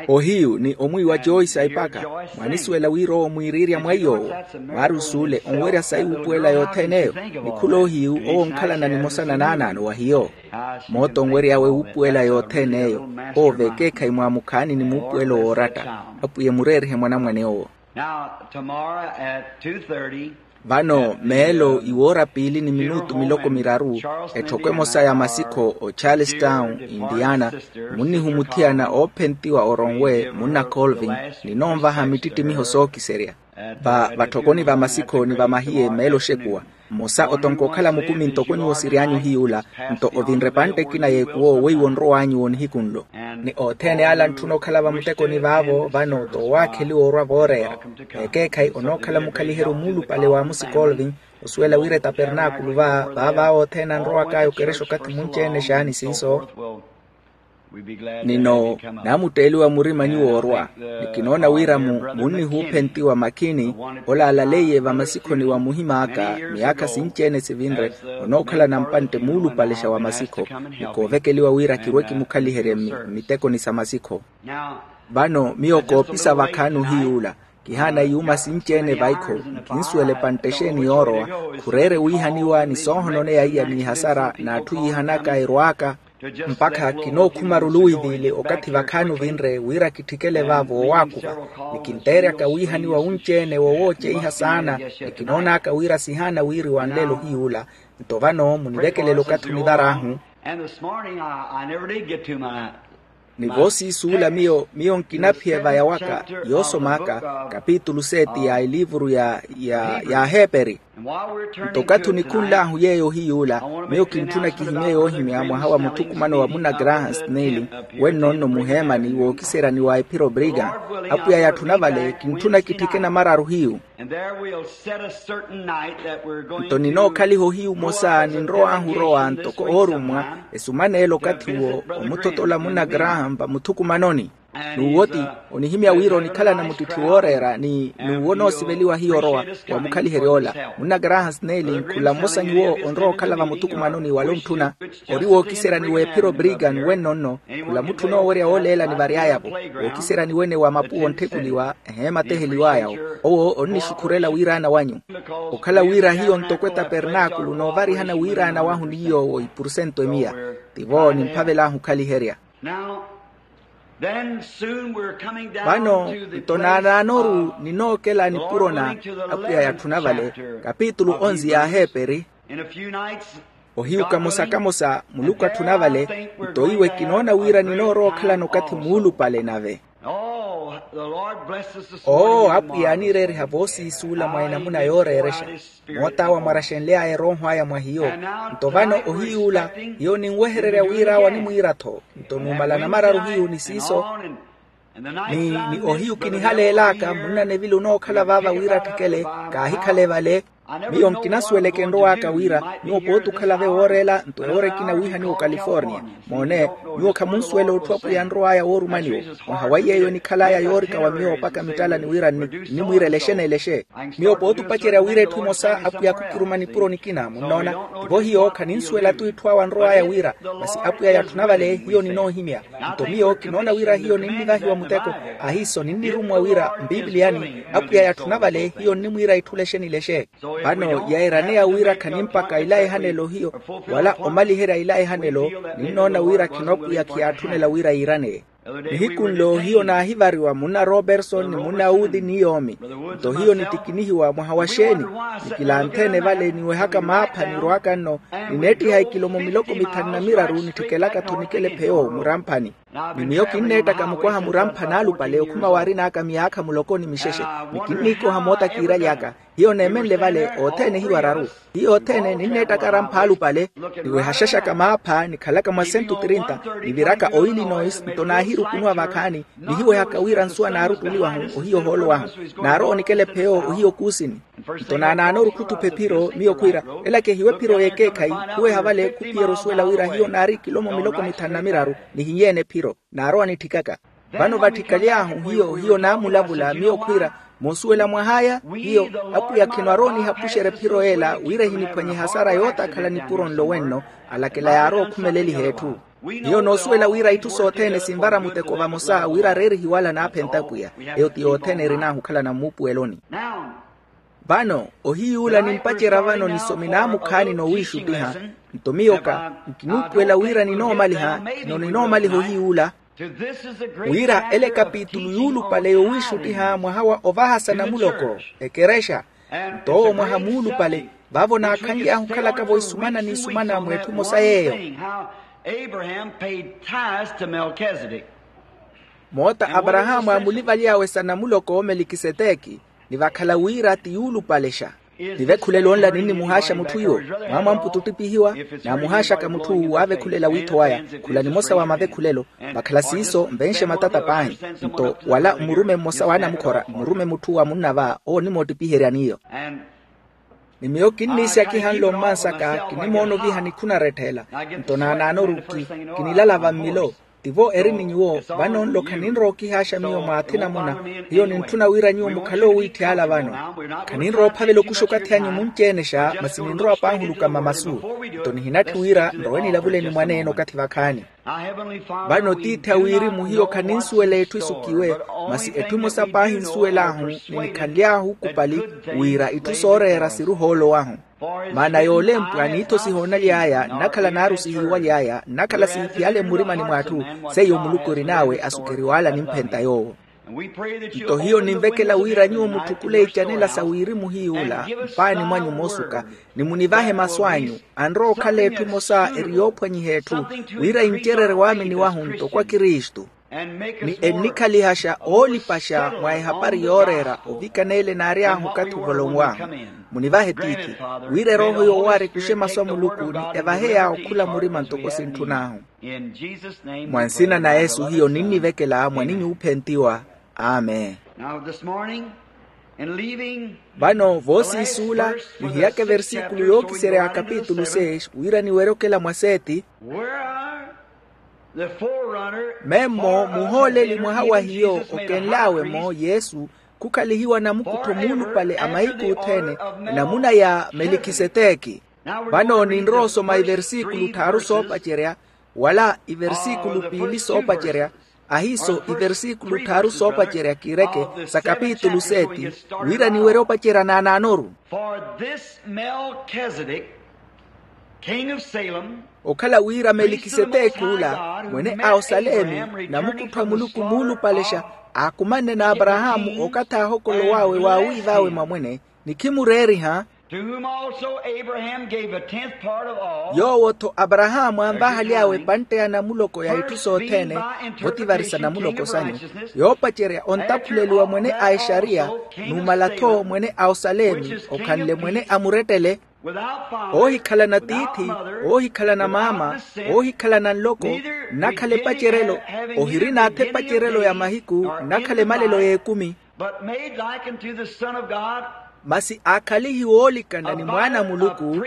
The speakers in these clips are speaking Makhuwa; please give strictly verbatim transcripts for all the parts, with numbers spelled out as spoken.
Ohiyu ni omwiiwa joyce aipaka, mwaanisuwela wira owo mwiiriirya mwa iy'owo. Maari osuule onwerya sayi wuupuwela yothene eyo. Ni khula ohiyu owo onkhalana nimosa na naanaano wa hiyo. Moota onwery'awe wuupuwela yothene eyo. Owo vekeekhayi mwaamukhaani ni muupuwelo wooratta. Apwiya emureerihe mwanamwane owo. Vano meelo iwoora piili ni minutu miloko miraru, etthoko emosa ya masikho o charlestown, indiana, munnihu muthiyana oophentiwa oronwe munna colvin, ninoonvaha mittittimiho sookiserya. Vatthokoni va masikho ni va mahiye meelo oxekuwa, mmosa otonka okhala mukumi ntoko nyuwo siry'anyu hiy'ula. Nto ovinre epantte ekina y'ekuwo weiwo onrow'anyu wo nihiku nlo. Ni othene ala antthuna okhala vamutekoni vaavo vano t'owaakheliwa orwa vooreera. Ekeekhayi onookhala mukhaliheryo muulupale wa musi colvin, osuwela wira etapernaakulu va vaavaawo othene anrowak'aya okerexa okathi munci-ene xaani siiso. Nino naamutteeliwa murima nyuwo orwa. Ni kinoona wira mu munnihuuphentiwa makhini, ola alaleiye vamasikhoni wa muhim'aka miyaakha sinci-ene sivinre, onookhalana mpantte muulupalexa wa masikho. Ni koovekeliwa wira kirwe kimukhaliherye mmitekoni sa masikho. Vano miyo koopisa vakhaani ohiy'ula, kihaana yuuma sinci-ene vaikho. Nkinsuwela epantte exeeni yoorowa, khureere wiihaniwa ni soohononeya iya n'ihasara n'atthu yiihanaka erwaaka. Mpakha kinookhuma ruluwiivili okathi vakhaani ovinre wira kitthikele vaavo owaakuva. Ni kinteeryaka wiihaniwa wunci-ene wowooceiha saana. Ni kinoon'aka wira sihaana wiiriwa nlelo hiy'ula. Nto vano munivekelele okathi onivar'ahu. Ni voosiisuula miyo miyo nkinaphiya evaya waka, yoosom'aka kapitulu seti ya eliivuru ya ya aheeperi. Nto okathi onikhunl'ahu yeeyo ohiy'ula, miyo kintthuna kihimye yoohimya mwaha wa muthukumano wa munna graham snelling, wenno-nno muheemani wookiserya ni wa ephiro brigham. Apwiya yatthuna vale kintthuna kitthike namararu hiyu. Nto ninookhaliha ohiyu omosa ninrow'ahu orowa ntoko oorummwa, esumana ela okathi uwo omuthotola munna graham vamuthukumanoni. N'uwo ti onihimya wira onikhalana muttitthi wooreera ni n'uwo onoosiveliwa hiyo orowa. Wamukhalihery'ola munna graham snelling khula mmosa nyuwo onrowa okhala vamuthukumanoni wala ontthuna. Ori wookiserya ni w'ephiro brigham wenno-nno. Khula mutthu onoowerya wooleela ni vary'aya-vo. Wookiserya ni wene wa mapuwa ontthekuliwa eheema teheliw'aya-wo. Owo onnixukhurela wiiraana wanyu. Okhala wira hiyo ntoko etapernaakulu noovarihana wiiraana wahu ni yoowo ipursento emiya. Tivo nimphavel'ahu okhaliherya. Vano nto naanaanoru ninookela nipuro na apwiya yatthuna vale, kapitulu onzi ya aheeperi. Ohiyu kamosa kamosa muluku atthuna vale. Nto iwe kinoona wira ninoorowa okhalana okathi muulupale nave. Oo apwiya aanireeriha voosiisuula mwa enamuna yooreerexa. Moot'awe amwaraxenly'aya erooho aya mwa hiyo. Nto vano ohiy'ula hiyo ninwehererya wira awe animwiira-tho. Nto numala namararu hiyu ni siiso. Ni ni ohiyu kinihaleel'aka munna neville onookhala vaava wira atthikele. Kaahikhale vale. Miyo nkinasuweleke enrow'aka wira nyuwo pooti okhala-ve wooreela nto ewoora ekina wiihaniwa ocalifornia. Moone, nyuwo khamunsuwela otthu apwiya anrow'aya woorumaniwa. Mwaha wa yeeyo enikhal'aya yoorika wa miyo mpakha mittalani wira nnimwiirela exene-ele exe. Miyo pooti opacerya wira etthu emosa apwiya khukiruma nipuro nikina munnoona. Tivo hiyo khaninsuwela-tu itthu awe anrow'aya wira. Masi apwiya yatthuna vale hiyo ninoohimya. Nto miyo kinoona wira hiyo ninnivahiwa muteko. Ahiiso ninnirummwa wira mpipiliyani apwiya yatthuna vale hiyo nnimwiira itthule exene-ele exe. Vano yeeraneya wira khanimpaka ila ehanelo hiyo wala omaliherya ila ehanelo. Ninnoona wira khino apwiya khiyatthunela wira yiiraneye. Nihiku nlo hiyo naahivariwa munna roberson ni munna uthi ni yoomi. Nto hiyo nitikinihiwa mwaha wa xeeni? Nikilanthe-ene vale niwehaka maapha nirw'aka nno. Nineettiha ikilomo miloko mithanu na miraru nitthekelaka-tho nikele pheyo muramphani. Ni miyo kinneettaka mukwaha muramphani alupale okhuma waarin'aka miyaakha muloko ni mixexe. Ni kinniikoha moota kiiraly'aka. Hiyo neemenle vale othene hiyo araru. Hiyo othene ninneettaka arampha alupale. Niwehaxaxaka maapha nikhalaka mwa sentu trinta. Niviraka oillinois nto naahirukunuwa vakhaani. Nihiwehaka wira nsuwa naaruttuliwahu ohiyo ohoolo wahu. Naarowa onikela epheyo ohiyo kuusini. Nto naanaanoru khuttupha ephiro miyo khwiira, ela kehiwe ephiro y'ekeekhayi. Khuweha vale khuphiyerya osuwela wira hiyo naari ikilomo miloko mithanu na miraru. Nihinyeene ephiro naarowa nitthikaka. Vano vatthikaly'ahu hiyo hiyo naamulavula miyo khwiira, Moosuwela mwah'aya hiyo, apwiya khino aroonihapuxerya ephiro ela wira ehiniphwanye ehasara yootakhala nipuro nlo wenno. Alakela yaarowa okhumeleliha etthu. Hiyo noosuwela wira itthu sothene sinvara muteko vamosa wira areerihiwala naaphenta apwiya. Eyo ti yothene erin'ahu okhalana mmuupuweloni. Vano ohiyuula nimpacerya vano nisomi naamukhaani noowiixuttiha. Nto miyo ka nkinuupuwela wira ninoomaliha. Khino ninoomaliha ohiyuula wira ele ekapitulu yuulupale yoowiixuttiha mwaha wa ovahasa namuloko, ekerexa. Nto owo mwaha muulupale vaavo naakhanly'ahu okhalaka-vo isumana n'isumana mweetthu emosa yeeyo. Moota aparahaamu aamulivaly'awe sa namuloko melikhiseteki, ni vakhala wira ti yuulupalexa. Ni vekhulelo nla ninnimuhaaxa mutthu iwo, mwaamwamputu ottipihiwa. Naamuhaaxaka mutthu waavekhulela wiitho waya. Khula nimosa wa mavekhulelo. Vakhala siiso nvenxe matata paahi. Nto wala mmurume mmosa w'anamukhora mmurume mutthu wa munna va owo onimoottipiheryani iyo. Ni miyo kinniisyakiha nlo mmansaka kinimoona oviha nikhunaretthela. Nto naanaanoru ki kinilala vammilo. Tivo eri ni nyuwo. Vano nlo khaninrowa okihaaxa miyo mwa athina muna. Hiyo nintthuna wira nyuwo mukhale oowiitthyala vano. Khaninrowa ophavela okuxa okathi anyu munci-enexa masi ninrowa paahuluka mamasu. Nto nihinatthi wira nrowe nilavuleni mwaneene okathi vakhaani. Vano tiithi a wirimu hiyo khaninsuwela etthu esukiwe, masi etthu emosa paahi nsuwel'ahu ni nikhanly'ahu okupali wira itthu sooreera siri ohoolo wahu. Maana yoolempwa n'ittho sihoonaly'aya nnakhala naaru sihiiwaly'aya nnakhala siiphiyale mmurimani mw'atthu. Seiyo muluku erin'awe asukeriwala nimphenta yoowo. Nto hiyo ninvekela wira nyuwo mutthukule icanela sa wirimu hiy'ula mpaani mwanyu moosuka, ni munivahe masu anyu. Anrowa okhala etthu emosa eri yoophwanyiha etthu wira incererye waamini wahu ntoko a kristu, ni ennikhalihaxa oolipaxa mwa ehapari yooreera ovikana ele naary'ahu okathi ovolonw'ahu. Munivahe tiithi wira erooho yoowaari ekuxe masu a muluku ni evahe yaawo okhula murima ntoko sintthun'ahu. Mwa nsina na yesu hiyo ninnivekela mwaninyu oophentiwa. Amen. Now this morning, in leaving vano voosiisuula, nihiyaka eversikulu yookiserya ya kapitulu six wira niwerye okela mwa seti. Where the forerunner memmo muhooleli mwaha wa hiyo okenl'awe-mo yesu, khukhalihiwa namukuttho muulupale a mahiku othene, enamuna ya melikiseteki. Vano ninrowa osoma iversikulu tthaaru soopacerya, wala iversikulu piili soopacerya, ahiiso iversikulu tthaaru soopacerya kiireke sa kapitulu seti, wira niwerye opacerya naanaanoru. For this Melchizedek, king of Salem, okhala wira melikiseteki ula mwene a osalemi namukuttho a muluku muulupalexa, aakumanne n'aparahaamu okathi aahokolow'awe waawiiv'awe mwamwene, ni khimureeriha. To whom also Abraham gave a tenth part of all. Yoowo-tho aparahaamu anvahaly'awe epantte ya namuloko ya itthu sothene, votivarisa namuloko sanyu, yoopacerya ontaphuleliwa mwene a exariya, numala-tho mwene a osalemi okhanle mwene a murettele, oohikhalana tiithi, oohikhalana maama, oohikhalana nloko, nnakhala epacerelo, ohirina-tho epacerelo ya mahiku, nnakhala emalelo y'ekumi. But made like unto the Son of God. Masi aakhalihiwe oolikana ni mwaana a muluku,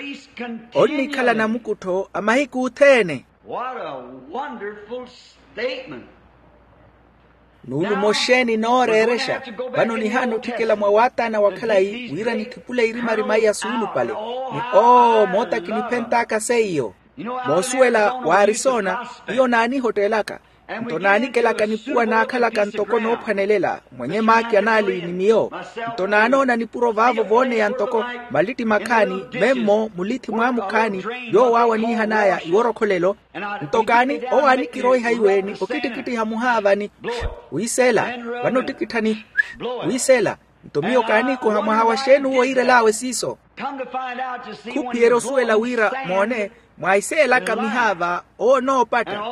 onnikhala namukuttho a mahiku othene. What a wonderful statement. Nuulumo xeeni nooreerexa. Vano nihaana otthikela mwa waataana wa khalayi wira nithipule irimarima iya suulupale, ni oo moota kiniphent'aka seiyo. Moosuwela wa arisona, hiyo naanihottelaka. Nto naanikelaka nipuwa naakhalaka ntoko noophwanelela mwenye maaki anaali ni miyo. Nto naanoona nipuro vaavo vooneya ntoko malitti makhaani memmo mulithi mwaamukhaani, yoowo awo aniihan'aya iworokholelo. Nto kaani owo anikiroiha iwe ni okittikittiha muhaavani, wiiseela vano ottikitthani, wiiseela. Nto miyo kaaniikoha mwaha wa xeeni owo iirel'awe siiso. Khuphiyerya osuwela wira moone, mwaiseelaka mihaava owo onoopatta.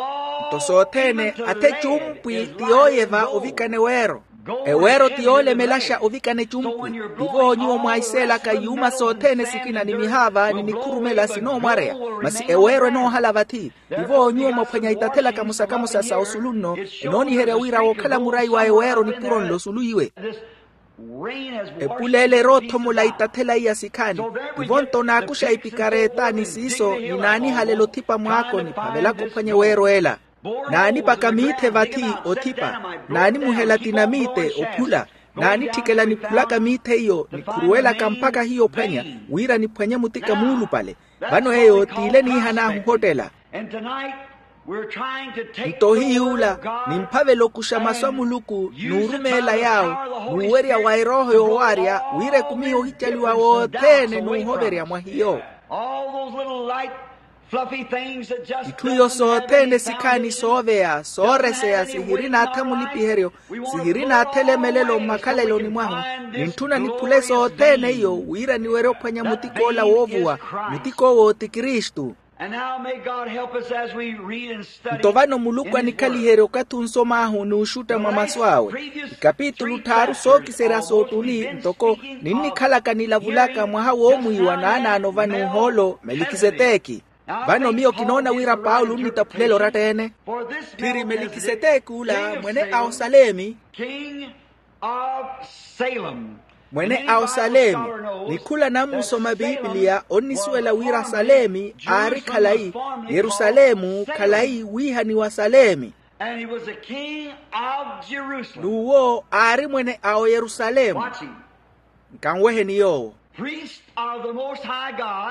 Nto sothene athe ecumpwi ti yooyeva ovikana eweero. Eweero ti yoolemelaxa ovikana ecumpwi. Tivo nyuwo mwaiseelaka yuuma sothene sikina ni mihaava ni nikhurumela sinoomwareya, masi eweero enoohala vathi. Tivo nyuwo mwaphwanya itathelaka musakamusa sa osulu nno, enooniherya wira wookhala murayi wa eweero nipuro nlo osulu iwe. Epuleelo eroothomola itathela iya sikhaani. Tivo nto naakuxa ipikareeta ni siiso ni naanihalela othipa mwaako niphavelaka ophwanya eweero ela. Naanipaka miithe vathi othipa, naanimuhela tinamiite ophula. Naanitthikela niphulaka miithe iyo nikhuruwelaka mpakha hiyo ophwanya, wira niphwanye mutika muulupale. Vano eyo t'ile niihan'ahu ohottela. Nto hiy'ula nimphavela okuxa masu a muluku n'urumeela yaawo, n'uwerya wa erooho yoowaarya, wira ekumi yoohicaliwa wothene n'uhoverya mwa hiyo. Itthu iyo sothene sikhaani sooveya sooreseya sihirina atha mulipiheryo, sihirina atha elemelelo mmakhaleloni mwahu. Nintthuna niphule sothene iyo wira niwerye ophwanya mutik'ola woovuwa. Mutik'owo ti kristu. Nto vano muluku anikhaliherye okathi onsom'ahu n'uxutta mwa masu awe. Ikapitulu tthaaru sookiserya soottuni ntoko ninnikhalaka nilavulaka mwaha woomwiiwa naanaano va n'uhoolo melikiseteki. Vano miyo kinoona wira paulo onnitaphulela oratta-ene. Tthiri melikiseteki ula mwene a osalemi. Mwene a osalemi. Ni khula anammusoma pipiliya onnisuwela wira salemi aari khalayi, yerusalemu khalayi wiihaniwa salemi. N'uwo aari mwene a oyerusalemu. Nkanweheni yoowo.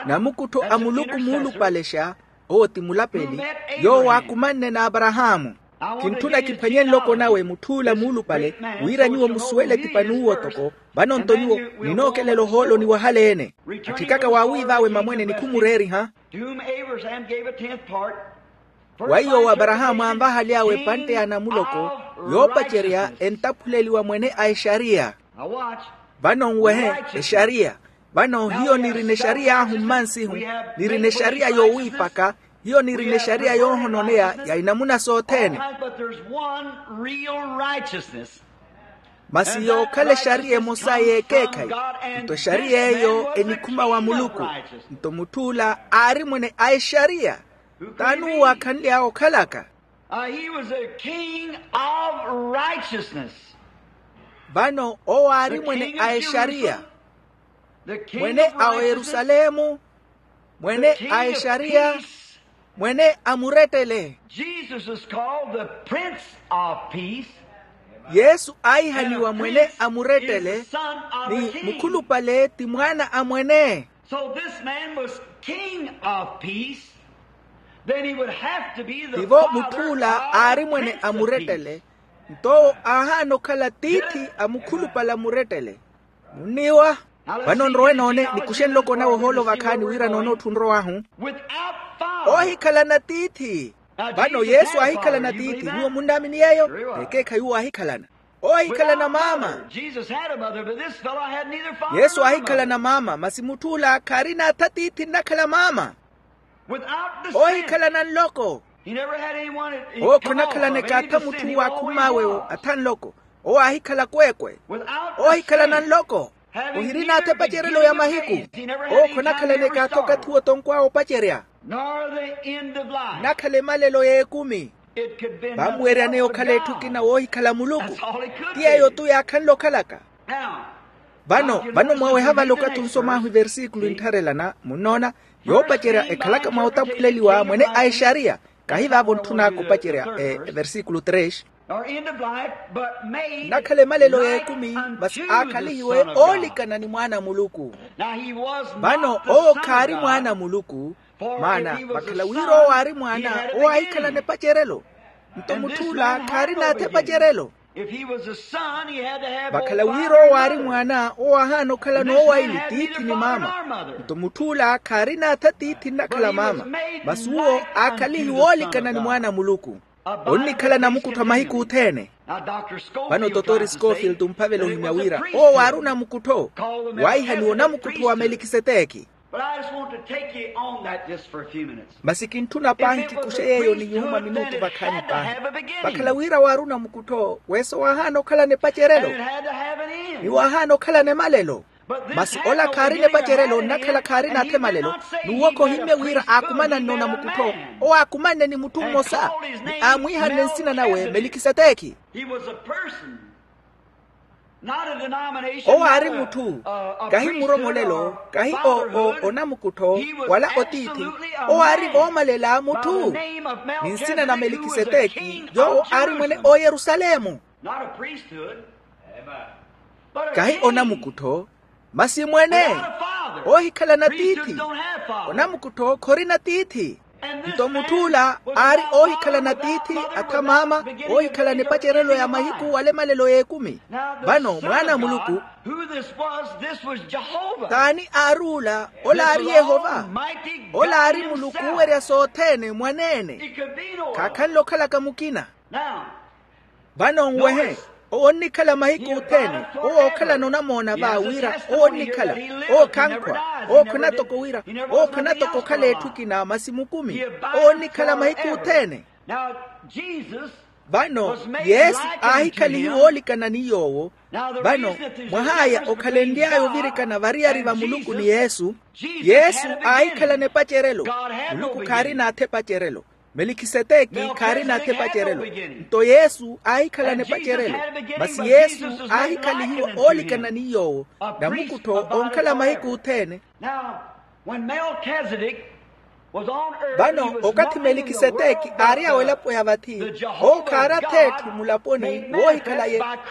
Namukuttho a muluku muulupalexa, owo ti mulapeli, yoowo aakumanne n'aparahaamu. Kintthuna kiphwanye nloko nawe mutth'ula muulupale, wira nyuwo musuwele etipa n'uwo toko. Vano nto nyuwo ninookelela ohooloni wahaleene. Atthikaka waawiiv'awe mamwene nikhumureeriha. Wa iyo aparahaamu anvahale awe epantte ya namuloko, yoopacerya entaphuleliwa mwene a exariya. Vano nwehe, exariya. Vano hiyo nirina exariy'ahu mmansihu, nirina exariya yoowiipaka, hiyo nirina exariya yoohononeya ya inamuna sothene. Masi yookhala exariya emosa y'ekeekhayi. Nto exariya eyo enikhuma wa muluku. Nto mutth'ula aari mwene a exariya. T'ani uwo aakhanly'awe okhalaka? Vano owo aari mwene a exariya, mwene a oyerusalemu, mwene a exariya, mwene a murettele. Yesu aahihaniwa mwene a murettele, ni mukhulupale ti mwaana a mwene. Tivo mutth'ula aari mwene a murettele. Nto owo aahaana okhala tiithi a mukhulupale a murettele. Munniiwa. Vano nrowe noone nikuxe nloko nawe ohoolo vakhaani wira noone otthu onrow'ahu. Oohikhalana tiithi. Vano yesu aahikhalana tiithi nyuwo munnaamini yeeyo? Ekeekhayi uwo aahikhalana. Owo ahikhalana maama. Yesu aahikhalana maama masi mutth'ula khaarina atha tiithi nnakhala maama. Oohikhalana nloko. Owo khonakhalaneka atha mutthu waakhum'awe atha nloko. Owo aahikhala kweekwe. Oohikhalana nloko. Ohirina atha epacerelo ya mahiku. Owo khonakhalaneka atha okathi wootonkw'awe opacerya. Nnakhala emalelo y'ekumi. Vamweeryaneya okhala etthu ekina woohikhala muluku. Ti yeeyo-tu yaakhanle okhalaka. Vano vano mwaweha vale okathi onsom'ahu eversikulu enttharelana munnoona. Yoopacerya ekhalaka mwa otaphuleliwa mwene a exariya. Kahi vaavo ntthun'aka opacerya eversikulu tres. Nnakhala emalelo y'ekumi masi aakhalihiwe oolikana ni mwaana a muluku. Vano owo khaari mwaana a muluku. Maana vakhala wira owo aari mwaana owo aahikhalana epacerelo. Nto mutth'ula khaarina atha epacerelo. Vakhala wira owo aari mwaana owo aahaana okhala noowaili tiithi ni maama. Nto mutth'ula khaarina atha tiithi nnakhala maama. Masi uwo aakhalihiwe oolikana ni mwaana a muluku. Onnikhala namukuttho a mahiku othene. Vano totori scofield omphavela ohimya wira owo waari onamukuttho. Waahihaniwa onamukuttho wa melikiseteki. Masi kintthuna paahi tikuxe yeeyo ni nyuhuma minutu vakhaani paahi. Vakhala wira waari onamukuttho weso waahaana okhalana epacerelo. Ni waahaana okhalana emalelo. Masi ola khaarina epacerelo nnakhala khaarina atha emalelo. N'uwo khohimmye wira aakumananne onamukuttho. Owo aakumanne ni mutthu mmosa ni aamwiihanne nsina nawe melikiseteki. Owo aari mutthu. Kahi muromolelo kahi onamukuttho wala otiithi. Owo aari voomalela mutthu. Ni nsina na melikiseteki yoowo aari mwene oyerusalemu. Kahi onamukuttho, masi mwene oohikhalana tiithi. Onamukuttho khorina tiithi. Nto mutth'ula aari oohikhalana tiithi, atha maama oohikhalana epacerelo ya mahiku wala emalelo y'ekumi. Vano mwaana a muluku. T'ani aari ula? Ola aari yehova. Ola aari muluku oowerya sothene mwaneene. Khaakhanle okhalaka mukina. Vano nwehe, owo onnikhala mahiku othene. Owo ookhalana onamoona va wira owo onnikhala. Owo khankhwa. Owo khona toko wira, owo khona toko okhala etthu ekina masi mukumi. Owo onnikhala mahiku othene. Vano yesu aahikhalihiwa oolikana ni yoowo. Vano mwah'aya okhalenly'aya ovirikana variyari va muluku ni yesu. Yesu aahikhalana epacerelo. Muluku khaarina atha epacerelo. Melikhiseteki khaarina atha epacerelo. Nto yesu aahikhalana epacerelo. Masi yesu aahikhalihiwa oolikana ni yoowo. Namukuttho onkhala mahiku othene. Vano okathi melikhiseteki aari awo elapo ya vathi, owo khaari atha etthu mulaponi woohikhala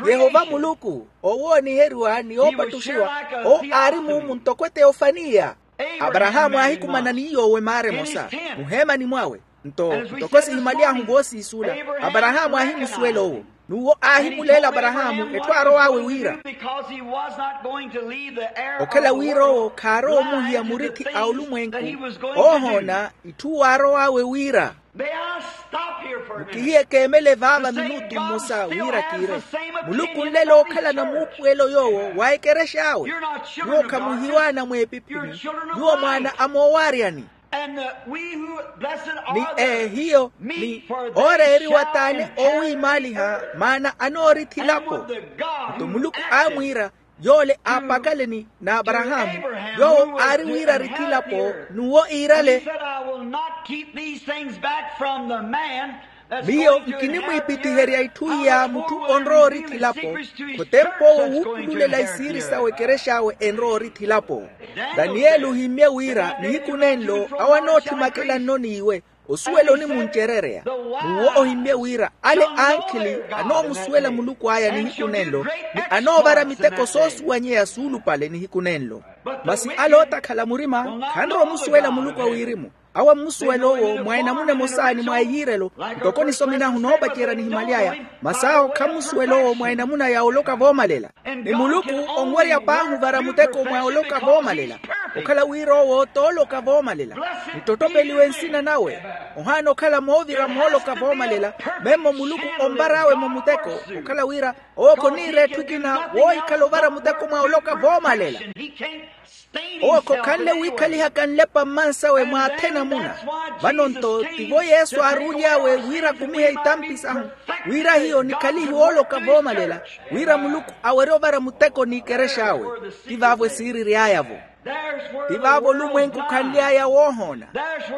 yehova muluku. Owo ooniheriwa ni oopattuxiwa. Owo aari muumu ntoko eteofaniya. Aparahaamu aahikumana ni yoowo emaara emosa muheemani mwawe. Nto ntoko sihimaly'ahu voosiisula, aparahaamu aahimusuwela owo. N'uwo aahimuleela aparahaamu etthu aarow'awe wira. Okhala wira owo khaarowa omuhiya murithi a olumwenku, oohoona itthu waarow'awe wira. Mukihiye keemele vaava minutu mmosa wira kiire. Muluku nlelo ookhalana muupuwelo yoowo wa ekerex'awe. Nyuwo khamuhiwaana mweepiphini. Nyuwo mwaana a moowaaryani. Ni ehiyo ni ooreeriwa t'ani oowiimaaliha maana anoorithi elapo. Nto muluku aamwiira, yoole aapakaleni n'aparahaamu, yoowo aari wira arithi elapo n'uwo iirale. Miyo nkinimwiipittiherya itthu iya mutthu onrowa orithi elapo. Khotemp'owo wuupululela isiiri sawe ekerex'awe enrowa orithi elapo. Taniyeli ohimmye wira nihiku nenlo awo anootthimakalanno n'iwe osuwela onimuncerereya. N'uwo ohimmye wira ale ankhili anoomusuwela muluku aya nihiku nenlo, ni anoovara miteko soosuwanyeya suulupale nihiku nenlo. Masi ale ootakhala murima khanrowa omusuwela muluku a wirimu. Awo ammusuwela owo mwa enamuna emosa ni mwa eyiirelo, ntoko nisomin'ahu noopacerya nihimaly'aya. Masi awo khammusuwela owo mwa enamuna ya oloka voomalela. Ni muluku onwerya paahi ovara muteko mwa oloka voomalela. Okhala wira owo t'oloka voomalela. Nttottopeliwe nsina nawe. Ohaana okhala moovira mooloka voomalela. Memmo muluku onvar'awe-mo muteko. Okhala wira owo khoniira etthu ekina woohikhala ovara muteko mwa oloka voomalela. Owo khokhanle wiikhalihaka nlepa mmansawe mwa athe namuna. Vano-nto tivo yesu aaruuly'awe wira akumihe itampi sahu, wira hiyo nikhalihiwe ooloka voomalela, wira muluku awerye ovara muteko n'ikerex'awe. Ti vaavo esiiriry'aya-vo. Ti vaavo olumwenku okhanly'aya woohoona.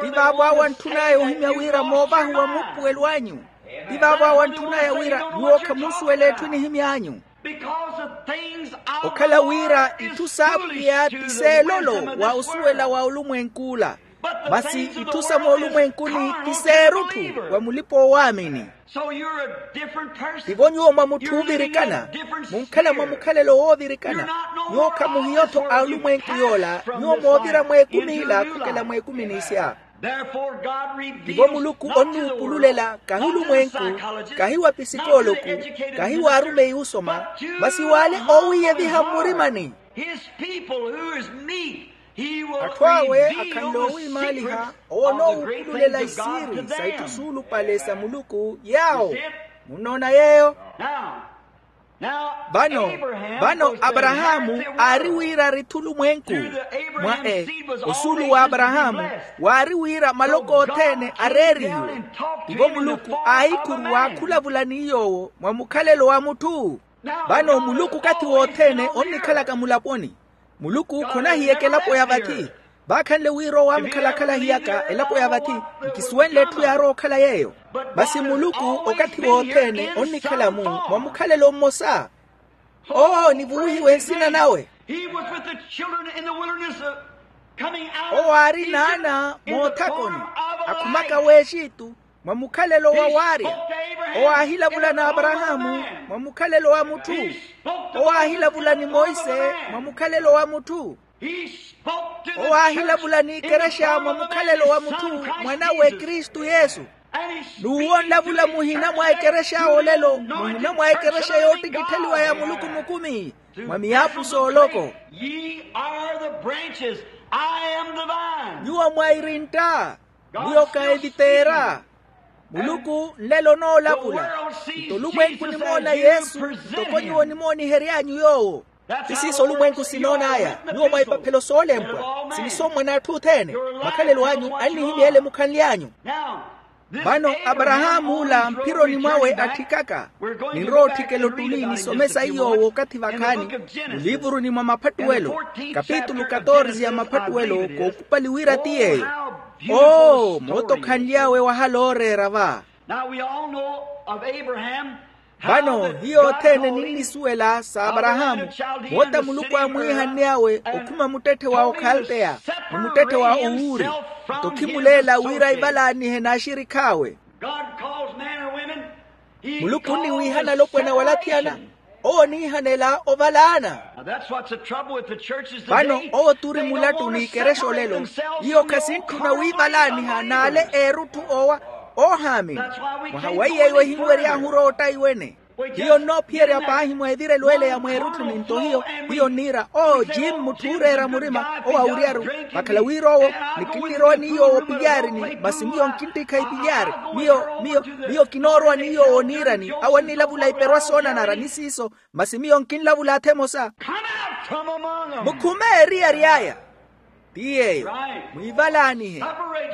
Ti vaavo awo antthun'aya ohimya wira moovahuwa muupuwelo anyu. Ti vaavo awo antthun'aya wira nyuwo khamuusuwela etthu enihimy'anyu. Okhala wira itthu s'apwiya ti seelolo wa osuwela wa olumwenk'ula. Masi itthu sa moolumwenkuni ti seerutthu wa mulipa-oowaamini. Tivo nyuwo mwa mutthu oovirikana. Munkhala mwa mukhalelo woovirikana. Nyuwo khamuhiyo-tho a olumwenku yoola. Nyuwo moovira mweekum'ila khukela mweekumini isya. Tivo muluku onnuupululela kahi olumwenku, kahi wa pisikooloku, kahi wa arumeyi osoma, masi w'ale oowiiyeviha mmurimani. Atthu awe akhanle oowiimaaliha owo onoowuupululela isiiri sa itthu suulupale sa muluku yaawo. Munnoona yeeyo? Vano vano aparahaamu aari wira arithi olumwenku. Mwa e osuulu wa aparahaamu waari wira maloko othene areerihiwe. Tivo muluku aahikhuruwa akhulavula ni yoowo mwa mukhalelo wa mutthu. Vano muluku okathi wothene onnikhalaka mulaponi. Muluku khonahiyaka elapo ya vathi. Vaakhanle wira owo aamukhalakhalahiyaka elapo ya vathi. Nkisuwenle etthu yaarowa okhala yeeyo. Masi muluku okathi wothene onnikhala-mu mwa mukhalelo mmosa. Owo nivuwihiwe nsina nawe. Owo aari n'ana moothakoni akhumaka w'exitu mwa mukhalelo wa waarya. Owo aahilavula n'aparahaamu mwa mukhalelo wa mutthu. Owo aahilavula ni monse mwa mukhalelo wa mutthu. Owo aahilavula n'ikerexa mwa mukhalelo wa mutthu, mwanawe kristu yesu. N'uwo onlavula muhina mwa ekerexa awo olelo, muhina mwa ekerexa yoottikittheliwa ya muluku mukumi, mwa miyaapuso oloko. Ye are the branches, I am the vine. Nyuwo mwairintta, miyo ka eviteera. Muluku nlelo onoolavula. Nto olumwenku nimoona yesu ntoko nyuwo nimoonihery'anyu yoowo. Ti siiso olumwenku sinoon'aya. Nyuwo mwa ipaphelo soolempwa, sinisommwa n'atthu othene. Makhalelo anyu annihimya ele mukhanly'anyu. Vano aparahaamu ola mphironi mwawe atthikaka. Ninrowa otthikela ottuli nisomesa iyo w'okathi vakhaani, mulivuruni mwa maphattuwelo, kapitulu katorse ya maphattuwelo kookupali wira ti yeeyo. Oo moota okhanly'awe wahala ooreera va. Now we all know of Abraham. Vano hiyo othene ninnisuwela s'aparahaamu, moota muluku aamwiihanny'awe okhuma muttetthe wa okhaldeya, ni muttetthe wa owuuri. Nto khimuleela wira aivalaanihe n'axirikh'awe. God calls men or women. Muluku onniwiihana alopwana wala athiyana. Owo oniihanela ovalaana. Vano owo turi mulattu n'ikerexa olelo. Iyo khasintthuna wiivalaaniha n'ale eerutthu owa oohaamini. Mwaha weiya iwo ehinwery'ahu orootta iwene. Hiyo nnoophiyerya paahi mwa evirelo ele ya mweerutthuni nto hiyo hiyo nniira oo jim mutthu ooreera murima owo awuryaru. Vakhala wira owo ni kinnirowa ni yoowo opilyarini masi miyo nkinttikha ipilyaari. Miyo miyo miyo kinoorowa ni yoowo oniirani awo annilavula iperwa soonanara ni siiso. Masi miyo nkinlavula atha emosa. Mukhume eriyari aya. Ti yeeyo. Mwiivalaanihe,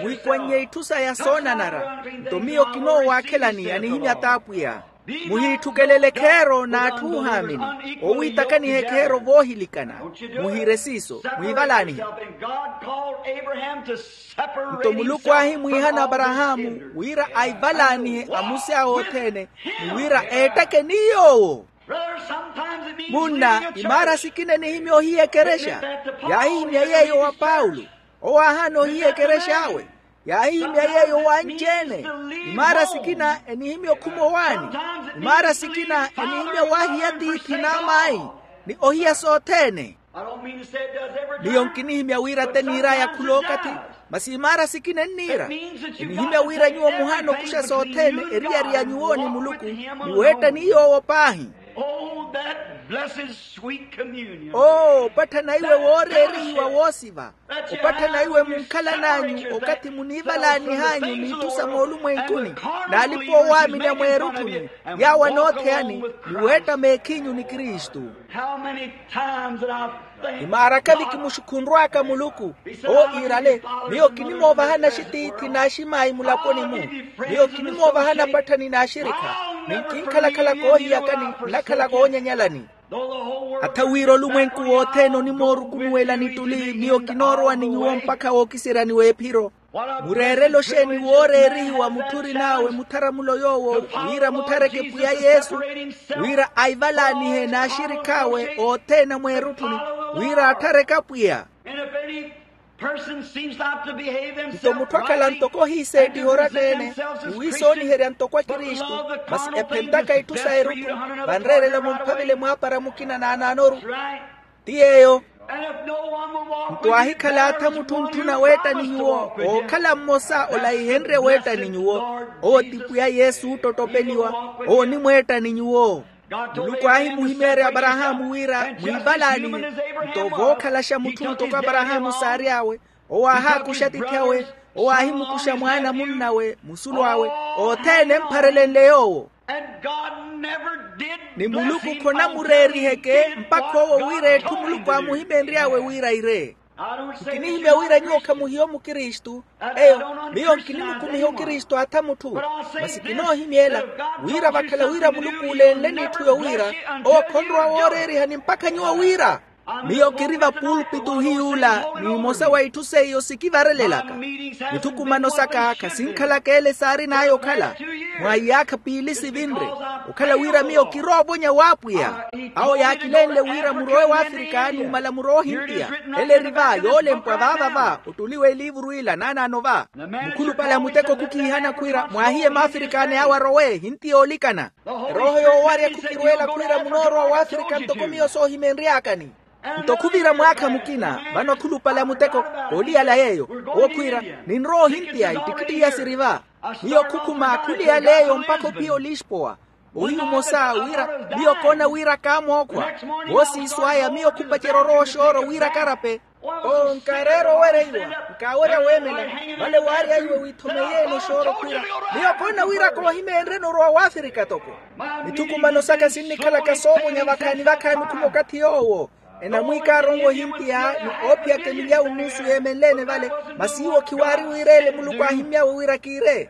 mwiikwannye itthu saya soonanara. Nto miyo kinoowaakhelani anihimya t'apwiya. Muhiitthukelele ekheero n'atthu oohaamini. Owiitakaniha ekheero voohilikana. Muhiire siiso mwiivalaanihe. Nto muluku aahimwiihana aparahaamu wira aivalaanihe amusi awe othene, ni wira eettake ni yoowo. Munna imaara sikina enihimya ohiya ekerexa. Yaahihimya yeeyo wa paulo. Owo aahaana ohiya ekerex'awe. Yaahihimya yeeyo w'anci-ene. Imaara sikina enihimya okhuma owaani. Imaara sikina enihimya waahiya tiithi n'amayi, ni ohiya sothene. Miyo nkinihimya wira te niir'aya khul'okathi. Masi imaara sikina enniira. Enihimya wira nyuwo muhaana okuxa sothene eriyari ya nyuwo ni muluku, ni weetta ni yoowo paahi. Oo opatthana iwe wooreerihiwa woosiva. Opatthana iwe munkhalan'anyu okathi muniivalaanih'anyu n'itthu sa moolumwenkuni, n'alipa oowaamini a mweerutthuni, yaawo anootheyani, ni weetta meekhinyu ni kristu. Imaaraka-vi kimuxukhunrw'aka muluku. Owo iirale, miyo kinimoovahana axitiithi n'aximayi mulaponi-mu. Miyo kinimoovahana apatthani n'axirikha. Ni nkinkhala-khala koohiyakani, nnakhala koonyanyalani. Atha wira olumwenku wothene onimoorukunuwelani tuli miyo kinoorowa ni nyuwo mpakha wookiseryani w'ephiro. Mureerele oxeeni wooreerihiwa mutthu orin'awe mutharamulo yoowo, wira mutthareke pwiya yesu, wira aivalaanihe n'axirikh'awe othene a mweerutthuni, wira atthareke apwiya. Nto mutthu akhala ntoko ohiiseettiha oratta-ene, ni wiisooniherya ntoko akristu, masi ephentaka itthu sa erutthu, vanreerela mumphavele mwaapara mukina naanaanoru. Ti yeeyo. Nto aahikhala atha mutthu ntthuna weetta ni nyuwo, ookhala mmosa olaihenrye weetta ni nyuwo. Owo ti pwiya yesu oottottopeliwa. Owo onimweetta ni nyuwo. Muluku aahimuhimeerya aparahaamu wira mwiivalaanihe. Nto vookhalaxa mutthu ntoko aparahaamu saary'awe, owo aahaakuxa atiithi awe. Owo aahimukuxa mwaana munn'awe musulu awe, othene empharelenle yoowo. Ni muluku khonamureeriheke mpakha owo wira etthu muluku aamuhimenry'awe wira ire. Nkinihimya wira nyuwo khamuhiya omukristu. Eyo, miyo nkinimukumiha okristu atha mutthu. Masi kinoohimyela wira vakhala wira muluku olenle n'itthu yowira, owo khonrowa wooreerihani mpakha nyuwo wira. Miyo kiri vapulpitu ohiy'ula, n'imosa wa itthu seiyo sikivarelelaka. Mithukumano saka khasinkhalaka ele saarin'aya okhala. Mwa iyaakha piili sivinre, okhala wira miyo kiroovonya w'apwiya. Awo yaakilenle wira murowe w'afirika numala murowe ohintiya. Ele eri va yoolempwa vaava va ottuli w'eliivuru ila naanaano va. Mukhulupale a muteko khukiihana khwiira mwaahiye maafirikaani awe arowe hintiya oolikana. Erooho yoowarya khukirweela khwiira munoorowa w'afirika ntoko miyo soohimenry'akani. Nto khuvira mwaakha mukina vano akhulupale a muteko, kooliyala yeeyo. Owo khwiira, ninrowa ohintiya ittikitti iya siri va. Miyo khukhuma khuliyala eyo mpakha ophiya olispowa. Ohiyu omosa wira, miyo koona wira kaamookhwa. Voosiiso aya miyo khupacerya orowa oxooro wira karape. Oo nkaareera owereiwa, nkaawerya weemela. Vale waarya iwe withomeyeene oxooro khwiira, miyo koona wira koohimenryeni orowa w'afirika toko. Mithukumano saka sinnikhalaka soovonya vakhaani vakhaani okhuma okathi yoowo. Enamwiika aaronwe ohintiya ni oophiyaka emilyawu nnusu yeemenleene vale. Masi iwo khiwaari wiireele muluku aahimmy'awe wira kiire.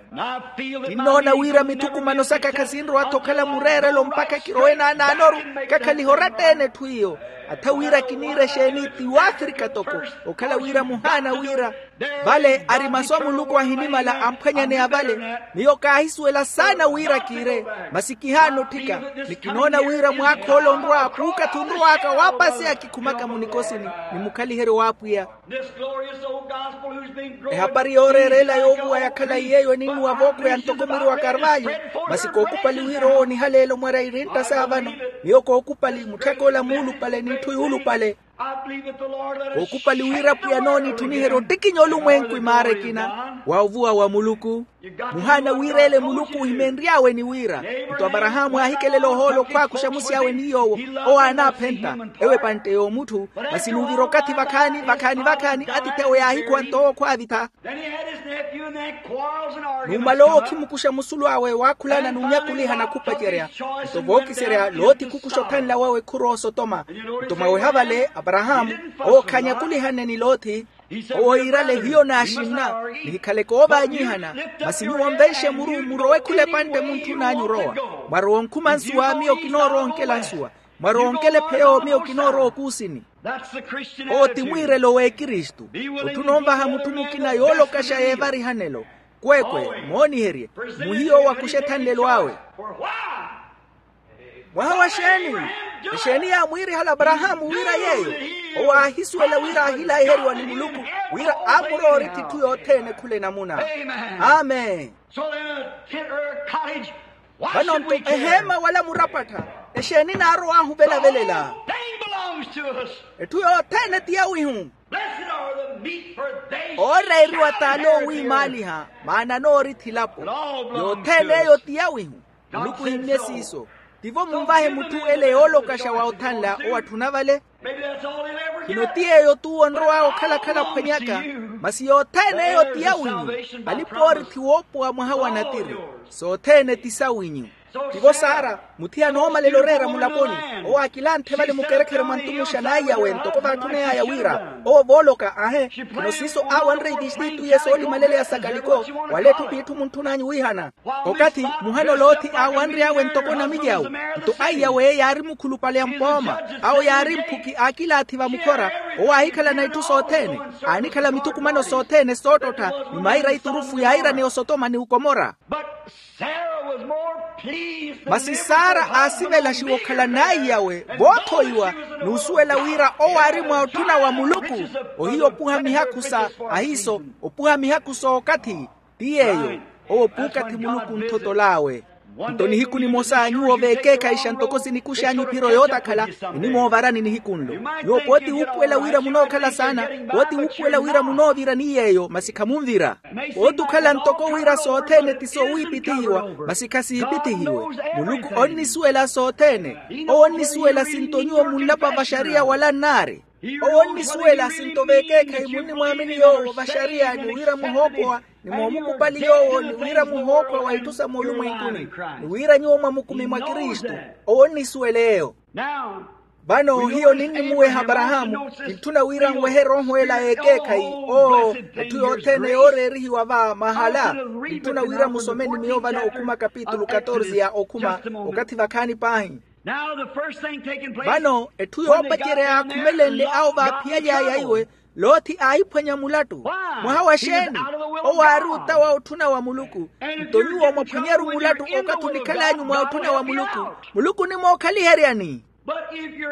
Kinnoona wira mithukumano saka khasinrowa-tho okhala mureerelo mpakha kirowe naanaanoru. Kakhaliha oratta-ene etthu iyo. Atha wira kiniire exeeni ti w'afirika toko. Okhala wira muhaana wira vale ari masu a muluku ahinimala amphwanyaneya vale. Miyo kaahisuwela saana wira kiire, masi kihaana otthika. Ni kinoona wira mwaakha ole onrwa puukathi onrow'aka waapaseya kikhumaka munikosini. Ni mukhaliheryo w'apwiya. Ehapari yooreerela yoovuwa yakhala yeeyo eninnuwa vookho ya ntoko mwiiri wa karvayu. Masi kookupali wira owo onihaleela omwarya irintta saa vano. Miyo kookupali mutthak'ola muulupale n'itthu yuulupale. Kookupali wira pwiya noonitthuniherya ottikinya olumwenku imaara ekina wa ovuwa wa muluku. Muhaana wiireele muluku ohimenry'awe ni wira, nto aparahaamu aahikelela ohoola okhwaakuxa musi awe ni yoowo. Owo aanaaphenta ewo epantte y'omutthu. Masi nuvira okathi vakhaani vakhaani vakhaani atiithi awe yaahikhuwa nto owo khwaavitha. Numala owo okhimukuxa musulu awe waakhulana n'unyakulihana khupacerya. Nto vookiserya loti khukuxa othanla wawe khurowa osotoma. Nto mwaweha vale aparahaamu owo khaanyakulihanne ni loti. Owo iirale hiyo naaxinna, nihikhaleke oovaanyihana. Masi nyuwo nvenxe muru murowe khula epantte muntthun'anyu orowa. Mwarowa onkhuma nsuwa miyo kinoorowa onkela nsuwa. Mwarowa onkela epheyo miyo kinoorowa okuusini. Owo ti mwiirelo w'ekristu. Otthuna onvaha mutthu mukina yoolokaxa yeevarihanelo. Kweekwe mooniherye, muhiyo owakuxa ethanlelo awe. Mwaha wa xeeni? Exeeni yaamwiirihala aparahaamu wira yeeyo? Owo aahisuwela wira aahilaiheriwa ni muluku, wira aamurowa orithi itthu yothene khula enamuna. Amen. Vano nto eheema wala murapattha, exeeni naarowahu velavelela? Etthu yothene ti yawihu. Ooreeriwa t'ale oowiimaaliha, maana anoorithi elapo. Yothene eyo ti yawihu. Muluku ohimmye siiso. Tivo munvahe mutthu ele yoolokaxa wa othanla owo atthuna vale. Khino ti yeeyo t'uwo onrow'awe okhala-khala ophwanyaka. Masi yothene eyo ti yawinyu. Alipa oorithi woopowa mwaha wa natiri. Sothene ti sawinyu. Tivo sara, muthiyana oomalela oreera mulaponi. Owo aakilanthe vale mukerekhere mwa ntumuxa n'aiyawe ntoko vaatthuney'aya wira owo vooloka ahe. Khino siiso aawanre itistitu iye soolimalelela sakaliko. Wala etthu p'itthu muntthun'anyu wiihana. Okathi muhano loti aawanry'awe ntoko namilyawu. Nto aiyawe yaari mukhulupale a mpooma. Awo yaari mphuki aakilaathi vamukhora. Owo aahikhalana itthu sothene. Aanikhala mithukumano sothene soottottha. Ni maira iturufu yairaneya osotoma ni ukomora. Masi sara aasivelaxiwa okhala n'aiyawe voothoiwa. N'usuwela wira owo aari mwa otthuna wa muluku. Ohiya opuha mihakhu sa ahiiso, opuha mihakhu s'okathi. Ti yeeyo. Owo puukathi muluku onthotol'awe. Nto nihiku nimosa nyuwo veekeekhayixa ntoko sinikux'anyu ephiro yootakhala, enimoovarani nihiku nlo. Nyuwo pooti wuupuwela wira munookhala saana. Pooti wuupuwela wira munoovira ni yeeyo masi khamunvira. Pooti okhala ntoko wira sothene ti soowiipitihiwa, masi khasiipitihiwe. Muluku onnisuwela sothene. Owo onnisuwela sinto nyuwo munlapa vaxariya wala nnaari. Owo onnisuwela sinto veekeekhayi munnimwaamini yoowo vaxariya ni wira muhoopowa, ni moomukupali yoowo ni wira muhookhwa wa itthu sa moolumwenkuni, ni wira nyuwo mwamukumi mwa kristu. Owo onnisuwela eyo. Vano hiyo ninnimuweha aparahaamu. Kintthuna wira nwehe erooho ela y'ekeekhayi. Oo, etthu yothene yooreerihiwa va mahala. Kintthuna wira musome ni miyo vano okhuma kapitulu katorze ya okhuma, okathi vakhaani paahi. Vano etthu yoopacerya yaakhumelenle awo vaaphiyaly'aya iwe. Lothi aahiphwanya mulattu. Mwaha wa xeeni? Owo aari otawa otthuna wa muluku. Nto nyuwo mwaphwanyaru mulattu okathi onikhal'anyu mwa otthuna wa muluku. Muluku onimookhaliheryani.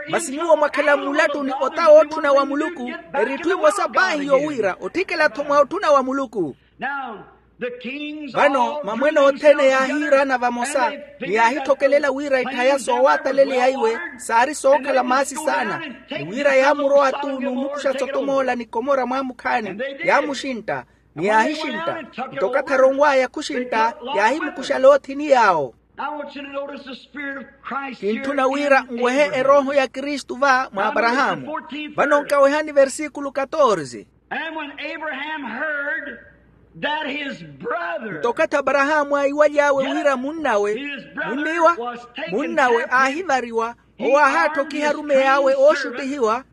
Masi nyuwo mwakhala mmulattu ni otawa otthuna wa muluku. Eri itthu emosa paahi yowira otthikela-tho mwa otthuna wa muluku. Vano mamwene othene yaahiiraana vamosa, ni yaahithokelela wira itthaya soowataleleya iwe saari sookhala maasi saana, ni wira yaamurowa-tu n'umukuxa sotom'ola ni komora mwaamukhaani. Yaamuxintta, ni yaahixintta. Nto okathi aronw'aya khuxintta, yaahimukuxa lothi ni yaawo. Kintthuna wira nwehe erooho ya kristu va mwa aparahaamu. Vano nkawehani versikulu katorze. Nto okathi aparahaamu aaiwaly'awe wira munnawe munniwa munnawe aahivariwa, owo aahaatthokiha arumeyi awe ooxuttihiwa.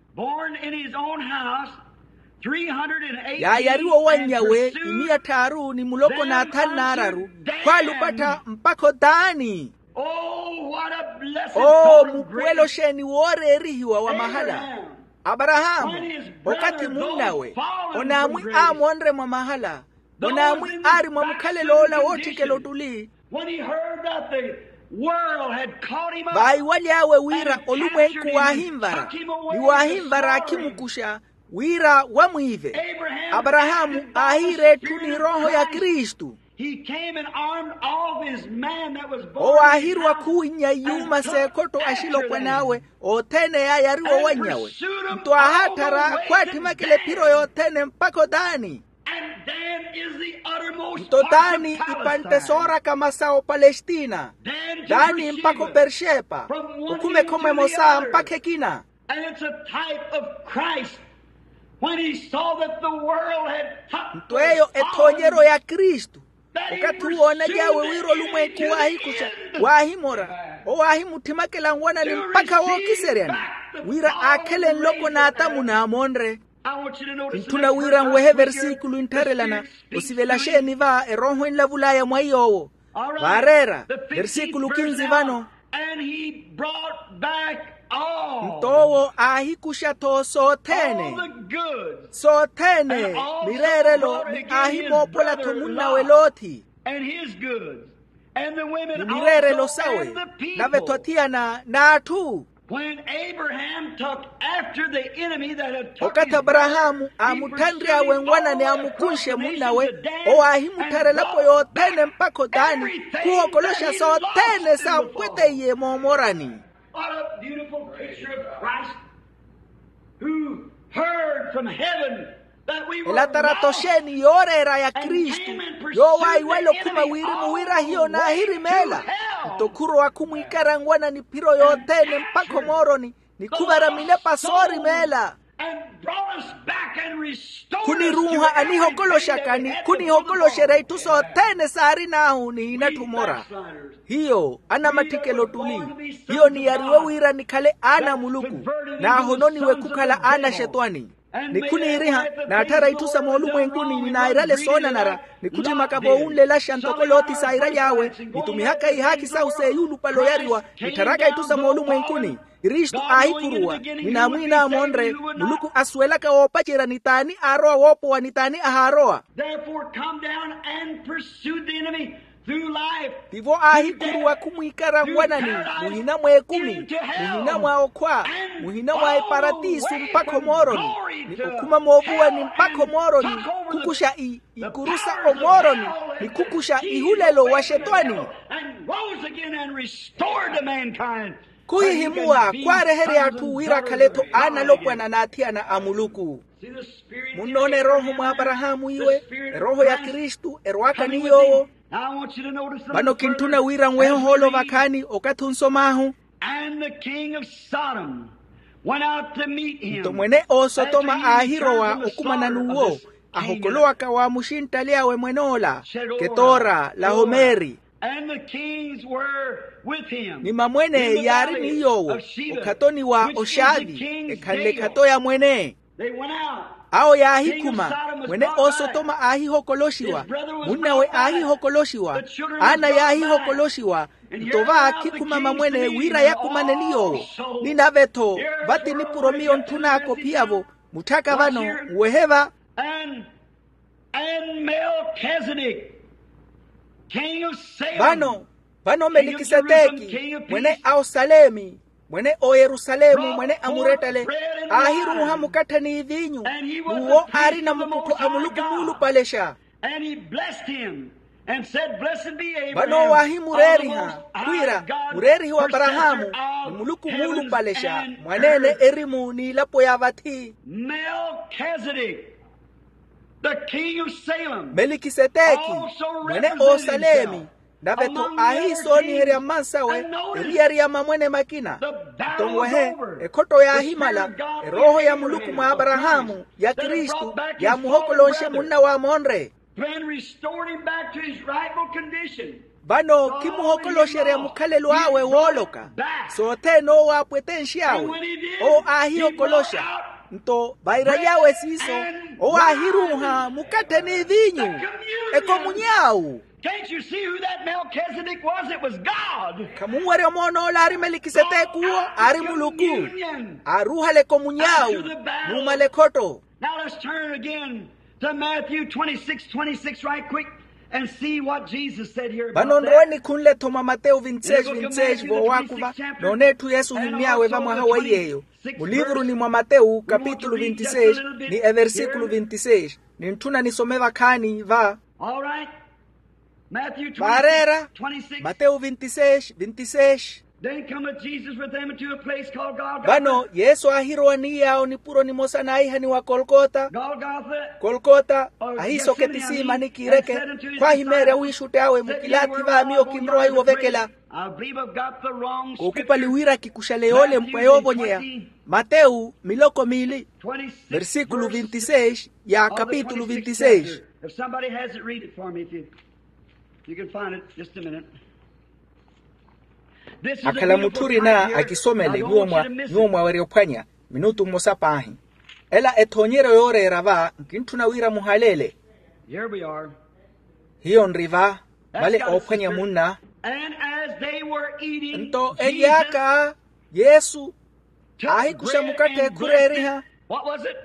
Yaayariwa owanny'awe imiya tthaaru ni muloko n'athanu n'araru, khwaalupattha mpakha otaani. Oo, mupuwelo xeeni wooreerihiwa wa mahala. Aparahaamu, okathi munnawe onaamwi aamonre mwa mahala, onaamwi aari mwa mukhalelo ola wootthikela ottuli. Vaaiwaly'awe wira olumwenku waahinvara, ni waahinvara akhimukuxa wira wamwiive. Aparahaamu aahiira etthu n'erooho ya kristu. Owo aahirwa khuwinnya iyuuma s'ekhotto axilopwan'awe othene yaayariwa owanny'awe. Nto aahaatthara khwaattimakela ephiro yothene mpakha otaani. Nto taani ipantte soorakama sa opalestina, taani mpakha operxepa, okhuma ekhoma emosa mpakha ekina. Nto eyo ethoonyeryo ya kristu. Okathi uwo oonaly'awe wira olumwenku waahikuxa, waahimora, owo aahimutthimaka enwanani mpakha wookiseryani, wira aakhele nloko n'atamu naamonre. Kintthuna wira nwehe versikulu enttharelana. Osivela xeeni va erooho enlavul'aya mwa iy'owo? Vaareera versikulu kinzi vano. Nto owo aahikuxa-tho sothene, sothene, mireerelo ni aahimoopola-tho munnawe lothi, ni mireerelo sawe, nave-tho athiyana n'atthu. Okathi aparahaamu aamutthanry'awe enwanani amukunxe munnawe, owo aahimuttharela elapo yothene mpakha otaani, khuhokoloxa sothene saampweteiye moomorani. Elatarato xeeni yooreera ya kristu, yoowo aahiwale okhuma wirimu wira hiyo naahirimeela. Nto khurowa khumwiikara nwanani ephiro yothene mpakha omooroni, ni khuvara minepa soorimeela. Khuniruuha anihokoloxaka ni khunihokoloxerya itthu sothene saarin'ahu ni inatthu omora. Hiyo anamatthikelo ottuli, hiyo niyariwe wira nikhale aana a muluku, naahononiwe khukhala aana a xetwani. Ni khuniiriha, naatthara itthu sa moolumwenkuni ni nairale soonanara, ni khutthimaka voowunlelaxa ntoko lothi sairaly'awe, nitumihaka ihaakhi sahu s'eyulupale oyariwa, nittharaka itthu sa moolumwenkuni. Kristu aahikhuruwa ni naamwiin'awe monre, muluku asuwelaka woopacerya ni t'ani aarowa woopowa ni t'ani ahaarowa. Tivo aahikhuruwa khumwiikara nwanani, muhina mw'ekumi, muhina mwa okhwa, muhina mwa eparatisu mpakha omooroni, ni okhuma moovuwani mpakha omooroni, khukuxa ikuru sa omooroni, ni khukuxa ihulelo wa xetwani. Khuhihimuwa khwaareherya atthu wira akhale-tho aanalopwana n'athiyana a muluku. Munnoona erooho mwa aparahaamu iwe, erooho ya kristu erwaaka ni yoowo. Vano kintthuna wira nwehe ohoolo vakhaani okathi onsom'ahu. Nto mwene oosotoma aahirowa okumana n'uwo, ahokolowaka wa muxinttali awe mwen'ola, ketora lahomeri. Ni mamwene yaari ni yoowo okhatoni wa oxaavi, ekhanle ekhato ya mwene. Awo yaahikhuma, mwene oosotoma aahihokoloxiwa, munnawe aahihokoloxiwa, aana yaahihokoloxiwa. Nto va khikhuma mamwene wira yakumane ni yoowo. Ni nave-tho, vati nipuro miyo ntthun'aka ophiyavo, Mutthaka vano, nwehe va. And melkizedek, king of salem. Vano, vano melikiseteki, mwene a osalemi, mwene oyerusalemu, mwene a murettele, aahiruuha mukatthe n'ivinyu. N'uwo aarina mukuttho a muluku muulupalexa. And he blessed him and said, blessed be abraham. Vano waahimureeriha khwiira, mureerihi w'aparahaamu, ni muluku muulupalexa, mwaneene erimu n'ilapo ya vathi. Melkizedek, the king of salem, melikiseteki, mwene osalemi, nave-tho aahiisooniherya mmansawe eriyari ya mamwene makina. Nto nwehe, ekhotto yaahimala. Erooho ya muluku mwa aparahaamu, ya kristu, yaamuhokolonxe munna wa monre. Then restored him back to his rightful condition. Vano kimuhokoloxerya mukhalelo awe wooloka. Sothene owo aapwetenx'awe, owo aahiyokoloxa. Nto vaira yawe siiso, owo aahiruuha mukatthe n'ivinyu. Ekomunyawu. Can't you see who that Melchizedek was? It was God. Khamunwerya omoona ola aari melikiseteki uwo, aari muluku. Aaruuhale ekomunyawu, nuumale ekhotto. Now let's turn again to Matthew twenty-six, twenty-six right quick and see what Jesus said here about that. Vano nrowe nikhunle-tho mwa matewu vinti-seis vinti-seis, voowaakuva noone etthu yesu ohimmy'awe vamwaha wa iy'eyo. Muliivuruni mwa matewu kapitulu vinti-seis, ni eversikulu vinti-seis. Nintthuna nisome vakhaani va. All right. Matthew vaareera, twenty-six, twenty-six. Matewu vinti-seis vinti-seis. Then cometh Jesus with them into a place called Golgotha. Vano yesu aahirowa ni yaawo nipuro nimosa naahihaniwa kolkota. Golgotha. Kolkota. Ahiiso ketisiimani kiireke. Khwaahimeerya wiixutti awe mukilaathi va miyo kinrowa iwo ovekela. I believe I've got the wrong scripture. Kookupali wira kikuxale yoolempwa yoovonyeya. Matewu miloko miili, versikulu vinti-seis ya kapitulu vinti-seis. If somebody has it, read it for me if you, you can find it. Just a minute. Akhala mutthu orina akisomele nyuwo mwawerya ophwanya minutu mmosa paahi. Ela ethoonyeryo yooreera va nkintthuna wira muhaleele. Here we are. Hiyo nri va, vale oophwanya munna. And as they were eating, nto elyaaka yesu aahikuxa mukatthe ekhureeriha. What was it?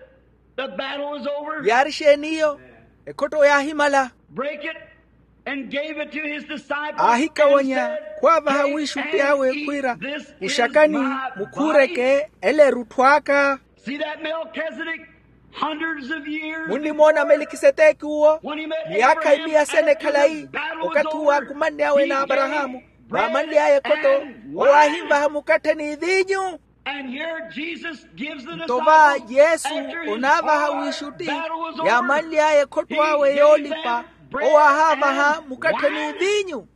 The battle was over. Yaari xeeni iyo? Ekhotto yaahimala. Break it and gave it to his disciples. Aahikawanya khwaavaha wiixutti awe khwiira, kuxakani, mukhuureke, ela erutthu aka. See that Melchizedek? Hundreds of years. Munnimoona melikiseteki uwo, miyaakha imiyasene khalayi, okathi uwo aakumanny'awe n'aparahaamu, vaamanly'aya ekhotto, owo aahinvaha mukatthe n'ivinyu. Nto va yesu onaavaha wiixutti, yaamanly'aya ekhotto awe yoolipa, owo aahaavaha mukatthe n'ivinyu.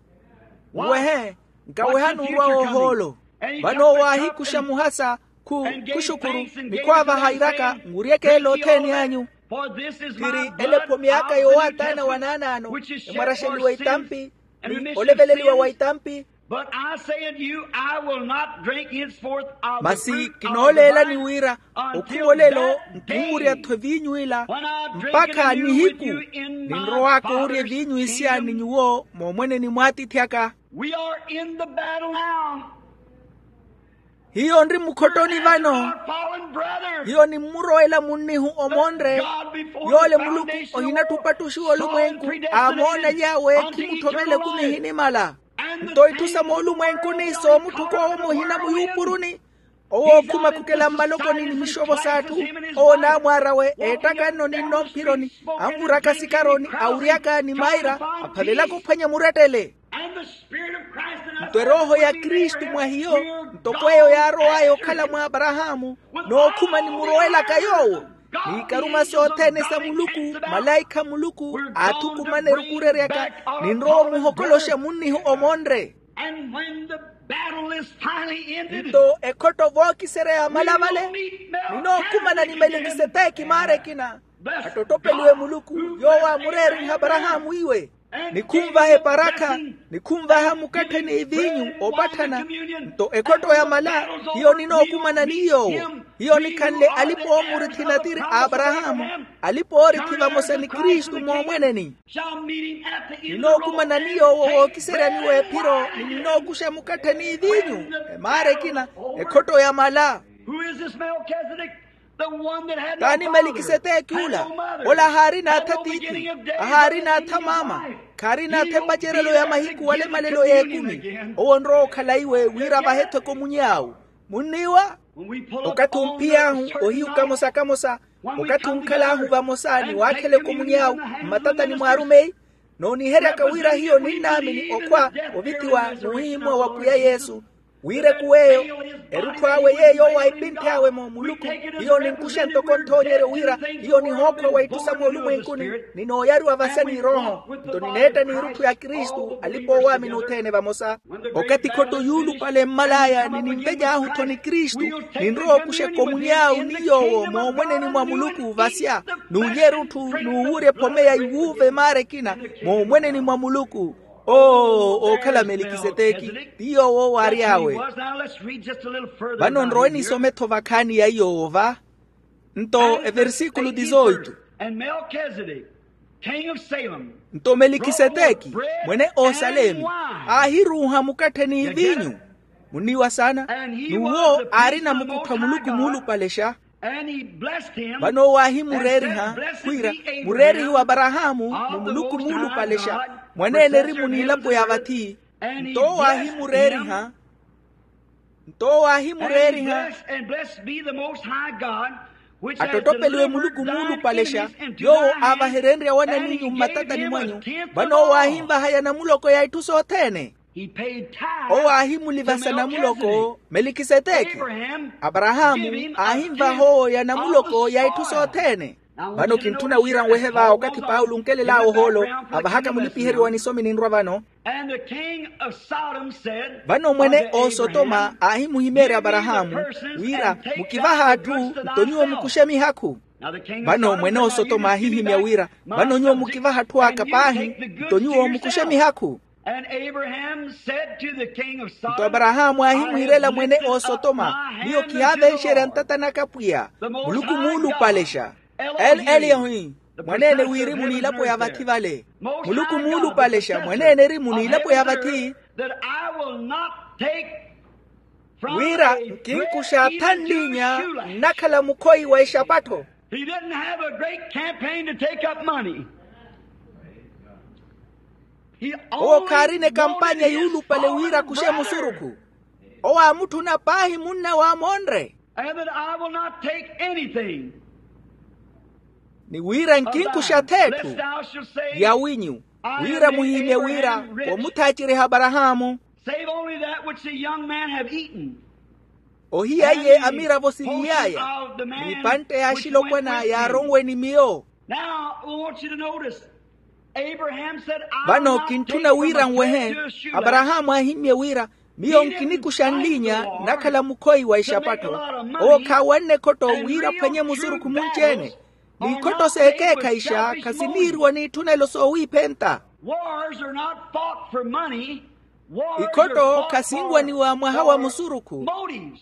Nwehe, nkaweha n'urwa w'ohoolo. Vano owo aahikuxa muhasa, khu khuxukuru, ni khwaavaha iraka, nwuryeke ela othene anyu. Khiri ela ephomi aka yowaataana wa naanaano, emwaraxeliwa itampi ni oleveleliwa wa itampi. But I say unto you, I will not drink henceforth of the fruit of the vine until thou shalt drink. Masi kinooleelani wira okhumolelo nkinwurya-tho evinyu ila mpakha nihiku ninrowaka oorya evinyu isiya ni nyuwo moomweneni mw'atiithi aka. We are in the battle now. Hiyo nri mukhottoni vano. Hiyo nimmurowela munnihu omonre, yoole muluku ohinatthi opattuxiwa olumwenku aamoona yaawe khimutthomela ekumi ehinimala. Nto itthu sa moolumwenkuni soomutthuka owo muhina muyuupuruni. Owo okhuma khukela mmalokoni ni mixovo s'atthu, owo n'amwaar'awe eettakanno ni nnomphironi, anvuraka sikaroni, awuryaka ni maira, aphavelaka ophwanya murettele. Nto erooho ya kristu mwa hiyo, ntoko eyo yaarow'aya okhala mwa aparahaamu, nookhuma nimurowelaka yoowo. N'ikaruma sothene sa muluku, malaikha a muluku aathukumana erukureryaka, ninrowa omuhokoloxa munnihu omonre. Nto ekhotto vookiserya yaamala vale, ninookhumana ni melikiseteki maara ekina. Attottopeliwe muluku, yoowo aamureeriha aparahaamu iwe. Nikhunvaha eparakha, nikhunvaha mukatthe n'ivinyu opatthana. Nto ekhotto yamala, hiyo ninookumana ni yoowo. Hiyo nikhanle alipa-oomurithi natiri a aparahaamu, alipa-oorithi vamosa ni kristu moomweneni. Ninookumana ni yoowo wookiseryani w'ephiro ni ninookuxa mukatthe n'ivinyu. Emaara ekina, ekhotto yamala. Who is this Melchizedek? T'ani melikiseteki ula? Ola haarina atha tiithi, ahaarina atha maama, khaarina atha epacerelo ya mahiku wala emalelo y'ekumi. Owo onrowa okhala iwe wira avahe-tho ekomunyi awe. Munniiwa? Okathi omphiy'ahu ohiyu kamosa kamosa, okathi onkhal'ahu vamosa ni waakhela ekomunyi awe mmatatani mw'arumeyi, nooniheryaka wira hiyo ninnaamini okhwa ovithiwa n'uhihimuwa wa pwiya yesu, wira ekuw'eyo erutthu awe yeeyo owaipinthe awe-mo muluku, hiyo ninkuxa ntoko nthoonyeryo wira hiyo nihookhwa wa itthu sa moolumwenkuni, ni nooyariwa vasya ni rooho. Nto nineetta n'irutthu ya kristu alipa-oowaamini othene vamosa. Okathi khotto yuulupale mmal'aya ni ninvec'ahu-tho ni kristu, ninrowa okuxa ekomunyi awe ni yoowo moomweneni mwa muluku vasya, n'ulya erutthu n'uwurya ephome ya iwuuva emaara ekina moomweneni mwa muluku. Oo ookhala melikiseteki, ti yoowo owo aary'awe. Vano nrowe nisome-tho vakhaani ya iyoowo va. Nto eversikulu dizoitu. Nto melikiseteki, mwene osalemi, aahiruuha mukatthe ni vinyu. Munniiwa saana? N'uwo aarina mukutthwa muluku muulupalexa. Vano owo aahimureeriha, khwiira, mureerihi w'aparahaamu ni muluku muulupalexa, mwaneene erimu n'ilapo ya vathi. Nto owo aahimureeriha. Nto owo aahimureeriha. Attottopeliwe muluku muulupalexa, yoowo aavaherenrye awanan'inyu mmatatani mwanyu. Vano owo aahinvahaya namuloko ya itthu sothene. Owo aahimulivasa namuloko melikiseteki. Aparahaamu aahinvaha owo ya namuloko ya itthu sothene. Vano kintthuna wira nwehe va okathi paulo onkelel'awe ohoolo, avahaka mulipiheriwa nisomi ninrwa vano. Vano mwene osotoma aahimuhimeerya aparahaamu wira, mukivahe atthu nto nyuwo mukuxe mihakhu. Vano mwene osotoma aahihimya wira, vano nyuwo mukivahe atthu aka paahi, nto nyuwo mukuxe mihakhu. Nto aparahaamu aahimuhirela mwene osotoma, miyo kihaavenxerya ntata naka pwiya, muluku muulupalexa. Eli elihi, mwaneene wirimu n'ilapo ya vathi vale. Muluku muulupalexa mwaneene erimu n'ilapo ya vathi, wira nkinkuxa atha nlinya nnakhala mukhoyi wa exapattho. He didn't have a great campaign to take up money. Owo khaarina ekampanya yuulupale wira akuxe musurukhu. Owo aamutthuna paahi munnawe amoonre. And that I will not take anything. Ni wira nkinkuxa th'etthu ya winyu, wira muhimye wira, womuthaaceriha aparahaamu. Save only that which the young men have eaten. Ohiya iye amiravo siniy'aya, n'ipantte ya axilopwana yaaronwe ni miyo. Now I want you to notice. Vano kintthuna wira nwehe. Aparahaamu aahimmye wira, miyo nkinikuxa nlinya nnakhala mukhoyi wa ixapattho. Owo khaawanne ekhotto wira aphwanye musurukhu munci-ene. N'ikhotto s'ekeekhayixa khasiniiriwa n'itthunelo soowiiphenta. Ikhotto khasinwaniwa mwaha wa musurukhu.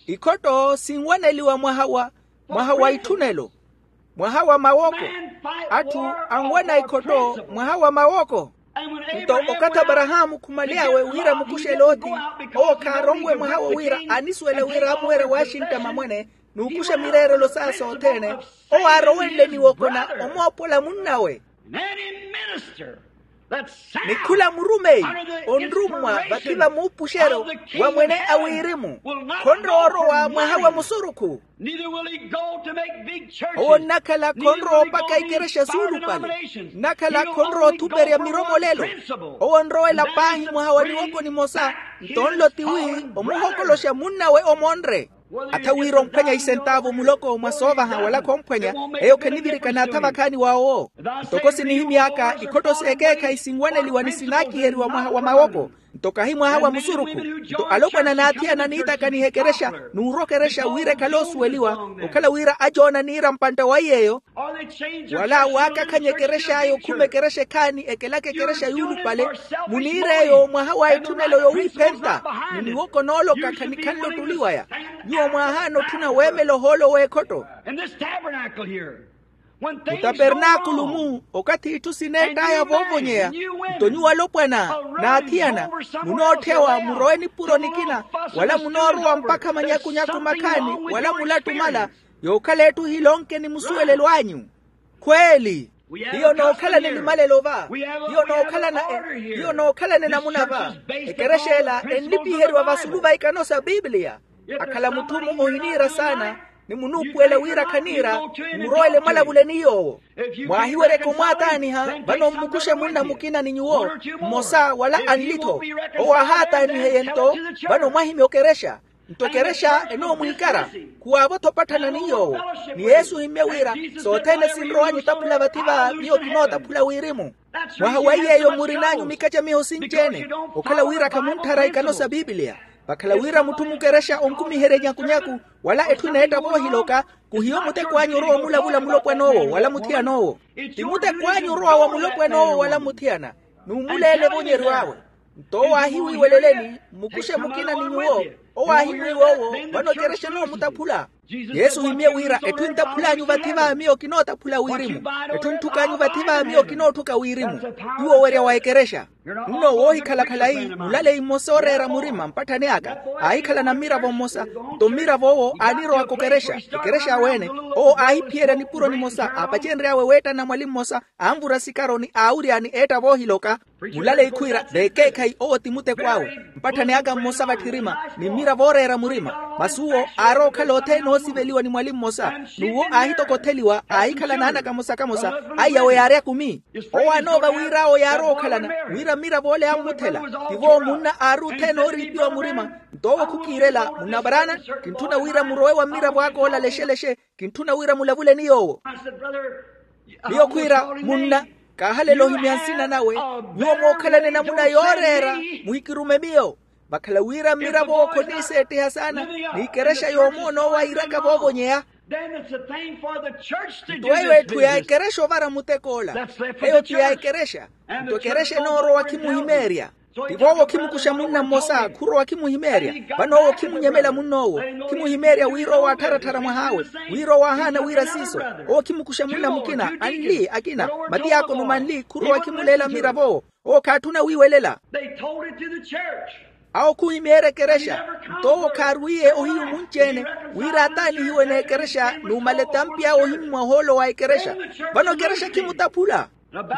Ikhotto sinwaneliwa mwaha wa mwaha wa itthunelo, mwaha wa mawoko. Atthu anwana ikhotto mwaha wa mawoko. Nto okathi aparahaamu khumaly'awe wira amukuxe loti, owo khaaronwe mwaha wo wira anisuwela wira amuwerya waxintta mamwene n'ukuxa mireerelo saya sothene. Owo aarowenle niwokona omoopola munnawe. Ni khula murumeyi onrummwa vathi va muupuxeryo wa mwene a wirimu khonrowa orowa mwaha wa musurukhu. Owo nnakhala khonrowa opaka ikerexa suulupale. Nnakhala khonrowa othuperya miromolelo. Owo onrowela paahi mwaha wa niwoko nimosa. Nto nlo tiwi omuhokoloxa munnawe omonre. Atha wira omphwanya isentaavu muloko mwa soovaha wala khomphwanya. Eyo khenivirikana atha vakhaani wa owo. Ntoko sinihimy'aka ikhotto s'ekeekhayi sinwaneliwa ni sinaakiheriwa mwaha wa mawoko. Nto kahi mwaha wa musurukhu. Nto alopwana n'athiyana niitakaniha ekerexa n'urokerexa wira ekhale osuweliwa. Okhala wira ajoona niira mpantta wa iy'eyo wala waakakhanya ekerex'aya okhuma ekerexa ekhaani ekelaka ekerexa yuulupale. Muniir'eyo mwaha wa itthunelo yowiiphenta ni niwoko nooloka khanikhanle ottuli waya. Nyuwo mwaahaana otthuna weemela ohoolo w'ekhotto. Mutapernaakulu-mu okathi itthu sineett'aya voovonyeya. Nto nyuwo alopwana n'athiyana munootthewa murowe nipuro nikina wala munoorowa mpakha manyakunyaku makhaani wala mulattumala. Yookhala etthu hilonke ni musuwelelo anyu. Khweeli. Hiyo nookhalane nimalelo va. Hiyo nookhalana hiyo nookhalane namuna va. Ekerexa ela enlipiheriwa vasulu va ikano sa pipiliya. Akhala mutthu-mo ohiniira saana, ni munuupuwela wira khaniira, mmurowele mwalavule ni yoowo. Mwaahiweryeke omwaataaniha vano mmukuxe munna mukina ni nyuwo, mmosa wala anli-tho. Owo aahaataaniheye nto, vano mwahimya okerexa. Nto ekerexa enoomwiikara, khuwaavo-tho opatthana ni yoowo. Ni yesu ohimmye wira, sothene sinrowanyu otaphula vathi va miyo kinootaphula wirimu. Mwaha wa iy'eyo murin'anyu mikacamiho sinci-ene, okhala wira khamuntthara ikano sa pipiliya. Vakhala wira mutthu mukerexa onkumiherye nyakunyaku, wala etthu eneetta voohiloka, khuhiyo muteko anyu orowa omulavula mulopwan'owo wala muthiyan'owo. Ti muteko anyu orowa wa mulopwan'owo wala muthiyana, n'umuleele evonyeryo awe. Nto owo aahiwiiweleleni, mmukuxe mukina ni nyuwo. Owo aahimwiiwa owo, vano ekerexa enoomutaphula. Yesu ohimmye wira, etthu enttaphul'anyu vathi va miyo kinootaphula wirimu. Etthu entthuk'anyu vathi va miyo kinootthuka wirimu. Ti wowerya wa ekerexa. Nno woohikhala khalayi mulaleyi mmosa ooreera murima mpatthani aka, aahikhalana mmiravo mmosa. Nto mmirav'owo aanirowaka okerexa, ekerexa aweene. Owo aahiphiyerya nipuro nimosa aapacenry'awe weettana mwali mmosa, anvura sikaro ni aawuryani eetta voohiloka. Mulaleyi khwiira, vekeekhayi owo ti muteko awe. Mpatthani aka mmosa vatthirima, ni mmiravo ooreera murima. Masi uwo aarowa okhala othene oosiveliwa ni mwali mmosa. N'uwo aahitokotheliwa aahikhala naana kamosa kamosa. Aiyawe yaari akumi. Owo aanoova wira awo yaarowa okhalana, wira mmirav'ole aammuthela. Tivo munna aari othene ooriipiwa murima. Nto owo khukiirela munna varaana, kintthuna wira murowe wa mmiravo aka olalexelexe. Kintthuna wira mulavule ni yoowo. Miyo khwiira, munna, kaahalela ohimya nsina nawe. Nyuwo mookhalana enamuna yooreera, muhikirume miyo. Vakhala wira mmirav'owo khoniiseettiha saana, ni ekerexa yoomoona owo airaka voovonyeya. Nto eyo etthu ya ekerexa ovara mutek'ola. Eyo ti ya ekerexa. Nto ekerexa enoorowa khimuhimeerya. Tivo owo khimukuxa munna mmosa khurowa khimuhimeerya. Vano owo khimunyemela munn'owo. Khimuhimeerya wira owo aattharattharya mwah'awe, wira owo aahaana wira siiso. Owo khimukuxa munna mukina anli akina, matiyaakono manli khurowa khimuleela mmirav'owo. Owo khaatthuna wiiwelela. Awo khuhimeerya ekerexa. Nto owo khaarwiiye ohiyu munci-ene, wira ataanihiwe n'ekerexa numala etampi awe ohimmwa ohoolo wa ekerexa. Vano ekerexa khimutaphula.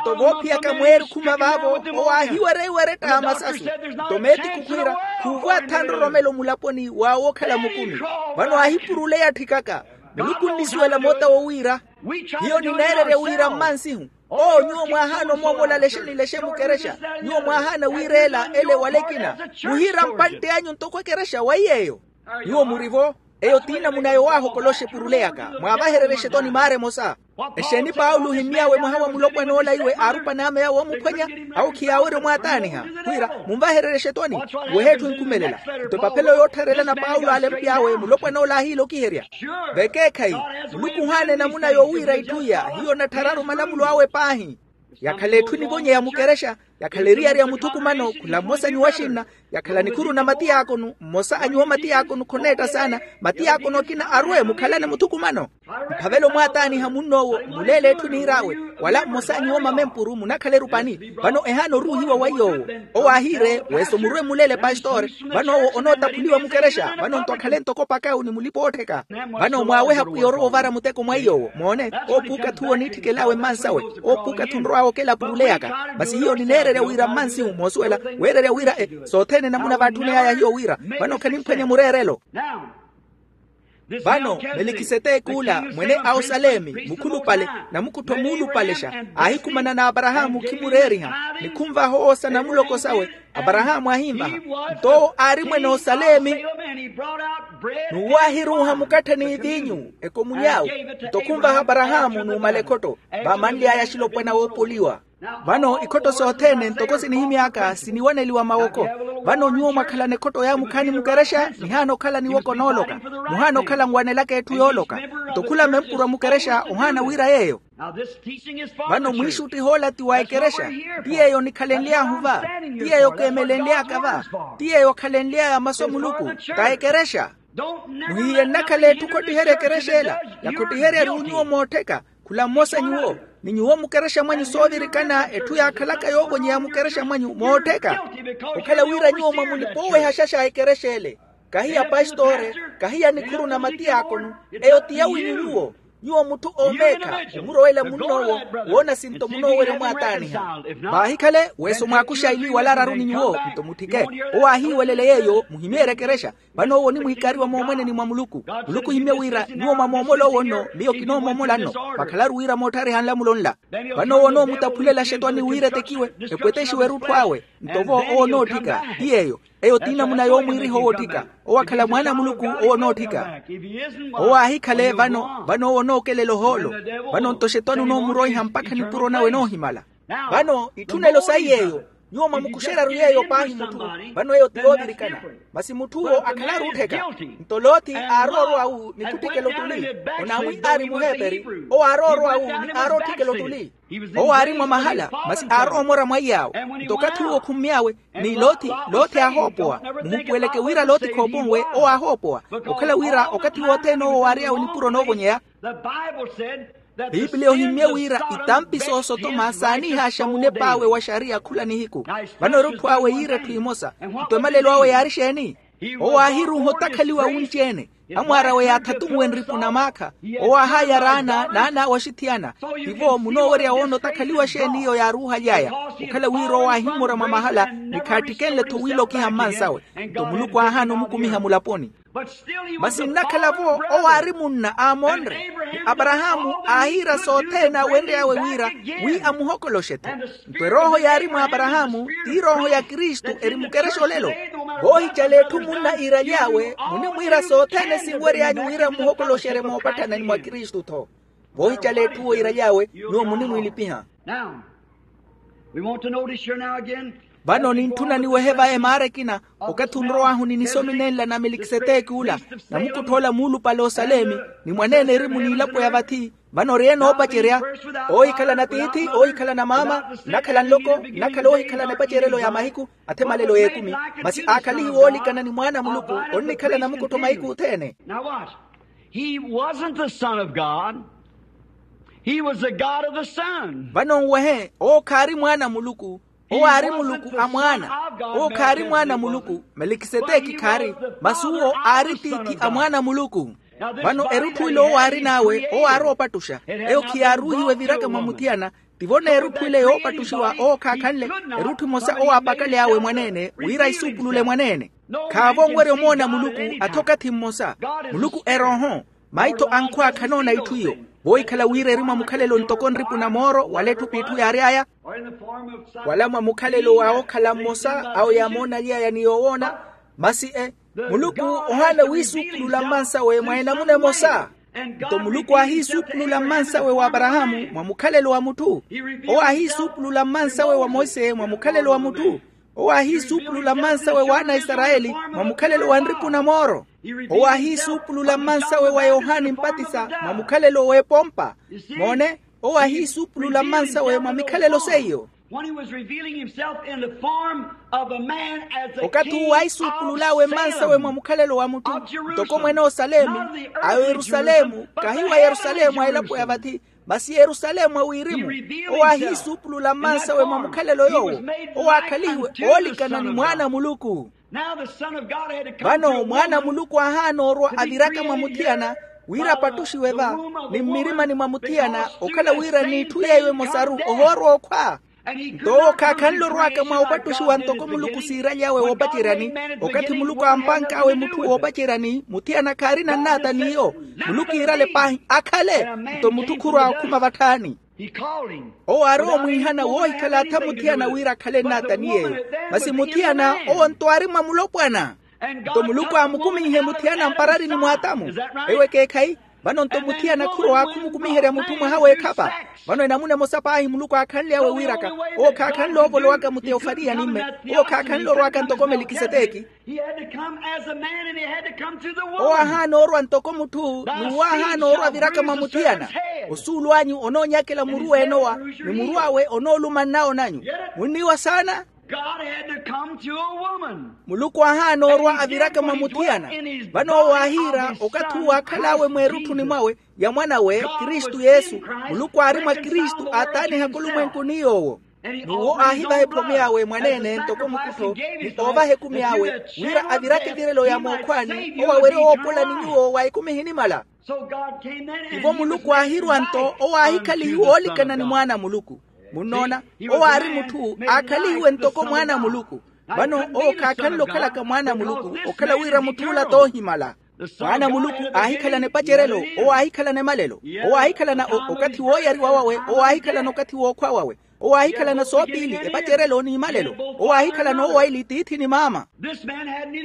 Nto voophiyaka mweeri okhuma vaavo, owo aahiwerya iweretta a masasu. Nto meetiku khwiira, khuuvo atha nroromelo mulaponi wa wookhala mukumi. Vano aahipuruleya atthikaka. Muluku onnisuwela moota wo wira, hiyo nineererya wira mmansihu. Oo nyuwo mwaahaana omoomola lexe ni lexe mukerexa. Nyuwo mwaahaana wiireela ele wala ekina. Muhiira mpantte anyu ntoko ekerexa wa iy'eyo. Nyuwo murivo. Eyo ti namuna yowaahokola oxepuruleyaka. Mwaavahererye exetoni maara emosa. Exeeni paulo ohimmy'awe mwaha wa mulopwan'ola iwe aarupani ame yawo oomuphwanya? Awo khiyaawerya omwaataaniha, khwiira, munvahererye exetoni. Weha etthu enkhumelela. Nto epaphelo yoottharelana paulo aalempy'awe mulopwan'ola aahiilokiherya. Vekeekhayi, muluku ohaana enamuna yowiira itthu iya. Hiyo onatthararu malamulo awe paahi. Yakhala etthu enivonyeya mukerexa, yakhala eriyari ya muthukumano khula mmosa nyuwo axinna. Yakhala nikhuru na matiyaakono mmosa a nyuwo matiyaakono khoneetta saana. Matiyaakono akina arwe mukhalane muthukumano. Mphavela omwaataaniha munn'owo muleele etthu eniir'awe, wala mmosa a nyuwo mamempuru munakhala erupani. Vano ehaana oruuhiwa wa iy'owo. Owo aahiire, weso murwe muleele pastore. Vano owo onootaphuliwa mukerexa vano nto akhale ntoko pakawu ni mulipa-oottheka. Vano mwaaweha pwiya orowa ovara muteko mwa iy'owo moone. Oopuuka-tho owo oniitthikela awe mmansawe. Oopuuka-tho onrowa okela apuruleyaka. Masi hiyo nineererya wira mmansihu moosuwela, weererya wira e sothene namuna vaatthuney'aya hiyo wira. Vano khanimphwanya mureerelo. Vano melikiseteki ula mwene a osalemi mukhulupale, namukuttho muulupalexa, aahikhumana n'aparahaamu khimureeriha, ni khunvaha owo sa namuloko sawe. Aparahaamu aahinvaha. Nto owo aari mwene osalemi, n'uwo aahiruuha mukatthe ni eviinyu ekomuny'awe. Nto khunvaha aparahaamu numala ekhotto. Vaamanly'aya axilopwana woopoliwa. Vano ikhotto sothene ntoko sinihimy'aka siniwaneliwa mawoko. Vano nyuwo mwakhalana ekhotto ya mukhaani mukerexa, nihaana okhala niwoko nooloka. Muhaana okhala nwanelaka etthu yooloka. Nto khula mempurwa mukerexa ohaana wira yeeyo. Vano mwiixuttiha ola ti wa ekerexa. Ti yeeyo nikhalenly'ahu va. Ti yeeyo keemelenly'aka va. Ti yeeyo akhalenly'aya masu a muluku. Ta ekerexa. Muhihiye nnakhala etthu khottiherya ekerexa ela. Yakhottiheryari wi nyuwo moottheka. Khula mmosa nyuwo, ni nyuwo mukerexa mwanyu soovirikana etthu yaakhalaka yoovonyeya mukerexa mwanyu moottheka. Okhala wira nyuwo mwa mulipa-owehaxa xa ekerexa ele. Kahi ya pastore, kahi ya nikhuru na matiyakonu. Eyo ti yawinyu nyuwo. Nyuwo mutthu oomeekha, omurowela munn'owo, woona sinto munoowerya omwaataaniha. Vaahikhale weso mwaakuxa ili wala araru ni nyuwo nto mutthike. Owo aahiiwelele yeeyo muhimyeerye ekerexa. Vano owo onimwiikariwa moomweneni mwa muluku. Muluku ohimye wira nyuwo mwamoomol'owo nno miyo kinoomoomola nno. Vakhalaru wira moottariha nlamulo nla. Vano owo onoomutaphulela axetwani wira etekiwe, epwetexiwe erutthu awe. Nto vo owo onootthika ti yeeyo. Eyo ti namuna yoomwiiriha owootthika. Owo akhala mwaana a muluku owo onootthika. Owo aahikhale vano vano owo onookelela ohoolo. Vano nto xetwani onoomuroiha mpakha nipuro nawe enoohimala. Vano itthunelo sayi yeeyo. Nyuwo mwamukuxeryaru yeeyo paahi mutthu. Vano eyo ti yoovirikana. Masi mutth'uwo akhalaru ottheka. Nto lothi aarowa orwa awu ni kutthikela ottuli. Onamwi aari muheeperi. Owo aarowa orwa awu ni aarowa otthikela ottuli. Owo aari mwa mahala masi aarowa omora mwaiy'awe. Nto okathi uwo okhummy'awe ni lothi lothi aahoopowa. Muhupuweleke wira lothi khooponwe owo aahoopowa. Okhala wira okathi wothene owo waary'awe nipuro noovonyeya. Pipiliya ohimmye wira itampi soosotoma saanihaaxa munep'awe wa xariya khula nihiku. Vano erutthu awe yiira etthu emosa. Nto emalelo awe yaari exeeni? Owo aahiruuha otakhaliwa wunci-ene. Amwaar'awe yaathatunwe nripu na maakha. Owo aahaayara ana n'an'awe axithiyana. Tivo munoowerya woona otakhaliwa xeeni iyo yaaruuhaly'aya? Okhala wira owo aahimmora mwa mahala ni khaattikenle-tho wiilokiha mmansawe. Nto muluku aahaana omukumiha mulaponi. Masi nnakhala-vo owo aari munna aamonre. Ni aparahaamu aahiira sothene awenry'awe wira wi amuhokoloxe-tho. Nto erooho yaari mwa aparahaamu ti erooho ya kristu eri mukerexa olelo. Voohicala etthu munna iiraly'awe munimwiira sothene sinwery'anyu wira mmuhokoloxerye moopatthana ni mwa kristu-tho. Voohicala etthu owo iiraly'awe nyuwo munimwiilipiha. Vano nintthuna niwehe va emaara ekina. Okathi onrow'ahu ni nisomi nenla na melikiseteki ula, namukuttha ola muulupale osalemi, ni mwaneene eri muniilapo ya vathi. Vano ori ene oopacerya, oohikhalana tiithi oohikhalana maama, nnakhala nloko nnakhala oohikhalana epacerelo ya mahiku, athemalelo y'ekumi. Masi aakhalihiwe oolikana ni mwaana a muluku, onnikhala namukuttho mahiku othene. He wasn't the son of god. He was the god of the son. Vano nwehe owo khaari mwaana a muluku. Owo aari muluku a mwaana. Owo khaari mwaana a muluku. Melikiseteki khaari. Masi uwo aari tiithi a mwaana a muluku. Vano erutthu ile owo aari n'awe owo aarowa opattuxa. Eyo khiyaaruuhiwa eviraka mwa muthiyana. Tivo n'erutthu ile yoopattuxiwa owo khaakhanle. Erutthu emosa owo aapakaly'awe mwaneene wira aisuupulule mwaneene. Khaavo onwerya omoona muluku. Atha okathi mmosa. Muluku erooho. Maitho ankhwaakha anoona itthu iyo. Voohikhala wira eri mwa mukhalelo ntoko nripu na mooro wala etthu p'itthu yaary'aya, wala mwa mukhalelo wa okhala mmosa awo yaamoonaly'aya ni yoowoona. Masi e muluku ohaana wiisuupulula mmansawe mwa enamuna emosa. Nto muluku aahiisuupulula mmansawe wa aparahaamu mwa mukhalelo wa mutthu. Owo aahiisuupulula mmansawe wa monse mwa mukhalelo wa mutthu. Owo aahiisuupulula mmansawe w'ana a isarayeli mwa mukhalelo wa nripu na mooro. Owo aahiisuupulula mmansawe wa yohani mpatisa mwa mukhalelo w'epompa. Moone, owo aahiisuupulula mmansawe mwa mikhalelo seiyo. When he was revealing himself in the form of a man as a king of Saul. Okathi uwo aisuupulul'awe mmansawe mwa mukhalelo wa mutthu ntoko mwene osalemi, a yerusalemu kahi wa yerusalemu a elapo ya vathi, masi yerusalemu a wirimu. Owo aahiisuupulula mmansawe mwa mukhalelo yoowo. Owo aakhalihiwe oolikana ni mwaana a muluku. Vano mwaana a muluku aahaana orwa aviraka mwa muthiyana wira apattuxiwe va, ni mmirimani mwa muthiyana okhala wira n'itthu yeeyo emosaru ohoorwa okhwa. Nto owo khaakhanle orwaka mwa opattuxiwa ntoko muluku siiraly'awe woopaceryani. Okathi muluku aampank'awe mutthu woopaceryani muthiyana khaarina nnaata n'iyo. Muluku iirale paahi akhale. Nto mutthu khurwa okhuma vatthaani. Owo aarowa omwiihana woohikhala atha muthiyana wira akhale nnaata ni yeeyo. Masi muthiyana owo nto aari mwa mulopwana. Nto muluku aamukumiihe muthiyana mpararini mw'atamu. Ewo ekeekhayi. Vano nto muthiyana khurowa khumukumiherya mutthu mwaha w'ekhapa. Vano enamuna emosa paahi muluku aakhanly'awe wiiraka. Owo khaakhanle oovolowaka muteofariya nimme. Owo khaakhanle orwaka ntoko melikiseteki. Owo aahaana orwa ntoko mutthu n'uwo aahaana orwa aviraka mwa muthiyana. Osuulu anyu onoonyakela muru w'enowa, ni muru awe onooluma nnawo nanyu. Munniwa saana. Muluku aahaana orwa aviraka mwa muthiyana. Vano owo aahiira okathi uwo aakhal'awe mweerutthuni mwawe ya mwan'awe kristu yesu. Muluku aari mwa kristu aataanihaka olumwenku ni yoowo. N'uwo aahivaha ephome awe mwaneene ntoko mukuttho, ni oovaha ekumi awe, wira avirake evirelo ya mookhwaani owo awerye woopola ni nyuwo wa ekumi ehinimala. Ivo muluku aahirwa-nto owo aahikhalihiwe oolikana ni mwaana a muluku. Munnoona, owo aari mutthu aakhalihiwe ntoko mwaana a muluku. Vano owo khaakhanle okhalaka mwaana a muluku, okhala wira mutth'ula t'ohimala. Mwaana a muluku aahikhalana epacerelo, owo aahikhalana emalelo. Owo aahikhalana okathi wooyariwa wawe, owo aahikhalana okathi wookhwa wawe. Owo aahikhalana soopiili, epacerelo n'imalelo. Owo aahikhalana owaili tiithi ni maama.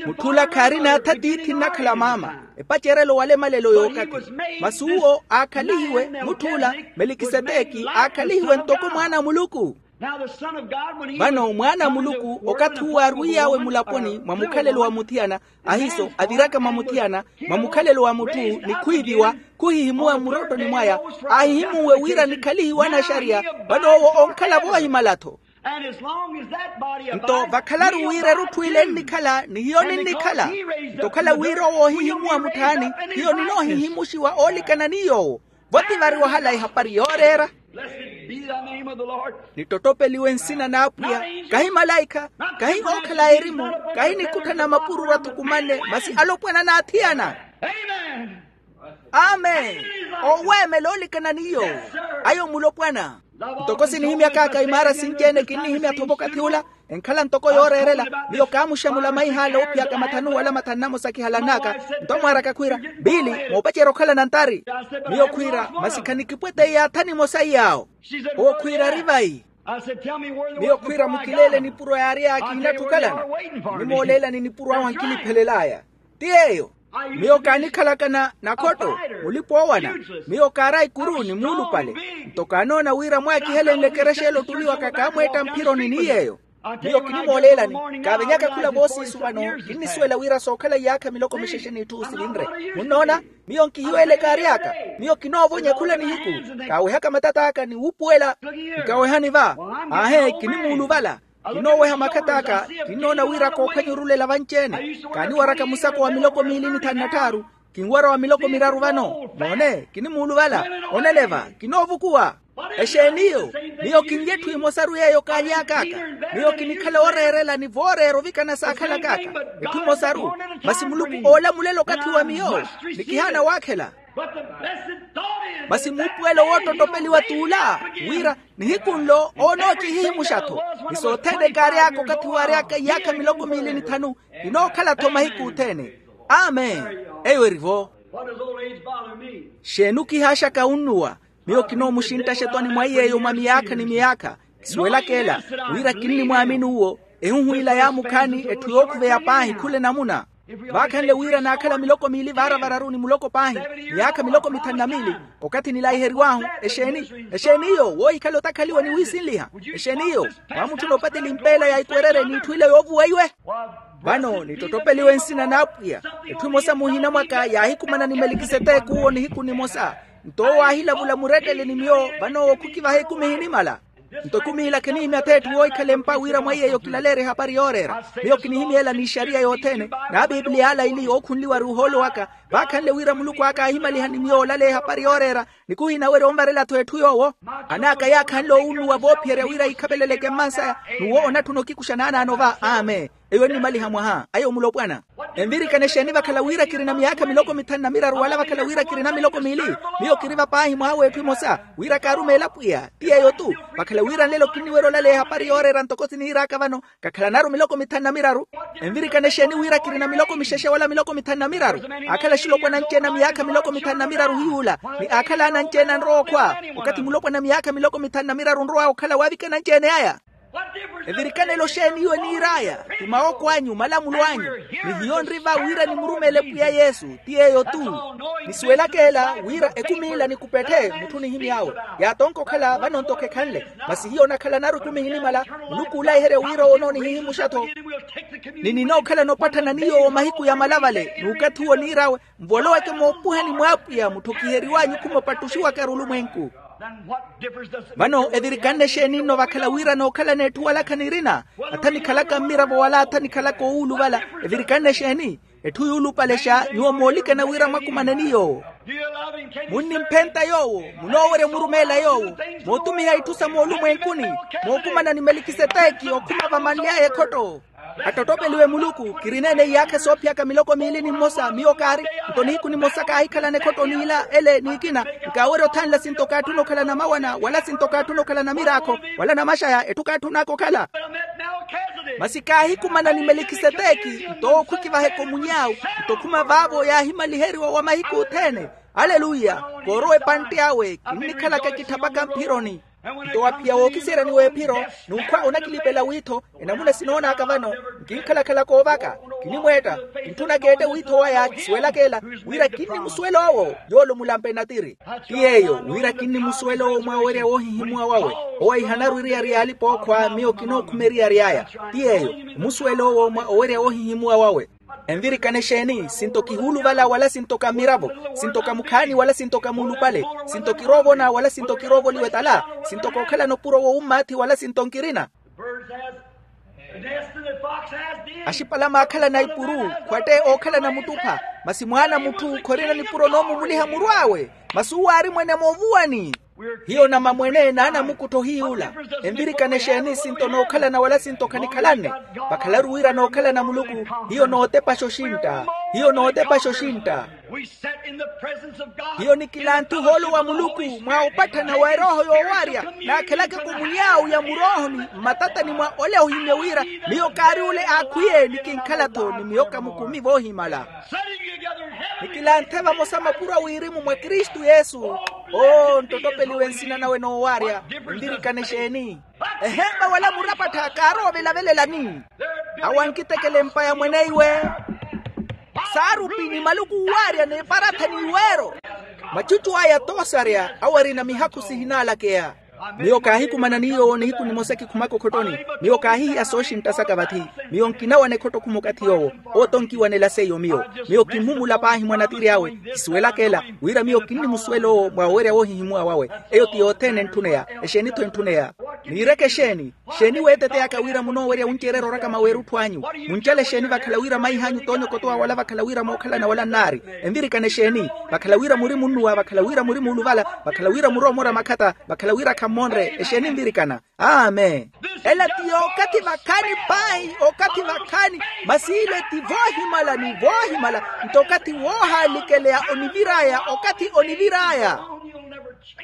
Mutth'ula khaarina atha tiithi nnakhala maama, epacerelo wala emalelo y'okathi. Masi uwo aakhalihiwe, mutth'ula melikiseteki aakhalihiwe ntoko mwaana a muluku. Vano mwaana a muluku okathi uwo aarwiyawe mulaponi mwa mukhalelo wa muthiyana, ahiiso aviraka mwa muthiyana, mwa mukhalelo wa mutthu, ni khwiiviwa, khuhihimuwa mmurottoni mwaya, aahihimuwe wira nikhalihiwe anaxariya. Vano owo onkhala voohimala-tho. Nto vakhalaru wira erutthu ile ennikhala ni hiyo ninnikhala. Nto okhala wira owo oohihimuwa mutthaani, hiyo ninoohihimuxiwa oolikana ni yoowo. Vo ti vari wahala ehapari yooreera. Nittottopeliwe nsina n'apwiya. Kahi malaikha, kahi ookhala a erimu, kahi nikutthana mapururu athukumanne, masi alopwana n'athiyana. Amen. Oweemela oolikana ni yoowo. Ayo mulopwana. Ntoko sinihimyak'aka imaara sinci-ene kinnihimya-tho vookathi ula. Enkhala ntoko yooreerela. Miyo kaamuxamula maih'ale oophiyaka mathanu wala mathanu namosa kihalan'aka. Nto amwaaraka khwiira, biili, moopacerya okhalana ntari? Miyo khwiira, masi khanikipwete yaathani emosa iyaawo. Owo khwiira ari vayi? Miyo khwiira mukileele nipuro yaary'aka ihinatthi okhalana. Kinimooleelani nipuro ahu ankiniphelel'aya. Ti yeeyo. Miyo kaanikhalaka na nakhotto, mulipa-oowana. Miyo kaaraya ikuru ni muulupale. Nto kaanoona wira mwaakihelenle ekerexa ele otturiwaka kaamweetta mphironi ni yeeyo. Miyo kinimooleelani, kaavenyaka khula voosiisu vano kinnisuwela wira sookhala iyaakha miloko mixexe n'itthu sivinre. Munnoona, miyo nkihiweele kaary'aka. Miyo kinoovonya khula nihiku. Kaawehaka matat'aka ni wuupuwela. Nkawehani va. Aahe, kinimuuluvala. Kinooweha makhat'aka. Kinnoona wira kookhwenye orulela vanci-ene. Kaaniwaraka musako wa miloko miili ni thanu na tthaaru. Kinwara wa miloko miraru vano. Moone, kinimuuluvala. Oneleva. Kinoovukuwa. Exeeni iyo? Miyo kinlya etthu emosaru yeeyo kaaly'ak'aka. Miyo kinikhala ooreerela ni vooreera ovikana saakhalak'aka. Etthu emosaru. Masi muluku oolamulela okathi wa miyo. Ni kihaana waakhela. Masi muupuwelo woottottopeliwa t'ula, wira nihiku nlo oonookihihimuxa-tho. Ni sothene kaary'aka okathi waary'aka iyaakha miloko miili ni thanu. Kinookhala-tho mahiku othene. Amen. Eyo eri-vo. Xeeni okihaaxaka unnuwa? Miyo kinoomuxinttaxa etwani mwa iy'eyo mwa miyaakha ni miyaakha. Kisuwelaka ela, wira kinnimwaamini uwo. Ehuhu ila yaamukhaani etthu yookhuveya paahi khula enamuna. Vaakhanle wira naakhala miloko miili vaara vararu ni muloko paahi, miyaakha miloko mithanu na miili. Okathi nilaiheriw'ahu, exeeni? Exeeni iyo woohikhala otakhaliwa ni wiisinliha? Exeeni iyo? Mwaamutthuna opateli mpeela ya ikwerere n'itthu ile yoovuwa iwe. Vano nittottopeliwe nsina n'apwiya. Etthu emosa muhina mwaka yaahikumana ni melikiseteki uwo nihiku nimosa. Nto owo aahilavula murettele ni miyo, vano owo khukivaha ekumi ehinimala. Nto ekumi ila khinihimya atheetthu woohikhala empa wira mwa iy'eyo kilaleerye ehapari yooreera. Miyo kinihimya ela n'ixariya yothene. N'apiipiliya ala ili ookhunliwa ari ohoolo waka. Vaakhanle wira muluku aka aahimaliha ni miyo olaleya ehapari yooreera. Ni khuhinawerya onvarela-tho etthu yoowo. An'aka yaakhanle owunnuwa voophiherya wira ikhapeleleke mmansaya. N'uwo onatthuna okikuxa naanaano va amen. Eyo ennimaliha mwaha ayo mulopwana. Envirikana exeeni vakhala wira kirina miyaakha miloko mithanu na miraru wala vakhala wira kirina miloko miili? Miyo kiri vapaahi mwaha w'etthu emosa, wira kaarumeela pwiya ti yeeyo-tu. Vakhala wira nlelo kinniwerya olaleya ehapari yooreera ntoko siniir'aka vano. Kakhalanaru miloko mithanu na miraru. Envirikana exeeni wira kirina miloko mixexe wala miloko mithanu na miraru? Aakhala axilopwana anci-ene a miyaakha miloko mithanu na miraru hiy'ula. Ni aakhala ana anci-ene anrowa okhwa. Okathi mulopwana miyaakha miloko mithanu na miraru onrow'awe okhala waavikana anci-ene aya. Evirikanelo xeeni iwe niir'aya? Ti mawooko anyu malamulo anyu. Ni hiyo nri va wira nimurumeele pwiya yesu. Ti yeeyo-tu. Nisuwelaka ela wira ekumi ila nikupetthe mutthu onihimy'awe. Yaatonka okhala vano nto khekhanle. Masi hiyo nakhalanaru ekumi ehinimala. Muluku oolaiherya wira owo onoonihihimuxa-tho. Ni ninookhalana opatthana ni yoowo mahiku yamala vale n'ukathi uwo niir'awe. Nvoloweke moopuhani mw'apwiya mutthu okiheriw'anyu khuma opattuxiwaka arulumwenku. Vano evirikanne exeeni nno vakhala wira nookhalana etthu wala khanirina? Atha nikhalaka mmiravo wala atha nikhalaka owuuluvala. Evirikanne exeeni? Etthu yuulupalexa nyuwo moolikana wira mwakumanani yoowo. Munnimphenta yoowo? Munoowerya omurumeela yoowo, mootumiha itthu sa moolumwenkuni, mookumana ni melikiseteki okhuma vamanly'aya ekhotto. Attottopeliwe muluku, kirina-ene iyaakha soophiyaka miloko miili ni mmosa miyo kaari. Nto nihiku nimosa kaahikhalana ekhotto n'ila ele n'ikina, nkaawerya othanla sinto kaatthuna okhala namawana wala sinto kaatthuna okhala namiraakho, wala namaxaya etthu kaatthunaka okhala. Masi kaahikumana ni melikiseteki, nto owo khukivaheka omuny'awu. Nto khuma vaavo yaahimaliheriwa wa mahiku othene. Aleluya. Koorowa epantte awe kinnikhalaka kitthapaka mphironi. Nto waphiya wookiseeryani w'ephiro, n'ukhwa onakilipela wiitho. Enamuna sinoonaka vano, nkinkhalakhala koovaka, kinimweetta, kintthunaka eette wiitho waya kisuwelaka ela, wira kinnimusuwela owo yoole omulampa enatiri. Ti yeeyo, wira kinnimusuwela owo mwa owerya woohihimuwa wawe. Owo ahihanaru eriyari y'alipa-ookhwa miyo kinookhuma eriyari aya. Ti yeeyo, omusuwela owo mwa owerya woohihimuwa wawe. Envirikana exeeni? Sinto kihuuluvala wala sinto ka mmiravo? Sinto ka mukhaani wala sinto ka muulupale? Sinto kiroovona wala sinto kiroovoliwa etala? Sinto kookhalana opuro wowummaathi wala sinto nkirina? Axipalama aakhalana ipuru, khwatte ookhalana muttupha. Masi mwaana a mutthu khorina nipuro noomumuliha muru awe. Masi uwo aari mwene moovuwani. Hiyo namamwene n'anamukuttho hiy'ula. Envirikana exeeni? Sinto nookhalana wala sinto khanikhalanne? Vakhalaru wira nookhalana muluku. Hiyo nootepaxa oxintta. Hiyo nootepaxa oxintta. Hiyo nikilanthe ohoolo wa muluku mwa opatthana wa erooho yoowarya, naakhelakaka omuny'awu ya muroohoni mmatatani mwa ole ohimye wira miyo kaari ole aakhwiye ni kinkhala-tho ni miyo ka mukumi voohimala. Nikilanthe vamosa mapuro a wirimu mwa kristu yesu. Oo nttottopeliwe nsina nawe noowarya. Nvirikana exeeni? Ehempa wala murapattha kaarowa ovelavelelani. Awo ankitekela empa ya mweneiwe. Saarupi ni maluku uwaarya n'eparatha n'iweero. Machuchu aya toosarya awo arina mihakhu sihinaalakeya. Miyo kaahikumanani yoowo nihiku nimosa kikhumaka okhottoni. Miyo kaahihiya sooxintta saka vathi. Miyo nkinawana ekhotto khuma okathi yoowo. Owo tonkiwanela seiyo miyo. Miyo kimmumula paahi mwa natiri awe. Kisuwelaka ela wira miyo kinnimusuwela owo mwa owerya woohihimuwa wawe. Eyo ti yothene entthuneya. Exeeni-tho entthuneya? Niireke exeeni? Xeeni weeteteyaka wira munoowerya wunceererya oraka maweerutthu anyu? Muncale xeeni vakhala wira maih'anyu toonyokotowa wala vakhala wira mookhalana wala nnaari? Envirikana exeeni? Vakhala wira muri munnuwa vakhala wira muri muuluvala vakhala wira murowa omora makhata vakhala wira khammonre exeeni envirikana? Amen. Ela ti yookathi vakhaani paahi. Okathi vakhaani. Masi ile ti voohimala ni voohimala. Nto okathi woohaalikeleya onivir'aya okathi onivir'aya.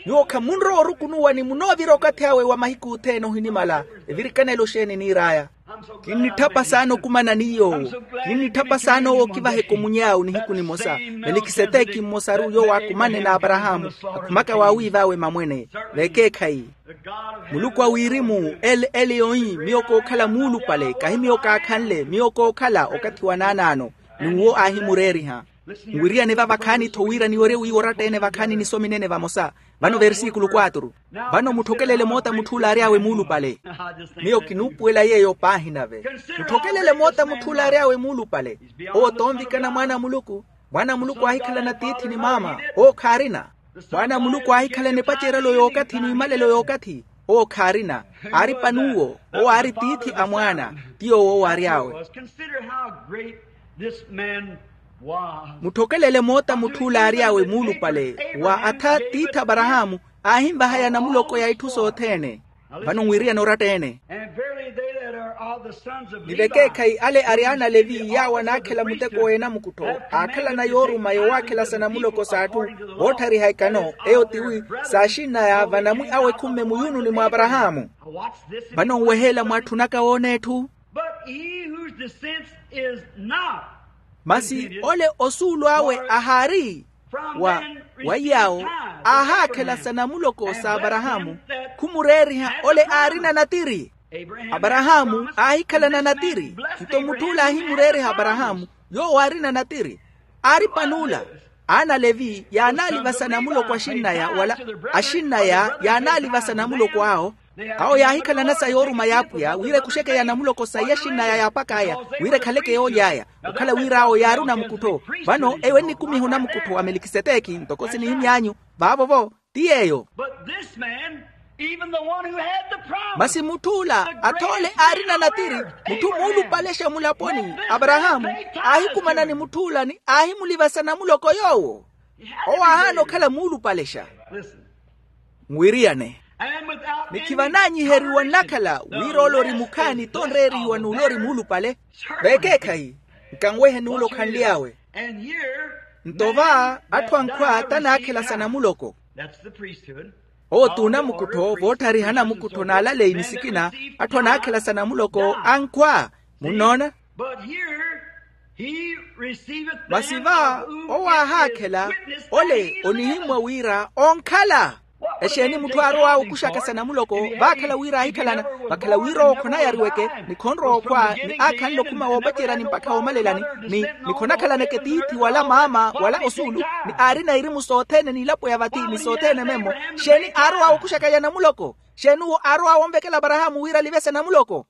Nyuwo khamunrowa orukunuwa ni munoovira okathi awe wa mahiku othene ohinimala. Evirikanelo xeeni niir'aya? Kinnitthapa saana okumanani yoowo. Kinnitthapa saana owo okivaheka omuny'awu nihiku nimosa. Melikiseteki mmosaru yoowo aakumane n'aparahaamu akhumaka waawiiv'awe mamwene. Vekeekhayi muluku a wirimu ele ele yoohi miyo kookhala muulupale kahi miyo kaakhanle miyo kookhala okathi wa naanaano. N'uwo aahimureeriha. Nwiriyane va vakhaani-tho wira niwerye wiiwa oratta-ene vakhaani nisomi nene vamosa. Vano versikulu quatro. Vano mutthokelele moota mutthu ole aary'awe muulupale. Miyo kinuupuwela yeeyo paahi nave. Mutthokelele moota mutthu ole aary'awe muulupale. Owo toonvikana mwaana a muluku. Mwaana a muluku aahikhalana tiithi ni maama. Owo khaarina. Mwaana a muluku aahikhalana epacerelo y'okathi n'imalelo y'okathi. Owo khaarina. Aari panuwo. Owo aari tiithi a mwaana. Ti yoowo owo aary'awe. Mutthokelele moota mutthu ole aary'awe muulupale. Wa atha tiithi aparahaamu aahinvahaya namuloko ya itthu sothene. Vano nwiriyane oratta-ene. Ni vekeekhayi ale ari aana a levi yaawo anaakhela muteko w'enamukuttho aakhalana yooruma yowaakhelasa namuloko s'atthu. Vootthariha ekano eyo tiwi saaxinn'aya vanamwi awe ekhumme muyununi mw'aparahaamu. Vano nweheela mwaatthunaka woona etthu. Masi ole osuulu awe ahaari wa wa iy'awo aahaakhelasa namuloko s'aparahaamu. Khumureeriha ole aarina natiri. Aparahaamu aahikhalana natiri. Nto mutthu ole aahimureeriha aparahaamu yoowo aarina natiri. Aari pan'ula. Aana a levi yaanaalivasa namuloko axinn'aya wala axinn'aya yaanaalivasa namuloko awo. Awo yaahikhalana sa yooruma y'apwiya wira ekuxeke ya namuloko sayi axinn'aya yaapak'aya wira ekhaleke yooly'aya. Okhala wira awo yaari onamukuttho. Vano eyo ennikumiha onamukuttho wa melikiseteki ntoko sinihimy'anyu. Vaavo-vo ti yeeyo. Masi mutth'ula athoole aarina natiri, mutthu muulupalexa mulaponi aparahaamu, aahikumana ni mutth'ula ni aahimulivasa namuloko yoowo. Owo aahaana okhala muulupalexa. Mwiriyane. Ni khivanaanyiheriwa nnakhala wira ole ori mukhaani tonreerihiwa n'ule ori muulupale. Vekeekhayi, nkanwehe n'ule okhanly'awe. Nto va atthu ankhwa tanaakhela sa namuloko. Owo t'unamukuttho voottharihana mukuttho n'alaleyi ni sikina. Atthu anaakhela sa namuloko ankhwa. Munnoona? Masi va owo aahaakhela, ole onihimmwa wira onkhala. Exeeni mutthu aarowa okuxaka sa namuloko vaakhala wira aahikhalana? Vakhala wira owo khonayariweke, ni khonrowa okhwa ni aakhanle okhuma woopaceryani mpakha woomalelani, ni ni khonakhalaneke tiithi wala maama wala osuulu, ni aarina irimu sothene n'ilapo ya vathi ni sothene memmo. Xeeni aarowa okuxaka ya namuloko? Xeeni uwo aarowa wonvekela aparahaamu wira alivese namuloko?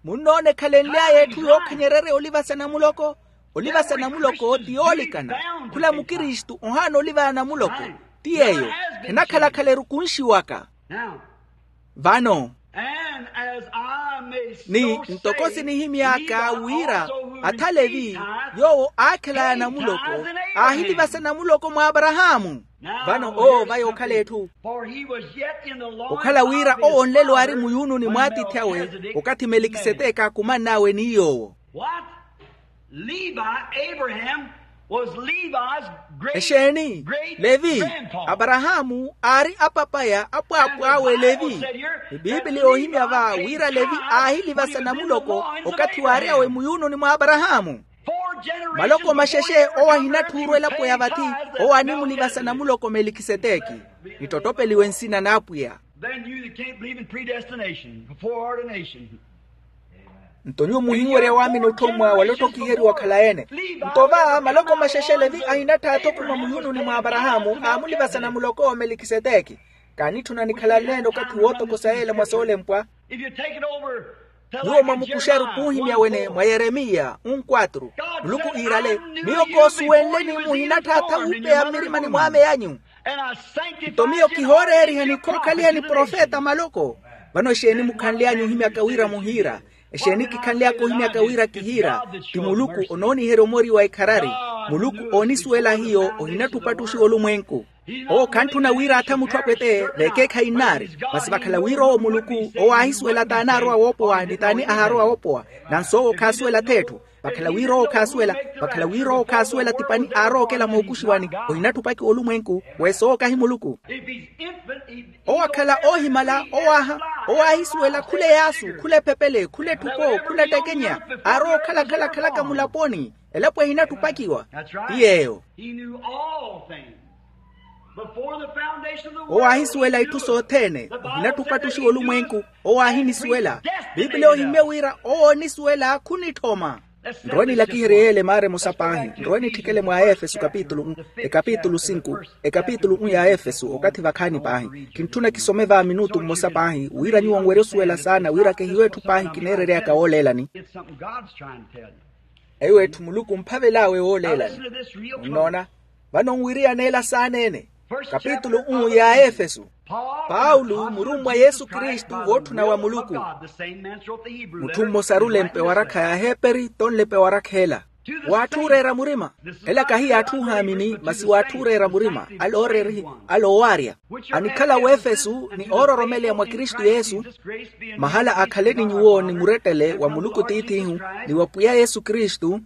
Munnoona ekhalenly'aya etthu yookhanyererya olivasa namuloko. Olivasa namuloko ti yoolikana. Khula mukristu ohaana olivaya namuloko. Ti yeeyo. Khenakhala-khala erukunxiwaka. Vano ni ntoko sinihimy'aka wira athalevi yoowo aakhelaya namuloko aahilivasa namuloko mwa aparahaamu. Vano owo vaya okhala etthu okhala wira owo nlelo aari muyuununi mw'atiithi awe okathi melikiseteke aakumann'awe ni yoowo. Levi, Abraham was Levi's great exeeni levi aparahaamu aari apapaya apwaapw'awe levi. Ni piipili yoohimya va wira levi aahilivasa namuloko okathi waary'awe muyuununi mwa aparahaamu. Maloko maxexe owo ahinatthuuru elapo ya vathi owo animulivasa namuloko melikiseteki. Nittottopeliwe nsina n'apwiya. Then you that can't believe in predestination, foreordination. Nto nyuwo muhinwerya waamini otthommwa wala ottokhiheriwa okhalayi-ene. Nto va maloko maxexe levi ahinatthaatha okhuma muyuununi mwa aparahaamu aamulivasa namuloko melikiseteki. Kaanitthuna nikhalanleene okathi wootokosa yeela mwa soolempwa. Nyuwo mwamukuxeru khuuhimya wene mwa yeremiya unkwatru. Muluku iirale, miyo koosuwenle ni muhinatthaatha wuupeya mmirimani mw'ame anyu. Nto miyo kihooreerihani khookhaliha ni profeta maloko. Vano exeeni mukhanly'anyu ohimyaka wira muhiira? Exeeni kikhanly'aka ohimyaka wira kihiira? Ti muluku onooniherya omori wa ikharari. Muluku oonisuwela hiyo ohinatthi opattuxiwa olumwenku. Owo khantthuna wira atha mutthu apwete veekeekhayi nnaari. Masi vakhala wira owo muluku owo aahisuwela t'anaarowa woopowa ni t'ani ahaarowa woopowa. Nanso owo khaasuwela th'etthu. Vakhala wira owo khaasuwela vakhala wira owo khaasuwela ti pani aarowa okela mookuxiwani. Ohinatthi opakiwa olumwenku. Weesa owo kahi muluku. Owo akhala oohimala owaaha. Owo aahisuwela khula eyaasu khula ephepele khula etthupo khula ettekenya. Aarowa okhala khalakhalaka mulaponi. Elapo ehinatthi opakiwa. Ti yeeyo. Owo aahisuwela itthu sothene. Ohinatthi opattuxiwa olumwenku. Owo aahinisuwela. Piipili oohimye wira owo oonisuwela khunitthoma. Nrowe nilakiherye yeela emaara emosa paahi nrowe nitthikele mwa aefesu ekapitulu unu ekapitulu unu ya aefesu okathi vakhaani paahi. Kintthuna kisome va minutu mmosa paahi wira nyuwo nwerye osuwela saana wira kehiyo etthu paahi kineereryaka wooleelani. Eyo etthu muluku omphavel'awe wooleelani. Munnoona? Vano nwiriyaneela saaneene. Kapitulu unu ya aefesu. Paulo murummwa yesu kristu wootthuna wa muluku. Mutthu mmosa arulempe warakha ya aheperi tonlepe warakha ela. W'atthu ooreera murima. Ela kahi y'atthu oohaamini masi w'atthu ooreera murima. Ale ooreerihi ale oowaarya anikhala w'efesu ni oororomeleya mwa kristu yesu. Mahala akhaleni nyuwo ni murettele wa muluku tiith'ihu ni wa pwiya yesu kristu.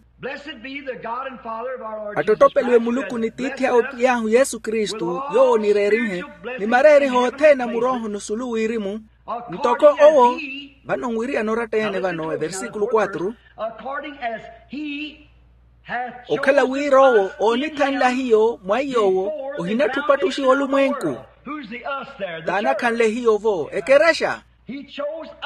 Attottopeliwe muluku ni tiithi awe pwiy'ahu yesu kristu yoowo onireerihe ni mareeriho othene a murooho nusulu wirimu. Ntoko owo vano nwiriyana oratta-ene vano eversikulu quatro. Okhala wira owo oonithanla hiyo mwa iy'owo ohinatthi opattuxiwa olumwenku. T'anakhanle hiyo-vo ekerexa.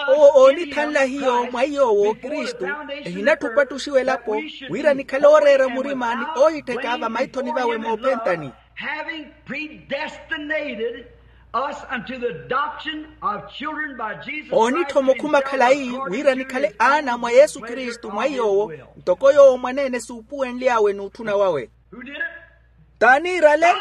Owo oonithanla hiyo mwa iy'owo kristu ehinatthi opattuxiwa elapo wira nikhale ooreera murima ni oohittheka vamaithoni vawe moophentani. Having predestinated us unto the adoption of children by Jesus Christ. Oonitthoma okhuma khalayi wira nikhale aana mwa yesu kristu mwa iy'owo ntoko yoowo mwaneene suupuwenly'awe n'utthuna wawe. T'aniirale?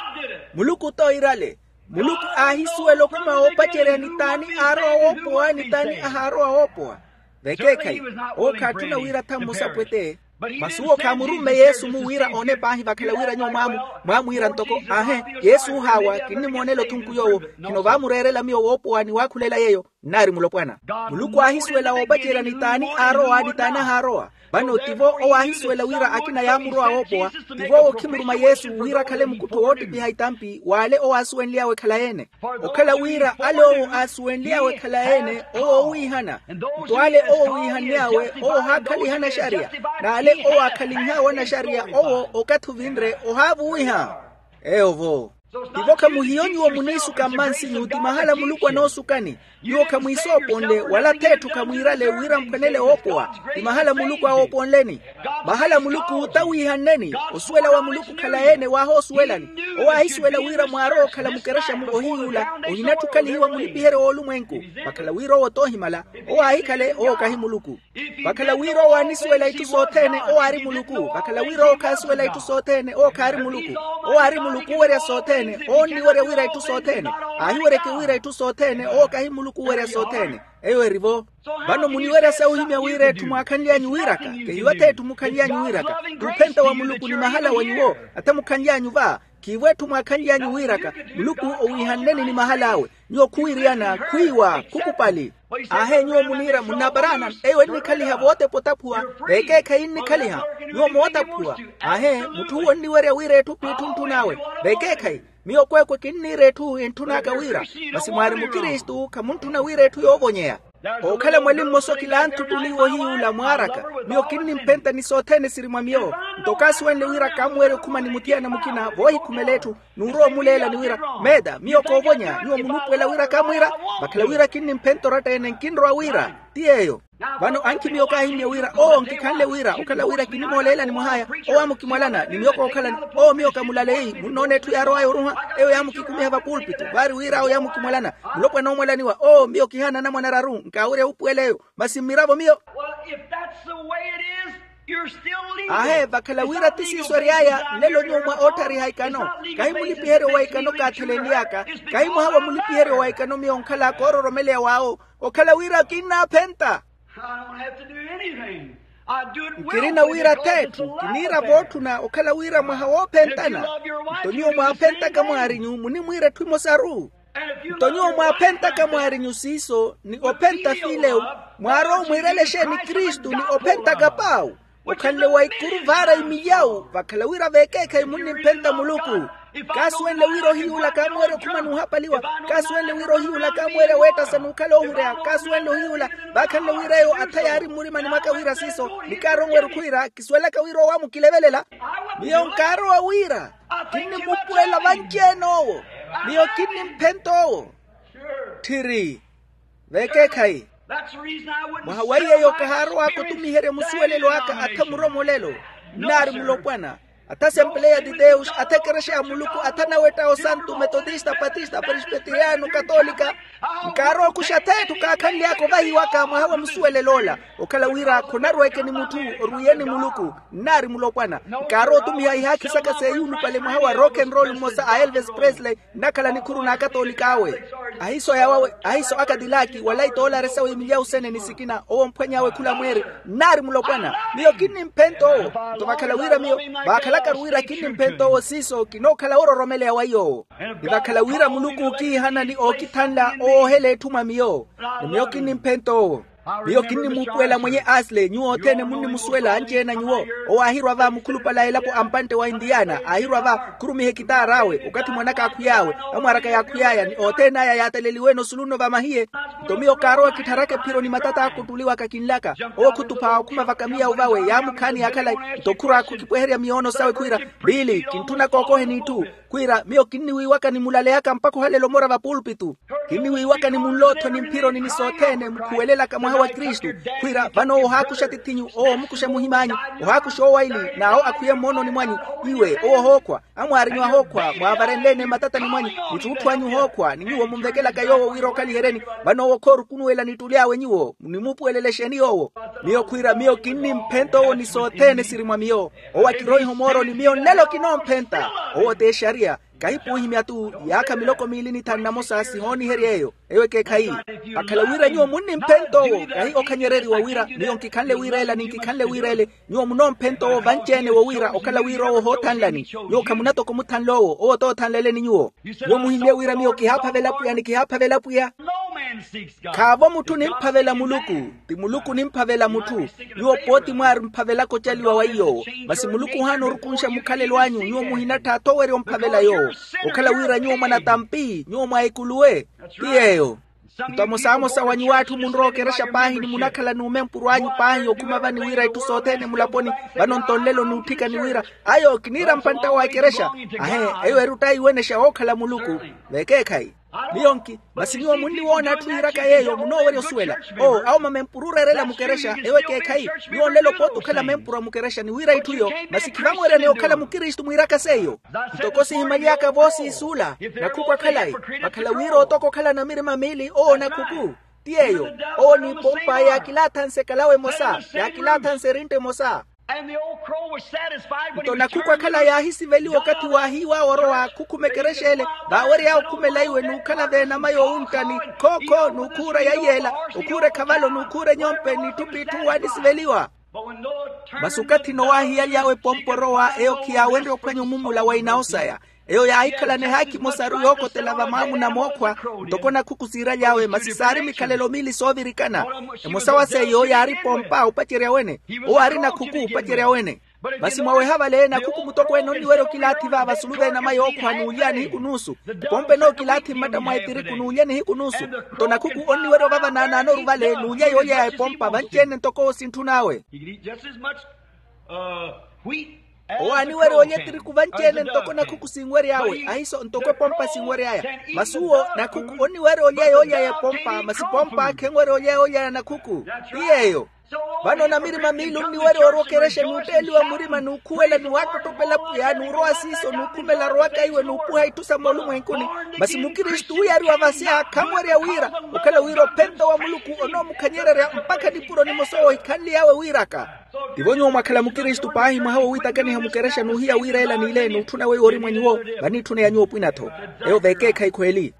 Muluku t'oirale. Muluku aahisuwela okhuma woopacerya ni t'ani aarowa woopowa ni t'ani ahaarowa woopowa. Vekeekhayi, owo khaatthuna wira atha mmosa pwete. Masi owo khaamurumme yesu-mu wira oone paahi vakhala wira nyuwo mwaamu, mwaamwiira ntoko aahe, yesu ohaawa kinnimoonela othunku yoowo. Khino vaamureerela miyo woopowa ni waakhulela yeeyo. Nnaari mulopwana. Muluku aahisuwela woopacerya ni t'ani aarowa ni t'ani ahaarowa. Vano tivo owo aahisuwela wira akina yaamurowa woopowa. Tivo owo okhimuruma yesu wira akhale mukuttho woottipiha itampi w'ale owo aasuwenly'awe khalayi-ene. Okhala wira ale owo aasuwenly'awe khalayi-ene owo oowiihana. Nto ale owo wiihann'awe owo ohaakhaliha anaxariya. N'ale owo aakhalinh'awe anaxariya owo okathi ovinre ohaavuwiha. Eyo vo. Tivo khamuhiyo nyuwo muniisuka mmansinyu ti mahala muluku anoosukani. Nyuwo khamwiisooponle wala ath'etthu khamwiirale wira muphwanele woopowa. Ti mahala muluku awooponleni. Mahala muluku tawiihanneni. Osuwela wa muluku khalayi-ene waahoosuwelani. Owo aahisuwela wira mwaarowa okhala mukerexa-mu ohiyuula. Ohinatthi okhalihiwa mulipiheryo w'olumwenku. Vakhala wira owo t'ohimala. Owo aahikhale owo kahi muluku. Vakhala wira owo aanisuwela itthu sothene owo aari muluku vakhala wira owo khaasuwela itthu sothene owo khaari muluku. Owo aari muluku owerya sothene owo onniwerya wira itthu sothene. Aahiweryeke wira itthu sothene owo kahi muluku owerya sothene. Eyo eri-vo. Vano muniwerya sawuhimya wira etthu mwaakhanly'anyu wiiraka. Kehiyo ath'etthu mukhanly'anyu wiiraka. T'uphenta wa muluku ni mahala wa nyuwo. Atha mukhanly'anyu va. Khiivo etthu mwaakhanly'anyu wiiraka. Muluku owiihanneni ni mahal'awe. Nyuwo khuwiiriyana khwiiwa khukupali. Aahe nyuwo muniira munnaparana. Eyo ennikhaliha vootepa otaphuwa. Vekeekhayi ennikhaliha. Nyuwo mootaphuwa. Aahe mutthu uwo onniwerya wira etthu p'itthu ontthun'awe. Vekeekhayi. Miyo kweekwe kinniira etthu entthun'aka wira. Masi mwaari mukristu khamuntthuna wira etthu yoovonyeya. Ookhala mwali mmosa okilanthu ttuliwa ohiyuula mwaaraka. Miyo kinnimphenta ni sothene siri mwa miyo. Nto kaasuwenle wira kaamuwerya okhuma ni muthiyana mukina voohikhumela etthu. Nuurowa omuleela ni wira meeta miyo koovonya nyuwo munuupuwela wira kaamwiira. Vakhala wira kinnimphenta oratta-ene nkinrowa wira ti yeeyo. Vano ankhi miyo kaahimya wira oo nkikhanle wira okhala wira kinimooleelani mwah'aya. Owo aamukimwalana ni miyo kookhalani. Oo miyo kamulaleyi munnoona etthu yaarow'aya oruha. Eyo yaamukikumiha vapulpito vaari wir'awo yaamukimwalana. Mulopwana oomwalaniwa oo miyo kihaana anamwane araru. Nkaawerya wuupuwela eyo. Masi mmiravo miyo. Aahe vakhala wira ti siiso ery'aya nlelo nyuwo mwa ootthariha ikano. Kahi mulipiheryo wa ikano kaatthelenly'aka. Kahi mwaha wa mulipiheryo wa ikano miyo onkhala koororomeleya w'awo. Okhala wira kinnaaphenta. Nkirina wira ath'etthu kiniira vootthuna okhala wira mwaha woophentana. Nto nyuwo mwaaphentaka mwaarinyu munimwiira etthu emosaru. Nto nyuwo mwaaphentaka mwaarinyu siiso ni ophenta fiilewu. Mwaarowa omwiirela exeeni kristu ni ophentaka paawu. Okhanle wa ikuru vaara imiyawu vakhala wira veekeekhayi munnimphenta muluku. Kaasuwenle wira ohiyuula kaamuwerya okhuma n'uhapaliwa. Kaasuwenle wira ohiyuula kaamuwerya weettasa n'ukhala oohureya kaasuwenle ohiyuula. Vaakhanle wira eyo atha yaari mmurimani mwaka wira siiso ni kaaronwerya okhwiira kisuwelaka wira owo amukilevelela. Miyo nkaarowa wira kinnimupuwela vanci-ene owo. Miyo kinnimphenta owo. Tthiri. Veekeekhayi. Mwaha wa iyeyo kahaarow'aka otumiherya musuwelelo aka atha muromolelo. Nnaari mulopwana. Atha asempeleya de deus atha ekerexa ya muluku atha anawetta osantu metotista patista prespeteriano katolika. Nkaarowa okuxa ath'etthu kaakhanly'aka ovahiwaka mwaha wa musuwelel'ola. Okhala wira khonarweke ni mutthu orwiye ni muluku. Nnaari mulopwana. Nkaarowa otumiha ihaakhi saka seeyulupale mwaha wa rock and roll mmosa a elvis presley. Nnakhala nikhuru n'akatolik'awe. Ahiso yawawe ahiso akadilaki wala itoolari sawe imilyawu sene ni sikina owo omphwany'awe khula mweeri. Nnaari mulopwana. Miyo kinnimphenta owo. Nto vakhala wira miyo vaakhalakaru wira kinnimphenta owo siiso kinookhala woororomeleya wa iy'owo. Ni vakhala wira muluku ookiihana ni ookithanla owoohela etthu mwa miyo. Ni miyo kinnimphenta owo. Miyo kinnimuupuwela mwenye asle nyuwo othene munnimusuwela anci-ene a nyuwo. Owo aahirwa va mukhulupale a elapo a mpantte wa intiyana aahirwa va khurumiha ekitaar'awe okathi mwan'aka aakhwiy'awe. Amwaar'aka yaakhwiy'aya ni othene aya yaataleliwe-ene osulu-no va mahiye. Nto miyo kaarowa kittharaka ephiro ni matat'aka ottuliwaka kinlaka. Owo khutupha okhuma vakamiyawu vawe yaamukhaani yaakhalayi. Nto khur'aka okipweherya miyoono sawe khwiira, biili kintthuna kookoheni itthu. Khwiira miyo kinniwiiwaka ni mulaleyaka mpakha ohalela omora vapulpitu. Kinniwiiwaka ni munlootho ni mphironi ni sothene mukhuwelelaka mwaha wa kristu. Khwiira vano owo ohaakuxa atith'inyu owo omukuxa muhim'anyu. Ohaakuxa owaili n'awo akhwiye mmoononi mwanyu. Iwe owo ohookhwa amwaarinyu ahookhwa mwaavarenle-ene matatani mwanyu. Ni ttuutthu anyu ohookhwa ni nyuwo munvekelaka yoowo wira okhaliheryeni. Vano owo khoorukunuwela nittuly'awe nyuwo nimuupuwelelexeni yoowo. Miyo khwiira miyo kinnimphenta owo ni sothene siri mwa miyo. Owo akiroiha omooroni miyo nlelo kinoomphenta. Owo t'exariya. Kahipuuhimya-tu. Yaakha miloko miili ni thanu na mosa sihooniherye eyo. Eyo ekeekhayi. Akhala wira nyuwo munnimphentowo kahi okhanyereriwa wira miyo nkikhanle wira ela ni nkikhanle wira ele. Nyuwo munoomphentoowo vanci-ene wo wira okhala wira owo ohoothanlani. Nyuwo khamunatoko omuthanl'owo owo t'othanleleni nyuwo. Nyuwo muhimmye wira miyo kihaaphavela pwiya ni kihaaphavela pwiya. Khaavo mutthu onimphavela muluku. Ti muluku onimphavela mutthu. Nyuwo pooti mwaari mphavelaka ocaliwa wa iy'owo. Masi muluku ohaana orukunxa mukhalelo anyu nyuwo muhinattha athowerya omphavela yoowo. Okhala wira nyuwo mwanatampi nyuwo mwa ekuluwe. Ti yeeyo. Nto amosamosa wa nyuwo atthu munrowa okerexa paahi ni munakhala n'umempuru anyu paahi okhuma vani wira itthu sothene mulaponi. Vano nto nlelo n'utthikani wira ayo kiniira mpantta wa ekerexa. Ahe. Eyo eri ottaiwenexa wookhala muluku. Vekeekhayi. Miyo nki masi nyuwo munniwoona atthu yiiraka yeeyo munoowerya osuwela. Oo awo mamempuru ooreerela mukerexa ewo ekeekhayi. Nyuwo nlelo pooti okhala mempuru a mukerexa ni wira itthu iyo. Masi khivanweryaneya okhala mukristu mwiiraka seiyo. Ntoko sihimaly'aka voosiisuula. Nakhuku akhalayi vakhala wira otoka okhala na mirima miili owo nakhuku. Ti yeeyo. Owo ni ipompa yaakilaathanse ekalawa emosa yaakilaathanse erintta emosa. Nto nakhuku akhala yaahisiveliwa okathi waahiiw'awe orowa akhukhuma ekerexa ele. Vaawery'awe okhumela iwe n'ukhala v'enama yoowunttani khookho n'ukhuura ya iyeela. Okhuura ekhavalo n'ukhuura enyompe n'itthupi itthu waanisiveliwa. Masi okathi nowa aahiyaly'awe epompa orowa eyo khiyaawenrye ophwanya omumula wa inawo saya. Eyo yaahikhalana ehaakhi emosaru yookotela vamaamuna mookhwa. Ntoko nakhuku siiraly'awe masi saari mikhalelo miili soovirikana. Emosa wa seiyo yaari pompa opacerya wene. Owo aari nakhuku opacerya wene. Masi mwaweha vale nakhuku mutokweene onniwerya okilaathi va vasulu v'enama yookhwa n'ulya nihiku nuusu. Epompa enookilaatthi mmatta mwa etiriku n'ulya nihiku nuusu. Nto nakhuku onniwerya ovava naanaanoru vale n'ulya yoolya ya epompa vanci-ene ntoko owo sintthun'awe. Owo aaniwerya olya etiriku vanci-ene ntoko nakhuku sinwery'awe ahiiso ntoko epompa sinwery'aya. Masi uwo nakhuku onniwerya olya yoolya y'epompa masi pompa khenwerya olya yoolya ya nakhuku. Ti yeeyo. Vano namirima miili onniwerya oorwa okerexa n'utteeliwa murima n'ukhuwela ni waattottopela pwiya n'urowa siiso n'ukhumela arowaka iwe n'upuha itthu sa moolumwenkuni. Masi mukristu uwo yaari wavasya khanwerya wira okhala wira ophenta wa muluku onoomukhanyererya mpakha nipuro nimosa owo ohikhanly'awe wiiraka. Tivo nyuwo mwakhala mukristu paahi mwaha wowiitakaniha mukerexa n'uhiya wira ela n'ile n'utthuna weiwo ori mwa nyuwo. Vaniitthuneya nyuwo opwina-tho. Eyo vekeekhayi khweeli.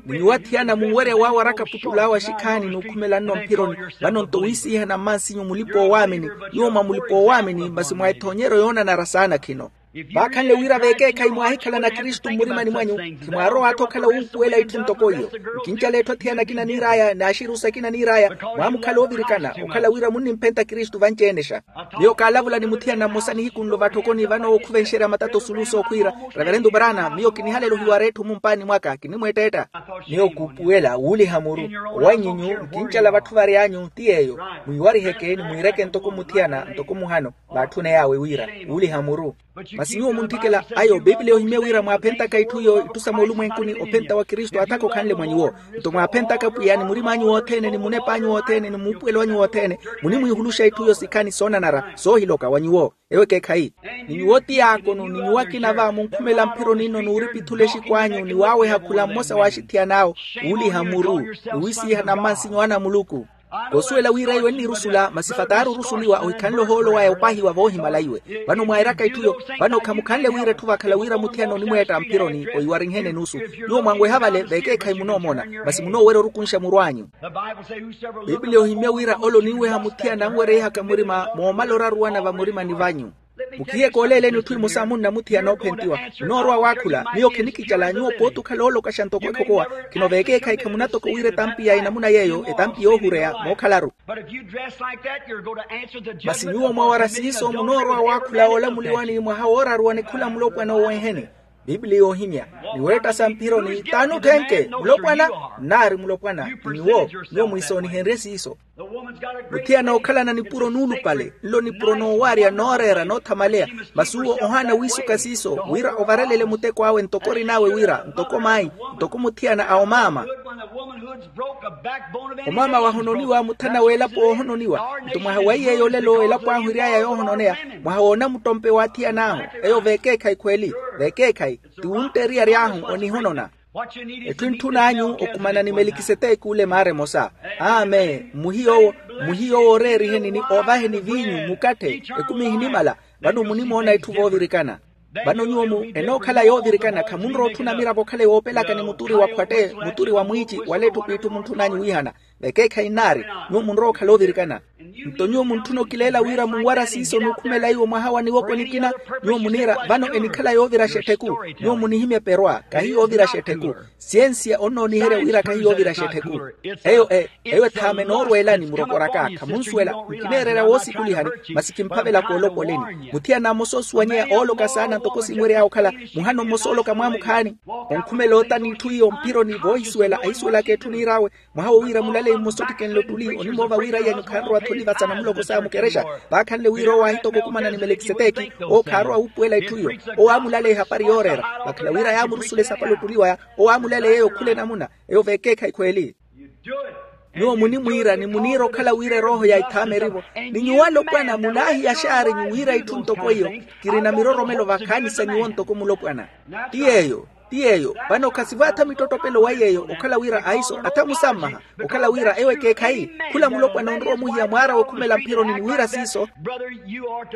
Ni nyuwo athiyana munwerya waawaraka puttul'awe axikhaani n'ukhumela nno mphironi. Vano nto wiisihana mmansinyu mulipa-oowaamini. Nyuwo mwa mulipa-oowaamini masi mwa ethoonyeryo yoonanara saana khino. Vaakhanle wira vekeekhayi mwaahikhalana kristu mmurimani mwanyu. Khimwaarowa-tho okhala wuupuwela itthu ntoko iyo. Nkincala etthu athiyana akina niir'aya n'axirusi akina niir'aya. Mwaamukhala oovirikana okhala wira munnimphenta kristu vanci-enexa. Miyo kaalavula ni muthiyana mmosa nihiku nlo vatthokoni vano wookhuvenxerya matata osulu sookhwiira, reverento brana miyo kinihalela ohiwara etthu mumpaani mwaka kinimweetteetta. Miyo kuupuwela wuuliha muru. Owannyi nyu nkincala vatthu vary'anyu ti yeeyo. Mwiiwariheke ni mwiireke ntoko muthiyana ntoko muhano. Vaatthuney'awe wira wuuliha muru. Masi nyuwo muntthikela ayo pipiliya ohimye wira mwaaphentaka itthu iyo itthu sa moolumwenkuni ophenta wa kristu aathaka okhanle mwa nyuwo. Nto mwaaphentaka pwiya ni murim'anyu wothene ni munep'anyu wothene ni muupuwelo anyu wothene. Munimwiihuluxa itthu iyo sikhani soonanara soohiloka wa nyuwo. Ewo ekeekhayi. Ni nyuwo ti yaakonu ni nyuwo akina va munkhumela mphironi nno n'uripithula exikwaanyu ni waaweha khula mmosa w'axithiyan'awe. Wuuliha muru ni wiisihana mmansinyu ana a muluku. Koosuwela wira iwe nnirusula masi fataari orusuliwa ohikhanle ohoolo waya opahiwa voohimala iwe. Vano mwairaka itthu yo. Vano khamukhanle wira etthu vakhala wira muthiyana onimweetta mphironi oiwarinhene nuusu. Nyuwo mwanweha vale vekeekhayi munoomona. Masi munoowerya orukunxa muru anyu. Pipiliya ohimmya wira ole oninweha muthiyana anwereihaka murima moomala oraruwana vamurimani vanyu. Mukhiye kooleeleni etthu emosa munna muthiyana oophentiwa. Munoorowa waakhula miyo khinikicala nyuwo pooti okhala oolokaxa ntoko ekhokowa. Khino vekeekhayi khamunatoko wira etampi ya enamuna yeeyo etampi yoohureya mookhalaru. Masi nyuwo mwawara siiso munoorowa waakhula oolamuliwani mwaha wooraruwani khula mulopwana owenheni. Pipiliya yoohimya. Ni weetta sa mphironi taani otthenke mulopwana? Nnaari mulopwana. Ti nyuwo. Nyuwo mwiisoonihenrye siiso. Muthiyana ookhalana nipuro nuulupale nlo nipuro noowarya nooreera noothamaleya. Masi uwo ohaana wiisuka siiso wira ovarelele muteko awe ntoko orin'awe wira ntoko mayi ntoko muthiyana a omaama. Omaama wahononiwa muthana w'elapo oohononiwa. Nto mwaha wa iyeeyo olelo elapo ahu iri'aya yoohononeya. Mwaha w'onamuttompe w'athiyan'ahu. Eyo vekeekhayi khweeli. Vekeekhayi. Ti wuntta eriyari ahu onihonona. Etthu entthun'anyu okumana ni melikiseteki ole maara emosa. Amen mmuhiyo owo. Mmuhiyo owo oreeriheni ni oovaheni viinyu mukatthe. Ekumi ehinimala. Vano munimoona etthu voovirikana. Vano nyuwo-mu enookhala yoovirikana khamunrowa otthuna miravo okhale woopelaka ni muturi wa khwatte, muturi wa mwiici wala etthu kwiitthu muntthun'anyu wiihana. Vekeekhayi nnaari, nyuwo munrowa okhala oovirikana. Nto nyuwo muntthuna okileela wira munwara siiso n'ukhumela iwo mwaha wa niwoko nikina. Nyuwo muniira vano enikhala yooviraxa ettheku. Nyuwo munihimya eperwa kahi yooviraxa ettheku. Siyensiya onnooniherya wira kahi yooviraxa ettheku. Eyo e eyo ethaama enoorweelani murokoraka khamunsuwela. Nkineererya woosikulihani masi kimphavela koolopoleni. Muthiyana mmosa osuwanyeya ooloka saana ntoko sinwery'awe okhala muhano mmosa ooloka mwaamukhaani. Onkhumela oota n'itthu iyo mphironi voohisuwela ahisuwelaka etthu niir'awe. Mwaha wo wira mulaleyi mmosa ottikenle ottuli onimoova wira iyanyu khanrowa-tho oliva sa namuloko s'aya mukerexa. Vaakhanle wira owo aahitoka okumana ni melikiseteki. Owo khaarowa wuupuwela etthu iyo. Owo aamulaleya ehapari yooreera. Vakhala wira yaamurusula esapala ottuli waya. Owo aamulaleya eyo khula enamuna. Eyo veekeekhayi khweeli. Nyuwo munimwiira ni muniira okhala wira erooho ya ithaama eri-vo. Ni nyuwo alopwana munaahiyaxaarinyu wira itthu ntoko iyo. Kirina miroromelo vakhaani sa nyuwo ntoko mulopwana. Ti yeeyo. Ti yeeyo. Vano khasivo atha mittottopelo wa yeeyo okhala wira aiso atha musammaha. Okhala wira ewo ekeekhayi. Khula mulopwana onrowa omuhiya mwaara wookhumela mphironi ni wira siiso.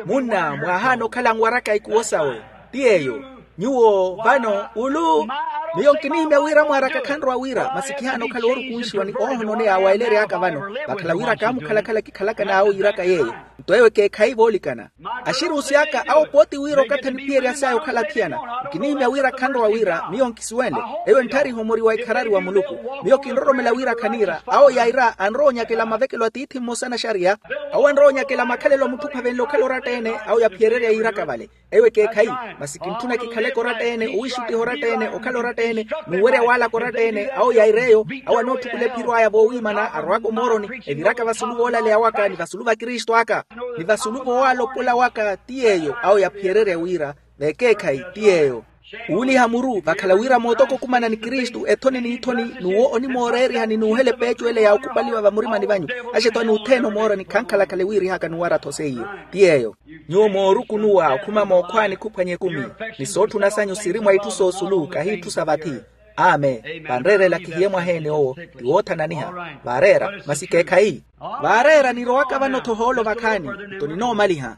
Munna mwaahaana okhala anwaraka ikuwo sawe. Ti yeeyo. Nyuwo vano ulu. Miyo nkinihimya wira mwaaraka khanrowa wira masi kihaana okhala oorukunxiwa ni oohononeya awaelery'aka vano. Vakhala wira kaamukhalakhala kikhalaka n'awo yiiraka yeeyo. Nto ewo ekeekhayi voolikana. Axirunsi aka awo pooti wira okathi aniphiyerya saya okhala athiyana. Nkinihimya wira khanrowa wira miyo nkisuwenle. Eyo entthariha omori wa ikharari wa muluku. Miyo kinroromela wira khaniira awo yaira anrowa onyakela mavekelo a tiithi mmosa anaxariya. Awo anrowa onyakela makhalelo a mutthu ophavenle okhala oratta-ene. Awo yaphiyererya yiiraka vale. Ewo ekeekhayi. Masi kintthuna kikhaleke oratta-ene owiixuttiha oratta-ene okhala oratta-ene. N'uwerya waalaka oratta-ene awo yair'eyo. Awo anootthukulela ephiro aya voowiimana arowaka omooroni. Eviraka vasulu voolaleya waka ni vasulu va kristu aka ni vasulu voowalopola waka ti yeeyo awo yaphiyererya wira. Vekeekhayi ti yeeyo. Wuuliha muru vakhala wira mootoko okumana ni kristu ethoni n'ithoni. N'uwo onimooreerihani n'uhela epeeco ele ya okupaliwa vamurimani vanyu. Axeto anuutheene omooroni khankhalakhale wiirihaka n'uwara-tho seiyo. Ti yeeyo. Nyuwo moorukunuwa okhuma mookhwaani khuphwanya ekumi. Ni sootthuna sanyu siri mwa itthu soosulu kahi itthu sa vathi. Amen. Vanreerela kihiye mwaha-ene owo ti woothananiha. Vaareera masi keekhayi. Vaareera nirowaka vano-tho ohoolo vakhaani. Nto ninoomaliha.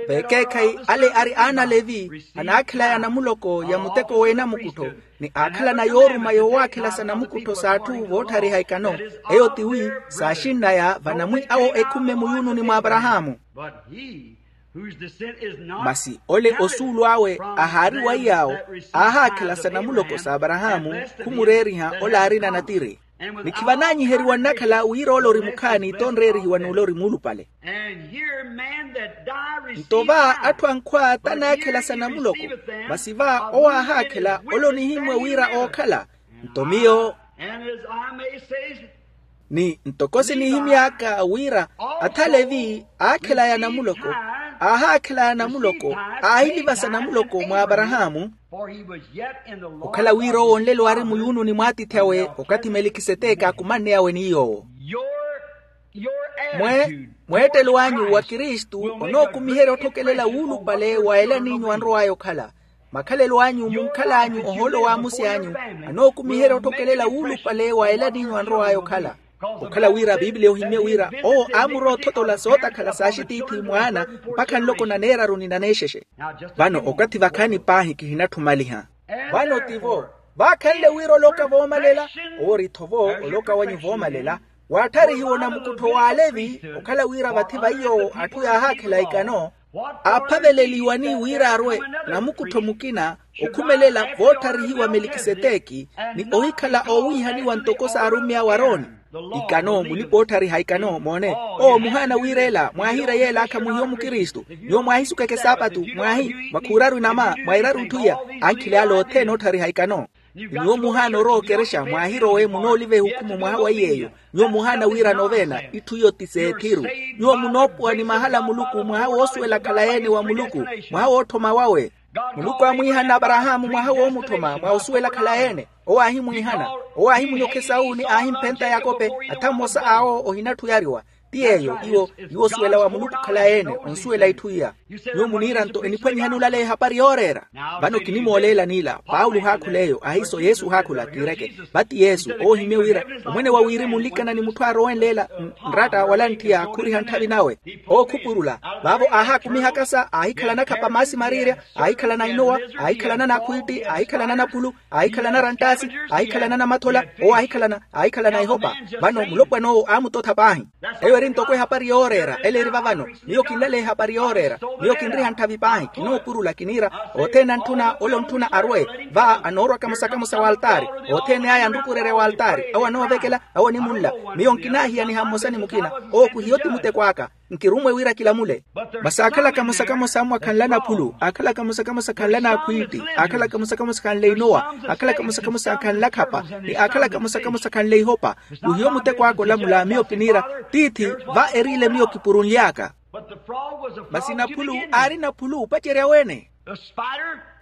Vekeekhayi ale ari aana alevi anaakhelaya anamuloko ya muteko w'enamukuttho ni aakhalana yooruma yoowaakhela sa namukuttho s'atthu vootthariha ikano. Eyo tiwi saaxinnaya vanamwi awo ekhumme muyuununi mw'aparahaamu. Masi ole osuulu awe ahaari wa iy'awo aahaakhela sa namuloko s'aparahaamu khumureeriha ole aarina natiri. Ni khivananyiheriwa nnakhala wira ole ori mukhaani t'onreerihiwa n'ule ori muulupale. Nto va atthu ankhwa tanaakhela sa namuloko. Masi va owo aahaakhela ole onihimmwe wira ookhala. Nto miyo ni ntoko sinihimy'aka wira athalevi aakhelaya namuloko aahaakhelaya namuloko aahilivasa namuloko mw'aparahaamu. Okhala wira owo nlelo aari muyuununi mw'atiithi-awe okathi melikiseteke akumanneyawe ni yoowo. Mwe mweettelo anyu wa kristu onookumiherya otthokelela wuulupale wa ela n'inyu anrow'aya okhala. Makhalelo anyu munkhal'anyu ohoolo w'amusi anyu anookumiherya otthokelela wuulupale wa ela n'inyu anrow'aya okhala. Okhala wira a piipiliya ohimmye wira owo aamurowa othotola sootakhala s'axitiithi mwaana mpakha nloko naneeraru ni naneexexe. Vano okathi vakhaani paahi kihinatthumaliha. Vano tivo vaakhanle wira oloka voomalela. Owo ori-tho vo oloka wanyu voomalela. Waattharihiwa onamukuttho w'alevi okhala wira vathi va iy'owo atthu yaahaakhela ikano aaphaveleliwani wira arwe namukuttho mukina okhumelela voottarihiwa melikiseteki ni ohikhala oowiihaniwa ntoko s'arummya wa aroni. Ikano mulipa ootthariha ikano moone owo muhaana wira ela mwaahiira yeel'aka muhiyo mukristu. Nyuwo mwaahisukeke saapatu mwaahi mwakhuuraru inama mwairaru itthu iya ankhili ale othene ootthariha ikano. Nyuwo muhaana orowa okerexa mwaahirowe munooliva ehukhumu mwaha wa iy'eyo. Nyuwo muhaana wira noveena itthu iyo ti s'ethiru. Nyuwo munoopuwa ni mahala a muluku mwaha woosuwela khalayi-ene wa muluku mwaha wootthoma wawe. Muluku aamwiihana aparahaamu mwaha woomutthoma mwa osuwela khalayi-ene. Owo aahimwiihana owo aahimunyokha esawuni aahimphenta yakope atha mmosa awo ohinatthu oyariwa. Ti yeeyo iwo, iwo osuwela wa muluku okhala yeene onsuwela itthu iya. Nyuwo muniira nto eniphwanyihani olaleya ehapari yooreera. Vano kinimooleela n'ila paulo ohaakhula eyo ahiiso yesu ohaakhula kiireke. Vati yesu oohimye wira omwene wa wirimu nlikana ni mutthu aarowenleela nratta wala ntthiya khuriha ntthavi nawe. Ookhupurula vaavo aahaakumihaka sa aahikhala anakhapa maasi mariirya, aahikhalana inowa, aahikhalana n'akhwiitti aahikhalana n'apulu, aahikhalana ranttaasi, aahikhalana namathola, owo aahikhalana aahikhalana ihopa. Vano mulopwan'owo aamutotha paahi. Eyo eri ntoko ehapari yooreera ela eri vavano. Miyo kinlaleya ehapari yooreera. Miyo kinriha ntthavi paahi kinoopurula kiniira othene antthuna ole ontthuna arwe. Va anoorwa kamosa-kamosa w'altaari. Othene aya anrukurerya w'altaari awo anoovekela awo onimunla. Miyo nkinahiyaniha mmosa ni mukina. Owo khuhiyo ti muteko aka. Nkirummwe wira kilamule. Masi aakhala kamosa-kamosa ammwakhanla naphulu aakhala kamosa-kamosa akhanla n'akhwiitti aakhala kamosa-kamosa akhanle inowa aakhala kamosa-kamosa akhanla khapa ni aakhala kamosa-kamosa akhanle ihopa. Kuhiyo muteko aka olamula miyo kiniira tiithi va eriile miyo kipurunly'aka. Masi naphulu aari naphulu opacerya wene.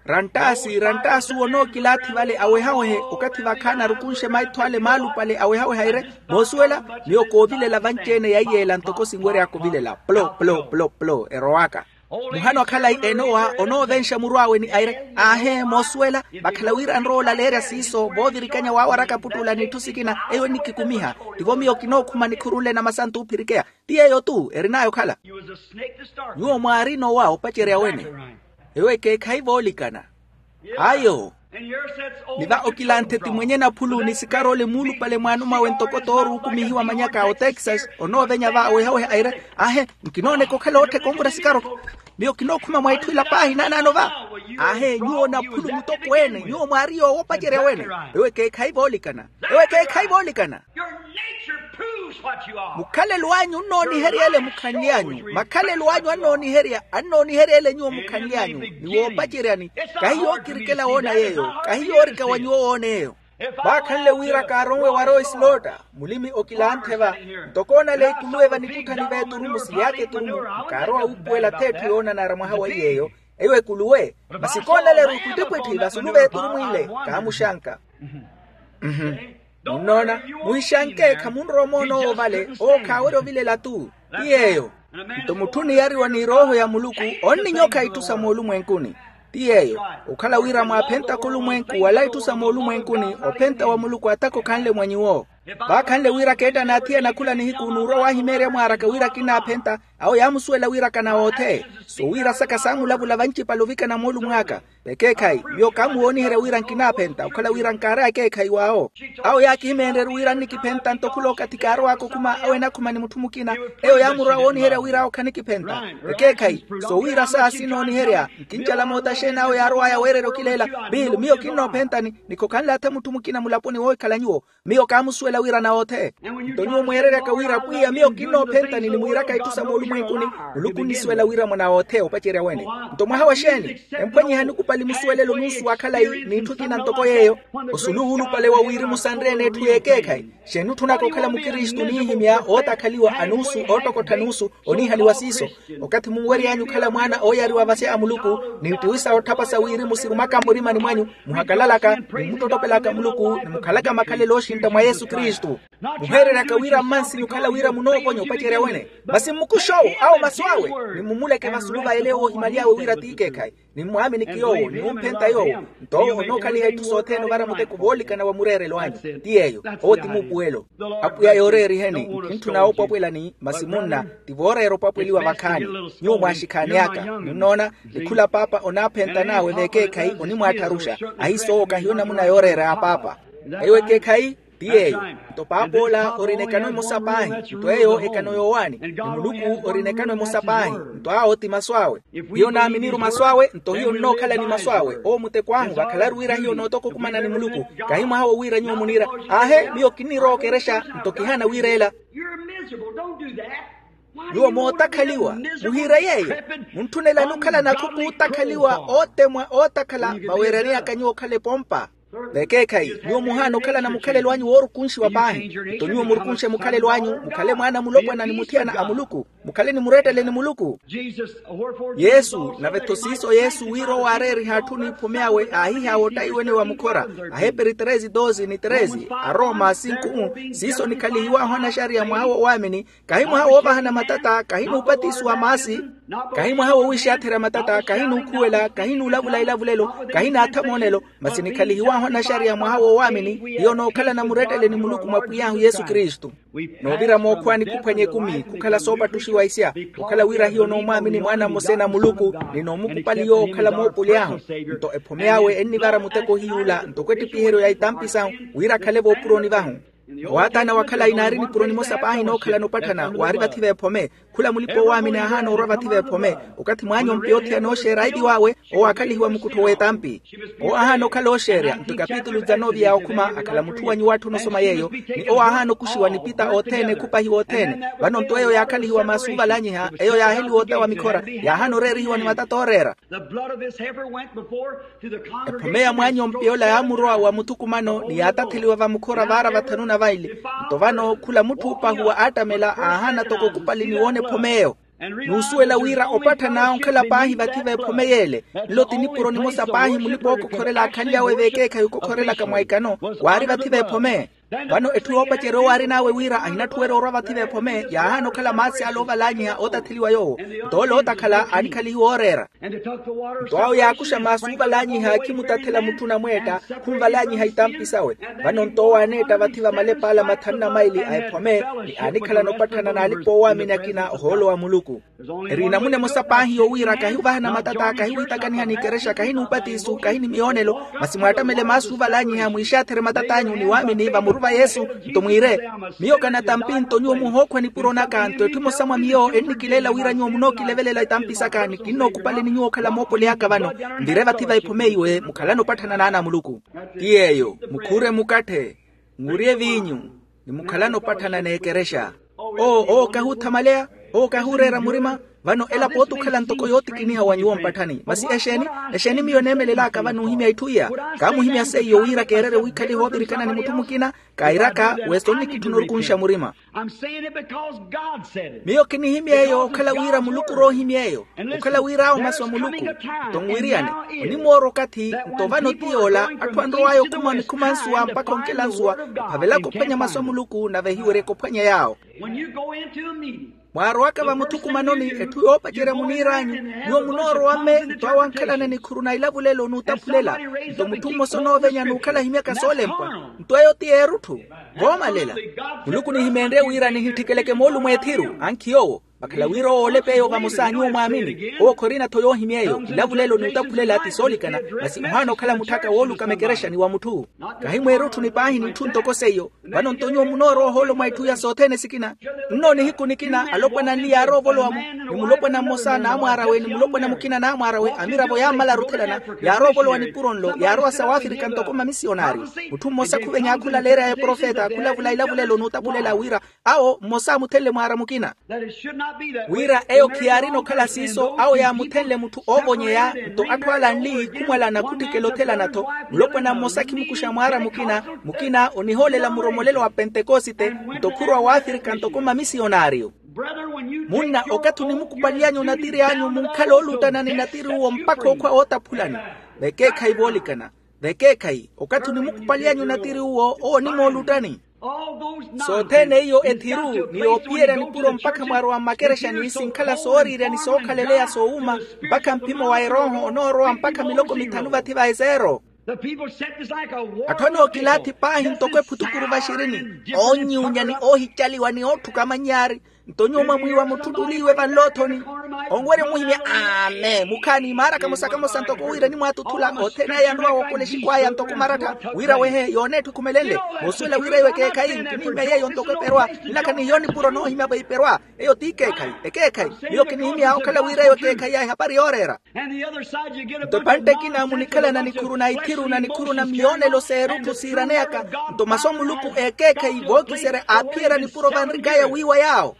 Ranttaasi ranttaasi owo nookilaathi vale awehawehe okathi vakhaana arukunxe maitho ale maalupale awehaweha ere. Moosuwela miyo koovilela vanci-ene yaiyeela ntoko sinwery'aka ovilela plo plo plo plo erowaka. Muhano akhalayi enowa onoovenxa muru awe ni aire aahe moosuwela. Vakhala wira nrowa olaleerya siiso voovirikanya waawaraka puttuula n'itthu sikina. Eyo enikikumiha tivo miyo kinookhuma nikhuru nle namasantu oophirikeya. Ti yeeyo-tu erin'aya okhala. Nyuwo mwaari nowa opacerya wene. Ewo ekeekhayi voolikana. Ayo. Ni va okilanthe ti mwenye naphulu ni sikarole muulupale mwaano mwawe ntoko tooruukumihiwa manyaka a otexas onoovenya va awehaweha aire. Ahe nkinooneka okhala oottheka onvura sikarole. Miyo kinookhuma mwa itthu ila paahi naanaano va. Ahe nyuwo naphulu mutokweene nyuwo mwaari yoowo opacerya wene. Ewo ekeekhayi voolikana. Ewo ekeekhayi voolikana. Mukhalelo anyu onnooniherya ele mukhanly'anyu makhalelo anyu annooniherya annooniherya ele nyuwo mukhanly'anyu. Ni woopaceryani. Kahi yookirikela woona yeeyo kahi yoorika wa nyuwo woona eyo. Vaakhanle wira kaaronwe warowa isilotta. Mulimi okilanthe va. Ntoko onaleya ikuluwe vanikutthani v'eturumu siy'aka eturumu. Nkaarowa wuupuwela ath'etthu yoonanara mwaha wa iy'eyo. Eyo ekuluwe. Masi koonaleru ipwittipwitthi vasulu v'eturumu ile. Kaamuxanka. Munnoona? Muhixanke khamunrowa omoona owo vale. Owo khaawerya ovilela-tu. Ti yeeyo. Nto mutthu oniyariwa ni erooho ya muluku onninyokha itthu sa moolumwenkuni. Ti yeeyo. Okhala wira mwaaphentaka olumwenku wala itthu sa moolumwenkuni ophenta wa muluku ataka okhanle mwa nyuwo. Vaakhanle wira keetta n'athiyana khula nihiku n'urwa waahimeerya mwaaraka wira kinnaaphenta. Awo yaamusuwela wira kanawoothe. Sowiira saka saamulavula vanci-pale ovikana moolumo aka. Vekeekhayi miyo kaamuwooniherya wira nkinaaphenta okhala wira nkaaraya ekeekhayi w'awo. Awo yaakihimeenryeru wira nnikiphenta nto khula okathi kaarow'aka okhuma awo enakhuma ni mutthu mukina. Eyo yaamurwa wooniherya wira awo khanikiphenta. Vekeekhayi sowiira saa sinooniherya. Nkincala moota xeeni awo yaarow'aya weererya okileela. Bill miyo kinnoophentani. Ni khokhanle atha mutthu mukina mulaponi woohikhala nyuwo. Miyo kaamusuwela wira anawoothe. Nto nyuwo mweereryaka wira pwiya miyo kinnoophentani ni mwiiraka itthu sa moolumwenkuni. Muluku onnisuwela wira mwanaawoothe opacerya wene. Nto mwaha wa xeeni? Emphwanyiha nikupali musuwelelo nuusu wa khalayi n'itthu ekina ntoko yeeyo. Osulu wuulupale wa wirimu sanre-ene etthu y'ekeekhayi. Xeeni otthunaka okhala mukristu oniihimya ootakhaliwa anuusu oottokottha nuusu. Oniihaliwa siiso. Okathi munwery'anyu okhala mwaana ooyariwa vasya a muluku, ni ittiwisa otthapasa wirimu sirumaka mmurimani mwanyu, muhakalalaka ni mmuttottopelaka muluku ni mukhalaka makhalelo ooxintta mwa yesu kristu. Muheereryaka wira mmansi mukhala wira munooponya opacerya wene. Masi mmukuxe owo awo masu awe. Ni mumuleke vasulu va ele woohimaly'awe wira t'ikeekhayi. Ni mmwaaminiki yoowo ni mumphenta yoowo. Nto owo onookhaliha itthu sothene ovara muteko voolikana wa mureerelo anyu. Ti yeeyo. Owo ti muupuwelo. Apwiya yooreeriheni. Nkintthuna oopwapwelani. Masi munna ti vooreera opwapweliwa vakhaani. Nyuwo mwaaxikhaani aka munnoona. Ni khula paapa onaaphenta naawe v'ekeekhayi onimwaattharuxa. Ahiisoowo kahiyo namuna yooreera ya paapa. Eyo ekeekhayi. Ti yeeyo. Nto paapa ola orina ekano emosa paahi. Nto eyo ekano yoowaani ni muluku orina ekano emosa paahi. Nto awo ti masu awe. Hiyo naaminiru masu awe nto hiyo nnookhala ni masu awe owo muteko ahu vakhalaru wira hiyo nootoka okumana ni muluku. Kahi mwaha wo wira nyuwo muniira. Aahe miyo kinnirookerexa. Nto kihaana wiira ela. Nyuwo mootakhaliwa. Muhiire yeeyo. Muntthunelani okhala nakhuku ootakhaliwa ootemwa ootakhala vaweereriyaka nyuwo okhala epompa. Vekeekhayi, nyuwo muhaana okhalana mukhalelo anyu woorukunxiwa paahi. Nto nyuwo murukunxe mukhalelo anyu, mukhale mwaana a mulopwana ni muthiyana a muluku. Mukhale ni murettele ni muluku. Yesu, nave-tho siiso yesu wira owo aareeriha atthu n'iphome awe aahiha woottayiwene wa mukhora. Aheperi treze doze ni treze, aroma sinku un. Siiso nikhalihiw'ahu anaxariya mwaha w'owaamini, kahi mwaha woovahana matata kahi n'upatisiwa maasi, kahi mwaha wowiixatherya matata kahi n'ukhuwela kahi n'ulavula ilavulelo, kahi n'atha moonelo, masi nikhalihiw'ahu anaxariya mwaha woowaamini. Hiyo nookhalana murettele ni muluku mwa pwiy'ahu yesu kristu. Noovira mookhuwa nikuphwanya ekumi khukhala soopattuxiwa isya, okhala wira hiyo noomwaamini mwaana mmosa na muluku, ni noomukupali yoowo okhala moopuli ahu. Nto ephome awe ennivara muteko hiy'ula ntoko ettipiheriyo ya itampi sahu, wira akhale voopuroni vahu. Owaatana wakhala inaari nipuro nimosa paahi nookhalana opatthana waari vathi v'ephome. Khula mulipa-owaamini aahaana orwa vathi v'ephome. Okathi mwaanyompi othiyana ooxeera aivi wawe, owo aakhalihiwa mukuttho w'etampi. Owo aahaana okhala ooxeerya nto ekapitulu dzanovi ya okhuma akhala mutthu wa nyuwo atthu onosoma yeeyo. Ni owo aahaana okuxiwa nipita othene khupahiwa othene. Vano nto eyo yaakhalihiwa maasi uvalanyiha eyo yaaheliwa ota wa mikhora, yaahaana oreerihiwa ni matata ooreera. Ephome ya mwaanyompi ola yaamurowa wa muthukumano ni yaatatheliwa vamukhora vaara vathanu na vaili. Nto vano khula mutthu oopahuwa aattamela aahaana toko okupali ni woona ephome eyo. N'usuwela wira opatthana onkhala paahi vathi v'ephome y'ele. Nlo ti nipuro nimosa paahi mulipa-ookokhorela aakhanly'awe v'ekeekhayi okokhorelaka mwa ikano, waari vathi v'ephome. Vano etthu yoopacerya owo aarin'awe wira ahinatthuwerya orwa vathi v'ephome yaahaana okhala maasi ale oovalanyiha ootatheliwa yoowo. Nto ole ootakhala aanikhalihiwa ooreera. Nto awo yaakuxa maasi oovalanyiha khimutathela mutthu onamweetta, khunvalanyiha itampi sawe. Vano nto owo aaneetta vathi va malep'ala mathanu na maili a ephome, ni aanikhalana opatthana n'alipa-oowaamini akina ohoolo wa muluku. Eri enamuna emosa paahi yowira kahi ovahana matata kahi wiitakaniha n'ikerexa kahi n'upatiso kahi ni miyoonelo, masi mwaattamele maasi ovalanyiha mwiixatherye matat'anyu ni waamini vamuruva yesu. Nto mwiire, miyo kanatampi nto nyuwo muhookhwa nipuro naka nto etthu emosa mwa miyo ennikileela wira nyuwo munookilevelela itampi saka ni kinnookupaleni nyuwo okhala moopoli aka vano. Nvire vathi va ephome iwe mukhalane opatthana n'ana a muluku. Ti yeeyo, mukhuure mukatthe, murye viinyu, ni mukhalane opatthana n'ekerexa. Oo owo kahuuthamaleya, owo kahuureera murima. Vano elapo otukhala ntoko yootikiniha wa nyuwo mpatthani masi exeeni? Exeeni miyo eneemelel'aka vano ohimya itthu iya? Kaamuhimya seiyo wira keererye wiikhaliha oovirikana ni mutthu mukina. Kairaka wesa onnikitthuna orukunxa murima. Miyo kinihimya eyo okhala wira muluku ori ohimya eyo. Okhala wira awo masu a muluku. Nto nwiriyane, onimoora okathi. Nto vano ti yoola atthu anrow'aya okhuma nikhuma nsuwa mpakha onkela nsuwa, ophavelaka ophwanya masu a muluku nave ehiweryeke ophwanya yaawo. Mwaarowaka vamuthukumanoni etthu yoopacerya muniir'anyu, nyuwo munoorowa mme nto awo ankhalana nikhuru na ilavulelo n'utaphulela. Nto mutthu mmosa onoovenya n'ukhala ahimyaka soolempwa. Nto eyo ti eerutthu. Voomalela, muluku nihimeenrye wira nihittikeleke moolumo ethiru ankhi yoowo. Vakhala wira owo olepa eyo vamosa nyuwo mwaamini owo khorina-tho yoohimya eyo ilavulelo n'utaphulela ti soolikana. Masi ohaana okhala mutthaka wooluka mekerexani wa mutthu. Kahi mweerutthu ni paahi n'itthu ntoko seiyo. Vano nto nyuwo munoorowa ohoolo mwa itthu iya sothene sikina. Nno nihiku nikina alopwana anli yaaroovolowa-mu, ni mulopwana mmosa n'amwaar'awe ni mulopwana mukina n'amwaar'awe amiravo yaammala aruthelana. Yaaroovolowa nipuro nlo yaarowa sa wafirika ntoko mamisiyonari. Mutthu mmosa khuvenya khulaleerya eprofeta khulavula ilavulelo n'utaphulela wira awo mmosa amuthenle mwaara mukina. Wira eyo khiyaarina okhala siiso awo yaamuthenle mutthu oovonyeya. Nto atthu ala anli khumwalana khuttikela othelana-tho. Mulopwana mmosa khimukuxa mwaara mukina, mukina onihoolela muromolelo wa pentekosite. Nto khurwa waafirika ntoko mamisiyonariyo. Munna okathi onimukupaliy'anyu onatiri anyu munkhala oolutana ni natiri uwo mpakha okhwa wootaphulani. Vekeekhayi voolikana. Vekeekhayi okathi onimukupaliy'anyu onatiri uwo owo onimoolutani. Sothene iyo ethiru ni yoophiyerya nipuro mpakha mwarowa mmakerexani sinkhala sooriirya ni sookhaleleya soowuma. Mpakha mpimo wa erooho onoorowa mpakha miloko mithanu vathi va ezeero. Atthu anookilaathi paahi ntoko ephutukuru vaxirini, oonyuunya ni oohicaliwa ni ootthuka amanyaari. Nto nyuwo mwamwiiwa mutthu ttuliiwe vanloothoni. Onwerya omuhimya amen mukhaani maara kamosa kamosa ntoko wira enimwaatuthula othene aya anrowa wookola exikwaaya ntoko marattha. Wira wehe yooneettha ekhumelenle. Moosuwela wira eyo ekeekhayi nkinihimya yeeyo ntoko eperwa. Nlakha ni hiyo nipuro noohimya veiperwa. Eyo ti ekeekhayi. Ekeekhayi. Miyo kinihimya okhala wira eyo ekeekhayi ya ehapari yooreera. Nto epantte ekina munikhalana nikhuru na ithiru na nikhuru na miyoonelo s'erutthu siiraneyaka. Nto masu a muluku ekeekhayi vookiserya aaphiyerya nipuro vanrikaya wiiwa yaawo.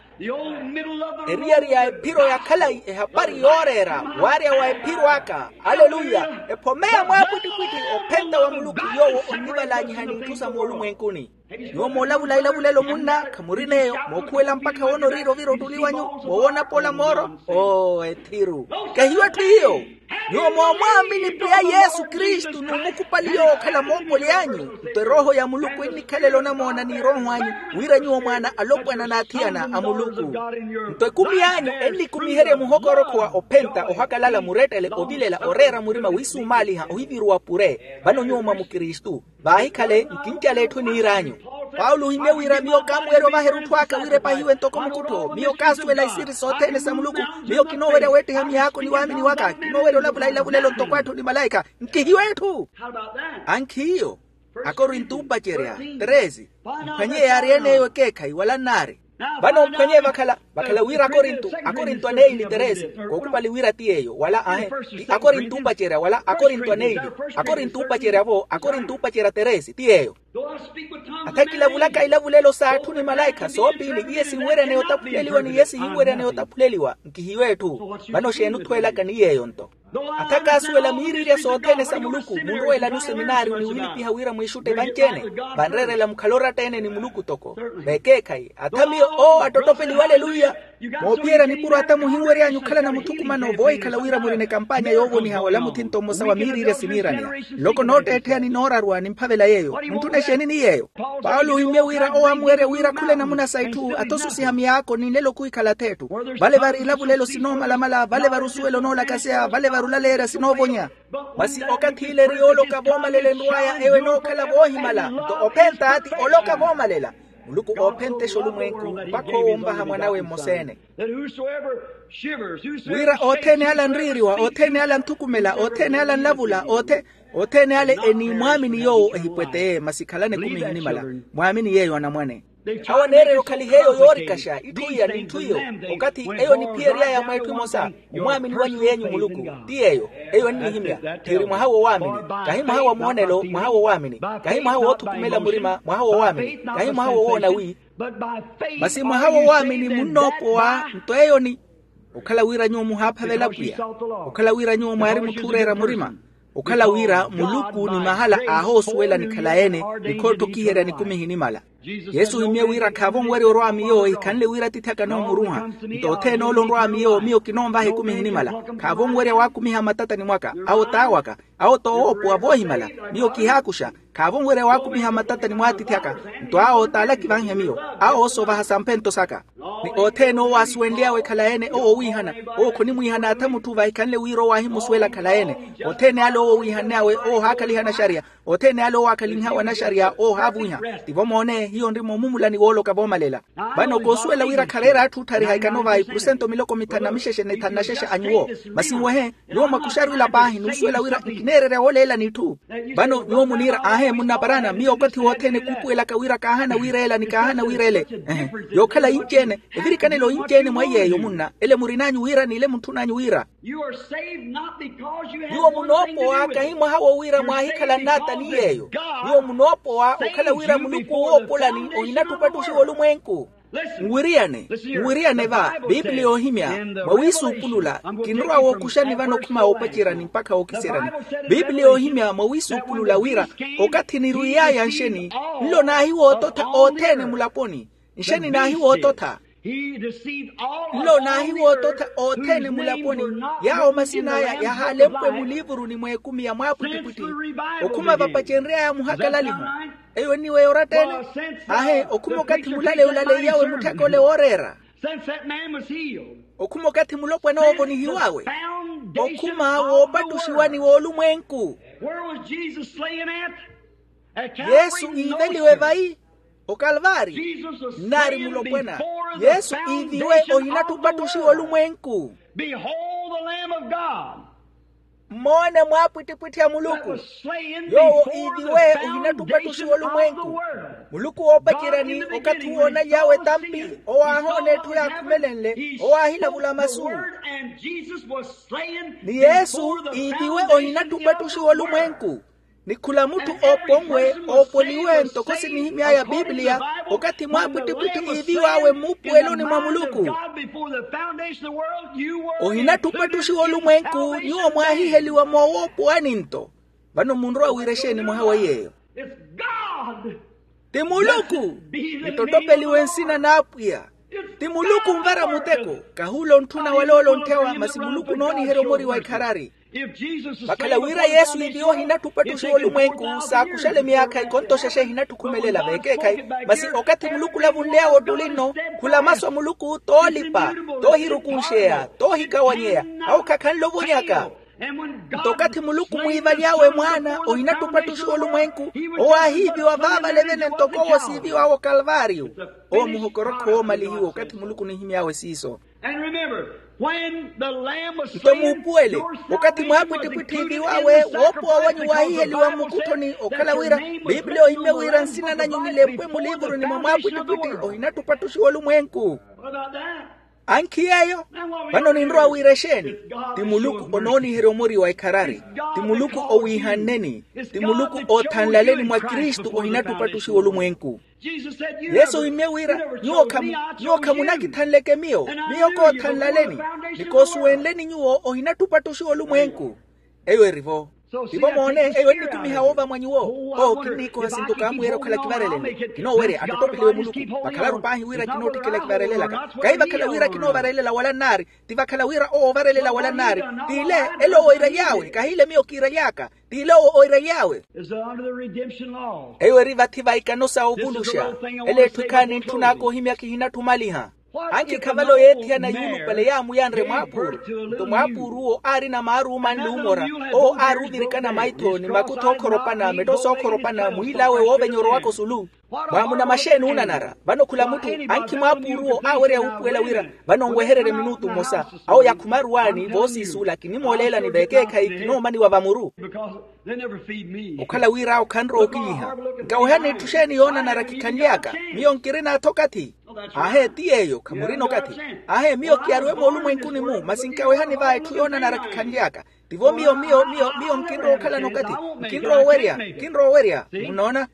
Eriyari ya ephiro ya khalayi ehapari yooreera. Waarya wa ephiro aka. Aleluya. Ephomeya mwaapwittipwitthi ophenta wa muluku yoowo. Lanyiha n'itthu sa moolumwenkuni. Nyuwo moolavula ilavulelo munna khamurineyo mookhuwela mpakha woona oriira ovira ottuli wanyu, moowoona pola mooro. Oo ethiru. Kahiyo etthu hiyo. Nyuwo moomwaamini pwiya yesu kristu n'umukupali yoowo okhala moopoli anyu. Nto erooho ya muluku ennikhalela onamoona n'irooho anyu, wira nyuwo mwaana alopwana n'athiyana a muluku. Nto ekumi anyu ennikumiherye muhokorokho wa ophenta ohakalala murettele ovilela oreera murima wiisumaaliha ohiviruwa pure. Vano nyuwo mwa mukristu. Vaahikhale nkincala etthu eniir'anyu. Paulo ohimye wira miyo kaamuwerya ovaha erutthu aka wira epahiwe ntoko mukuttho miyo kaasuwela isiri sothene sa muluku. Miyo kinoowerya weettiha miyaako ni waamini waka kinoowerya olavula ilavulelo ntoko atthu ni malaikha. Nkihiyo etthu. Ankhiyo. Akorinto mpacerya treze. Mphwanye yaari en'eyo ekeekhayi wala nnaari. Vano mphwanye vakhala vakhala wira akorinto akorinto aneili teresi. Kookupali wira ti yeeyo wala ahe ti akorinto upacerya wala akorinto aneili. Akorinto upacerya-vo akorinto upacerya teresi ti yeeyo. Athakilavulaka ilavulelo s'atthu ni malaikha soopiili iye sinweryaneya otaphuleliwa ni iye sihinweryaneya otaphuleliwa nkihiyo etthu. Vano xeeni othweelaka ni yeeyo nto? Atha kaasuwela miiriirya sothene sa muluku munroweelani oseminaariyo ni wiilipiha wira mwiixutte vanci-ene. Vanreerela mukhale oratta-ene ni muluku toko vekeekhayi atha miyo owo attottopeliwa aleluya. Moophiyerya nipuro atha muhinwery'anyu okhalana muthukumano voohikhala wira murina ekampanya yoovoniha wala muthinto mmosa wa miiriirya siniiraneya. Nloko nootteettheya ni nooraruwa nimphavela yeeyo muntthuna exeeni ni yeeyo. Paulo ohimye wira owo amuwerya wira khula enamuna sa itthu atha osusiha miyaako ni nlelo khuhikhala ath'etthu. Vale vari ilavulelo sinoomalamala vale vari osuwela onoolakaseya vale vari olaleerya sinoovonya. Masi okathi ile eri yooloka voomalela enrw'aya eyo enookhala voohimala nto ophenta ti oloka voomalela. Muluku oophentesha olumwenku mpakha owo onvaha mwanawe mmosa-ene. Wira othene ala anriiriwa othene ala anthukumela othene ala anlavula othe othene ale eniimwaamini yoowo ehipweteye masi khalani ekumi ehinimala. Mwaamini yeeyo anamwane. Awo aneererya okhaliha eyo yoorikaxa itthu iya n'itthu iyo okathi eyo niphiyery'aya mweetthu emosa. Omwaamini wanyu yeenyu muluku ti yeeyo. Eyo ennihimya thiiri mwaha w'owaamini kahi mwaha wa muwonelo mwaha w'owaamini kahi mwaha woothukumela murima mwaha w'owaamini kahi mwaha wowoona wi masi mwaha w'owaamini munnoopowa nto eyo ni okhala wira nyuwo muhaaphavela pwiya okhala wira nyuwo mwaari mutthu ooreera murima okhala wira muluku ni mahala aahoosuwela nikhala-ene. Nikhootthokiherya nikumi ehinimala yesu ohimye wira khaavo onwerya orwa miyo ehikhanle wira atiithi aka anoomuruha nto othene ole onrwa miyo miyo kinoonvaha ekumi ehinimala. Khaavo onwerya waakumiha mmatatani mwaka awo t'awaka awo t'owoopowa voohimala miyo kihaakuxa. Khaavo onwerya waakumiha mmatatani mw'atiithi aka nto awo t'ala kivanhe miyo awo oosovaha samphento saka. Ni othene owo aasuwenly'awe ekhalayi-ene owo owiihana owo khonimwiihana atha mutthu vahikhanle wira owo aahimusuwela khalayi-ene. Othene ale owo owiihanly'awe owo ohaakhaliha naxariya othene ale owo aakhalinhawe anaxariya owo ohaavuwiha. Tivo moone hiyo nrima omumulani wooloka voomalela. Vano koosuwela wira khareera atthu otthariha ikano vayi porosento miloko mithanu na mixexe ni thanu na xexe a nyuwo. Masi nwehe nyuwo mwakuxaru ila paahi n'usuwela wira nkineererya wooleelani itthu. Vano nyuwo muniira aahe munnaparana miyo okathi wothene kuupuwelaka wira kaahana wira ela ni kaahana wira ele. Ehe. Yookhala yinci-ene evirikanelo yinci-ene mwa iy'eyo munna ele murin'anyu wira n'ile muntthun'anyu wira. Nyuwo munoopowa kahi mwaha wo wira mwaahikhala nnaata ni yeeyo. Nyuwo munoopowa okhala wira muluku owoopolani ohinattupa ttuxiwa olumwenku. Nwiriyane nwiriyane va biipiliya ohimya mwawiisuupulula. Kinrowa wookuxani vano okhuma woopacerani mpakha wookiseryani. Biipiliya ohimya mwawiisuupulula wira okathi nirwiiy'aya nxeni nlo naahiwoototha othene mulaponi. Nxeni naahiwoototha nlo naahiwoototha othene mulaponi. Yaawo masin'aya yahaalempwe muliivuruni mw'ekumi ya mwaapwittipwitti okhuma vapacenry'aya muhakalaliho. Eyo enniweya oratta-ene. Aahe okhuma okathi mulaleyo olaleiyawe mutthaka ole wooreera. Okhuma okathi mulopwana oovonihiw'awe okhuma woopattuxiwani w'olumwenku. Yesu iiveliwe vayi okalvaari nnaari mulopwana. Yesu iiviwe ohinattupa ttuxiwa olumwenku. Mmoone mwaapwittipwitthi a muluku yoowo iiviwe ohinattupa ttuxiwa olumwenku. Muluku woopaceryani okathi uwo onaly'awe tampi owo aahoona etthu yaakhumelenle owo aahilavula masu. Ni yesu iiviwe ohinattupa ttuxiwa olumwenku. Ni khula mutthu ooponwe oopoliwe ntoko sinihimy'aya biipiliya okathi mwaapwittipwitthi iiviw'awe mmuupuweloni mwa muluku. Ohinattupa ttuxiwa olumwenku nyuwo mwaahiheliwa moowoopowani nto. Vano munrowa wira exeeni mwaha wa yeeyo? Ti muluku. Nittottopeliwe nsina n'apwiya. Ti muluku onvara muteko. Kahi ole ontthuna wala ole ontthewa masi muluku onooniherya omori wa ikharari. Vakhala wira yesu iviwa ohinatthu opattuxiwa olumwenku saakuxale myaakha ikonto xexe ehinatthu okhumelela veekeekhayi. Masi okathi muluku olavunly'awe ottuli nno, khula masu a muluku toolipa, toohirukunxeya, toohikawanyeya, awo khakhanle ovonyaka. Nto okathi muluku mwiivaly'awe mwaana ohinatthu opattuxiwa olumwenku, owo aahiiviwa vaavale vene ntoko owo siiviw'awe okalvaariyo. Owo muhokorokho woomalihiwa okathi muluku onihimy'awe siiso. Nto muupuwele, okathi mwaapwittipwitthi iiviw'awe woopowa wanyu waahiheliwa mmukutthoni okhala wira, piipiliya ohimye wira nsina nanyu nilempwe muliivuruni mwa mwaapwittipwitthi ohinatthu opattuxiwa olumwenku. Ankhi yeeyo. Vano ninrowa wira exeeni? Ti muluku onooniherya omori wa ikharari. Ti muluku owiihanneni. Ti muluku oothanlaleni mwa kristu ohinatthu opattuxiwa olumwenku. Yesu ohimmye wira, nyuwo khamu- nyuwo khamunakithanleke miyo. Miyo koothanlaleni ni koosuwenleni nyuwo ohinatthu opattuxiwa olumwenku. Eyo eri-vo. Tivo moone, eyo ennikumiha woova mwa nyuwo. Owo kinniikoha sinto kaamwiira okhala kivarelele. Kinoowerya attottopeliwe muluku. Vakhalaru paahi wira kinootthikela kivarelelaka. Kahi vakhala wira kinoovarelela wala nnaari. Ti vakhala wira owo ovarelela wala nnaari. T'ile, ele owo oiraly'awe kahi ile miyo kiiraly'aka. T'ile owo oiraly'awe. Eyo eri vathi va ikano sa ovuluxa. Ele etthu ekhaani ntthun'aka ohimya kihinatthu omaliha. Ankhi khavale oyeethiyana yuulupale yaamuyanre mwaapuuru. Nto mwaapuuruwo aarina maaru omanle omora. Owo aari ovirikana maitho ni makutho ookhoropana mettho sookhoropana mwiil'awe woovenya orowaka osulu. Mwaamuna maxeeni oonanara? Vano khula mutthu ankhi mwaapuuruwo aawerya wuupuwela wira vano nwehererye minutu mmosa. Awo yakhumaruwaani voosiisuula kinimooleelani veekeekhayi kinoomaniwa vamuru. Okhala wira awo khanrowa okinyiha. Nkawehani etthu xeeni yoonanara kikhanly'aka? Miyo nkirina-tho okathi. Aahe ti yeeyo khamurina okathi. Aahe miyo kiyaruwe moolumwenkuni-mu masi nkawehani va etthu yoonanara kikhanly'aka. Tivo miyo miyo miyo miyo nkinrowa okhalana okathi. Nkinrowa owerya nkinrowa owerya. Munoona?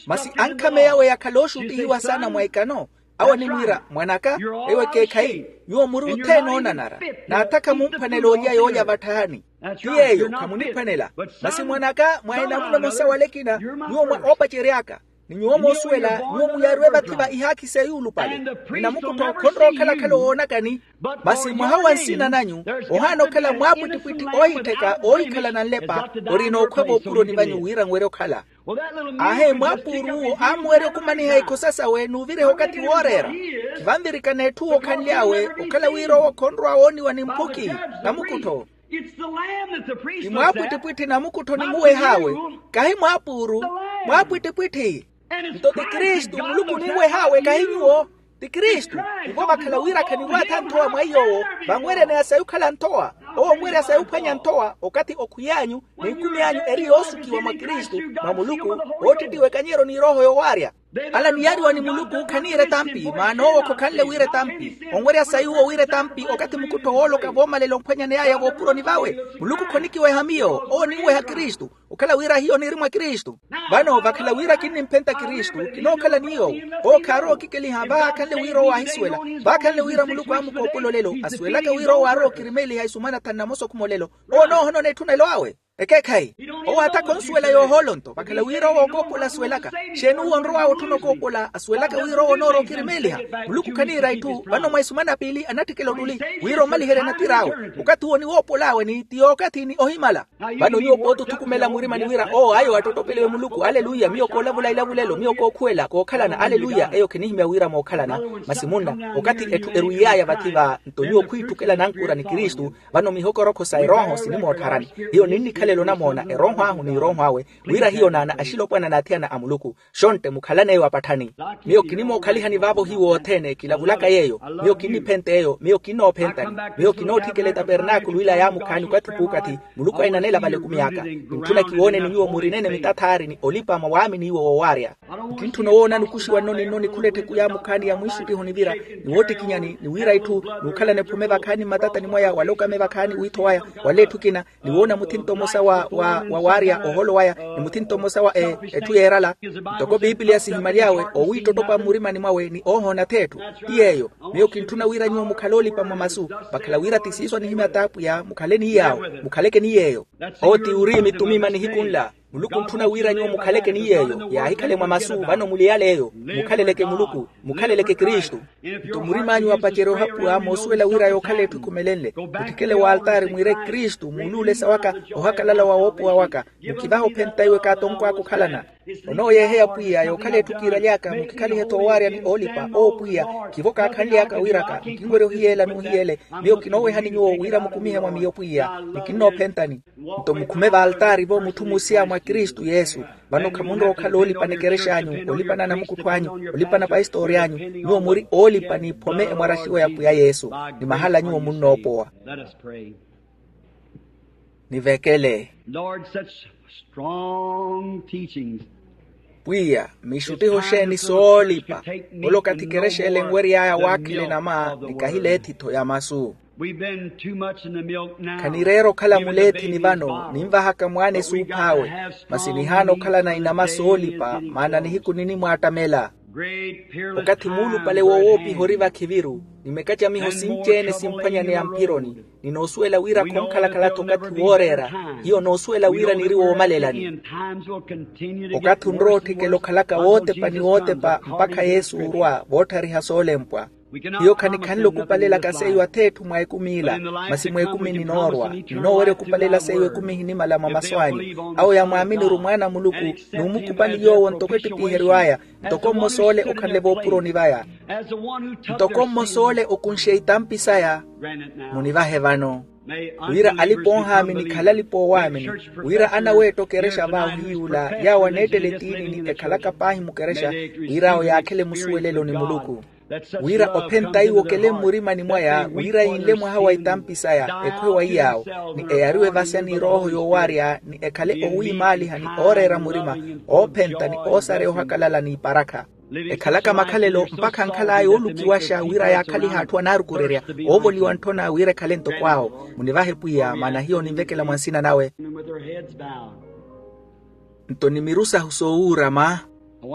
Masi ankhameya awe yakhala ooxuttihiwa saana mwa ikano. Awo animwiira mwan'aka, eyo ekeekhayi. Nyuwo muri othene oonanara. N'athakha mumphwanela olya yoolya vatthahani. Ti yeeyo khamuniphwanela. Masi mwan'aka mwa enamuno emosa wala ekina. Nyuwo mwa oopacery'aka. Ni nyuwo moosuwela nyuwo muyaariwe vathi va ihaakhi s'eyuulupale. Ni namukuttho khonrowa okhala-khala owoonakani. Masi mwaha wa nsina nanyu ohaana okhala mwaapwittipwitthi oohittheka oohikhalana nlepa. Orina okhwa voopuroni vanyu wira nwerye okhala. Aahe mwaapuuruwo aamuwerya okumaniha ikhosa sawe n'uviriha okathi wooreera. Khivanvirikana etthu owo okhanly'awe okhala wira owo khonrowa wooniwa ni mphuki. Namukuttho. Ti mwaapwittipwitthi namukuttho nimuweh'awe. Kahi mwaapuuru. Mwaapwittipwitthi. Nto ti kristu muluku onimweh'awe kahi nyuwo. Ti kristu. Ivo vakhala wira khaniwaatha nthowa mwa iy'owo vanwerya ni asayukhala nthowa. Owo onwerya sayuphwanya nthowa okathi okhwiy'anyu n'ikumi anyu eri yoosukiwa mwa kristu mwa muluku. Oottittiwa ekanyero n'irooho yowaarya. Ala niyaariwa ni muluku khaniira etampi maana owo khokhanle wira etampi. Onwerya sayuwo wira etampi okathi mukuttho wooloka voomalela ophwanyaney'aya voopuroni vawe. Muluku khonikiweha miyo owo ninweha kristu. Okhala wira hiyo niiri mwa kristu. Vano vakhala wira kinnimphenta kristu kinookhala ni yoowo. Owo khaarowa okikeliha vaakhanle wira owo aahisuwela. Vaakhanle wira muluku aamukoopola olelo asuwelaka wira owo aarowa okirimeeliha isumana thanu na mosa okhuma olelo. Owo onoohonona etthunelo awe. Ekeekhayi. Owo aattakha onsuwela yoohoolo nto vakhala wira owo ookoopola asuwelaka. Xeeni uwo onrow'awe otthuna okoopola asuwelaka wira owo onoorowa okirimeeliha. Muluku khaniira itthu vano mwa isumana piili anatthikela ottuli wira omaliherye natir'awe. Okathi uwo niwoopol'awe ni ti yookathi ni ohimala. Vano nyuwo pooti othukumela murimani wira owo ayo attottopeliwe muluku aleluya miyo koolavula ilavulelo miyo kookhuwela kookhalana aleluya eyo khinihimya wira mookhalana. Masi munna okathi etthu erwiiy'aya vathi va nto nyuwo khwiitthukela nankura ni kristu. Vano mihokorokho sa erooho sinimoottharani. Hiyo ninnikhalela onamoona erooho ahu n'irooho awe wira hiyo naana axilopwana n'athiyana a muluku. Xontte mukhalane eyo apatthani. Miyo kinimookhalihani vaavo hiwo othene kilavulaka yeeyo. Miyo kinniphent'eyo miyo kinoophentani. Miyo kinootthikela etapernaakulu ila yaamukhaani okathi p'ukathi muluku ainanela vale ekumi aka. Kintthuna kiwooneni nyuwo murinene mitathaari ni olipa mwa waamini iwo woowaarya. Kintthuna owoona nukuxiwa nno ninno nikhula ettheku yaamukhaani ya mwiixuttiho nivira ni woottikinyani ni wira itthu n'ukhalana ephome vakhaani mmatatani mwaya wala okame vakhaani wiitho waya wala etthu ekina. Ni woona muthinto mmosa wa wa waarya oholo waya ni muthinto mmosa wa etthu yeerala. Ntoko piipiliya sihimaly'awe owiittottopa mmurimani mwawe ni oohoona th'etthu. Ti yeeyo. Miyo kintthuna wira nyuwo mukhale oolipa mwa masu vakhala wira ti siiso anihimya t'apwiya mukhale ni yaawo mukhaleke ni yeeyo. Owo ti uriimi tumima nihiku nla. Muluku ontthuna wira nyuwo mukhaleke ni yeeyo yaahikhale mwa masu vano muli yal'eyo. Mukhaleleke muluku. Mukhaleleke kristu. Nto murim'anyu apacerye ohapuwa moosuwela wira yookhala etthu ekhumelenle. Mutthikele w'altaari mwiire kristu muuluule sawaka. Ohakalala wa woopowa waka. Mukivahe ophenta iwe kaatonko aka okhalana. Onooyeeheya pwiya yookhala etthu kiiraly'aka mukikhalihe-tho owaarya ni oolipa owo pwiya. Khivo kaakhanly'aka wiiraka nkinwerya ohiyeela n'uhiyeele. Miyo kinoowehani nyuwo wira mukumihe mwa miyo pwiya. Ni kinnoophentani. Nto mukhume v'altaari-vo mutthu musiya mwa kristu yesu. Vano khamunrowa okhala oolipana ekerex'anyu, olipana anamukuttho anyu, olipana pahistori anyu. Nyuwo muri oolipa n'iphome emwaraxiwa ya pwiya yesu. Ni mahala nyuwo munnoopowa. Nivekele. Lord, such strong teachings. Pwiya, mixuttiho xeeni soolipa. Ole okathi kerex'ele enwery'aya waakhela enama ni kahileethi-tho ya masu. Khanireera okhala muleethini vano ninvahaka mwaana esuuph'awe. Masi nihaana okhalana inama soolipa maana nihiku ninimwaattamela. Okathi muulupale woowoopiha ori vakhiviru, ni mekacamiho sinci-ene simphwanyaneya mphironi. Ni noosuwela wira khonkhalakhala-tho okathi wooreera. Hiyo noosuwela wira niri woomalelani. Okathi onrowa otthikela okhalaka wootepa ni wootepa mpakha yesu orwa vootthariha soolempwa. Hiyo khanikhanle okupalelaka seiyo ath'etthu mwa ekumi ila. Masi mwa ekumi ninoorwa ninoowerya okupalela seiyo ekumi ehinimala mwa masu anyu. Awo yamwaamini ori mwaana a muluku, n'umukupani yoowo ntoko ettipiheryo aya. Ntoko mmosa ole okhanle voopuroni vaya. Ntoko mmosa ole okunxe itampi saya. Munivahe vano wira alipa oohaamini khale alipa oowaamini. Wira anaweetta okerexa vaahu hiy'ula yaawo aneettela etiini ni ekhalaka paahi mukerexa, wir'awo yaakhele musuwelelo ni muluku. Wira ophenta iwo okele mmurimani mwaya wira yinle mwaha wa itampi saya, ekhwe wa iy'awo. Ni eyariwe vasya ni erooho yoowaarya ni ekhale owiimaaliha ni ooreera murima, oophenta ni oosareya ohakalala n'iparakha. Ekhalaka makhalelo mpakha ankhal'aya oolukiwaxa wira yaakhalihe atthu anaarukurerya, oovoliwa ntthona wira ekhale ntoko awo. Munivahe pwiya maana hiyo ninvekela mwa nsina nawe. Nto ni miru sahu soowuurama.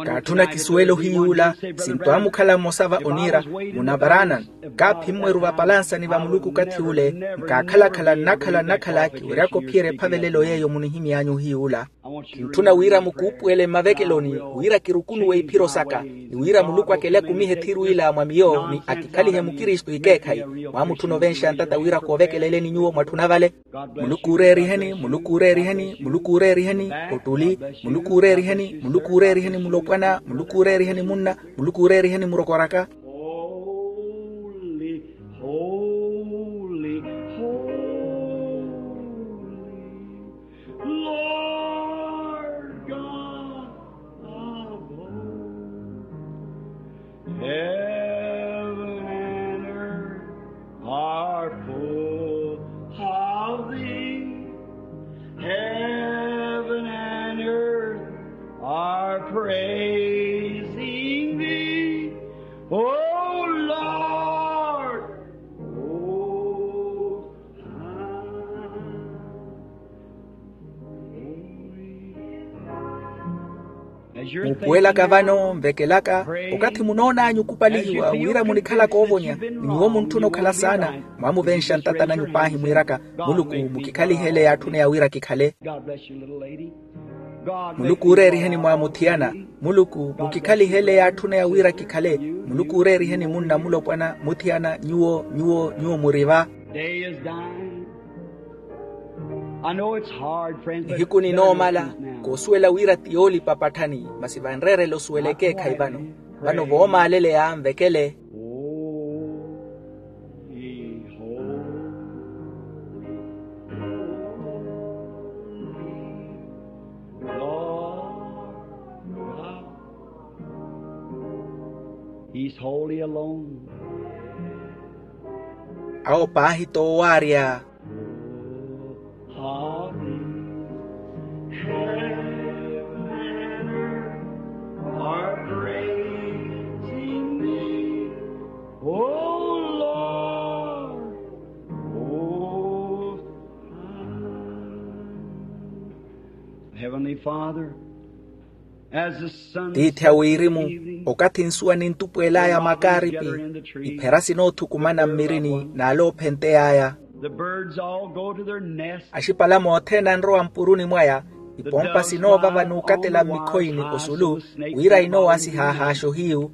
Kaatthuna kisuwele ohiy'ula. Sinto amukhala mmosa va oniira, munavaranan, kaaphimmweru vapalansani va muluku okathi ule. Nkaakhalakhala nnakhala nnakhala kiweryaka ophiyerya ephavelelo yeeyo munihimy'anyu ohiy'ula. Kintthuna wira mukuupuwele mmavekeloni wira kirukunuwe iphiro saka, ni wira muluku akele akumihe ethiru ila mwa miyo ni akikhalihe mukristu ikeekhayi. Mwaamutthuna ovenxa ntata wira koovekeleleni nyuwo mwatthuna vale. Muluku uureeriheni, muluku uureeriheni, muluku uureeriheni. Ottuli. Muluku uureeriheni, muluku uureeriheni mulopwana, muluku uureeriheni munna, muluku uureeriheni murokoraka. Holy, holy, holy, Lord God of hosts. Heaven and earth are full of thee. Heaven and earth are praising thee, O Lord. Mupuwelaka vano nvekelaka, okathi munoon'anyu okupalihiwa wira munikhalaka oovonya, ni nyuwo muntthuna okhala saana. Mwamuvenxa ntata nanyu paahi mwiiraka, muluku, mukikhalihe ele yaatthuna ya wira kikhale. Muluku uureeriheni mwaamuthiyana. Muluku, mukikhalihe ele yaatthuna ya wira kikhale. Muluku uureeriheni munna mulopwana muthiyana nyuwo nyuwo nyuwo muri va. Nihiku ninoomala. Koosuwela wira ti yoolipa patthani, masi vanreerela osuwela ekeekhayi vano. Vano voomaaleleya nvekele. Awo paahi t'owaarya. Heavenly Father, as the sun. Tiithi a wirimu, okathi nsuwa nintupweel'aya makaaripi, iphera sinoothukumana mmirini n'ale oophentey'aya. Axipalame othene anrowa mpuruni mwaya. Ipompa sinoova vanuukatela mmikhoyini osulu, wira inoowasiha ahaaxo hiyu.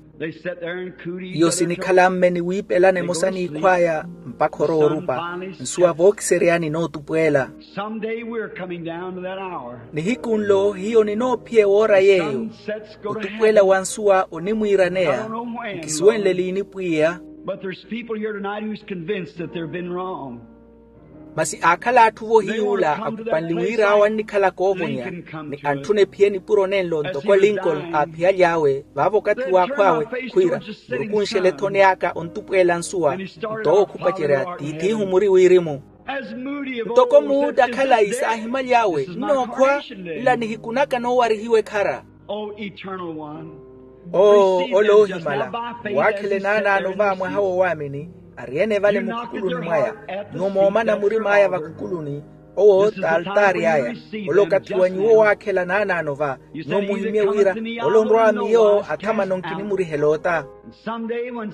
Iyo sinikhala mme ni wiipelana emosa n'ikhw'aya mpakha oroorupa. Nsuwa vookiseryani nootupweela. Nihiku nlo hiyo ninoophiya ewoora yeeyo. Otupweela wa nsuwa onimwiiraneya. Nkisuwenle liini pwiya. Masi aakhala atthu-vo hiy'ula akupanle wira awo annikhalaka oovonya, ni antthuna ephiye nipuro nenlo ntoko lincoln aaphiyaly'awe vaavo okathi w'akhw'awe, khwiira, murukunxele ethoni aka ontupweela nsuwa. Nto owo khupacerya tiith'ihu muri wirimu. Ntoko muuda khalayi saahimaly'awe nnookhwa. Nla nihiku naka noowarihiwa ekhara. Oo ole oohimala, waakhela enaanaano va mwaha w'owaamini, ari-ene vale mukhukuluni mwaya. Nyuwo moomana murim'aya vakhukuluni, owo t'altaari aya. Ole okathi wa nyuwo waakhela naanaano va. Nyuwo muhimye wira, ole onrwa wa miyo athamano nkinimurihela ota.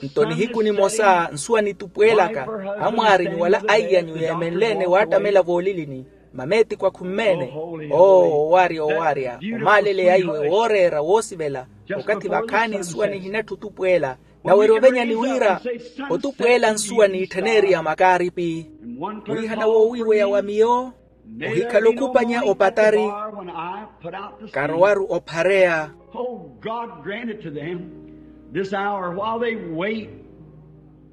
Nto nihiku nimosa nsuwa nitupweelaka, amwaarinyu wala aiyanyu yeemenle-ene waattamela voolilini. Mameetiko akhu mmeene. Oo owaarya owaarya, omaaleleya iwe wooreera woosivela. Okathi vakhaani nsuwa nihinatthu otupweela. Nawerya ovenyani wira, otupweela nsuwa niitthaneeriya makaaripi. Mwiihana woowiiweya wa miyo, ohikhala okhupanya opatari. Karowaru ophareya.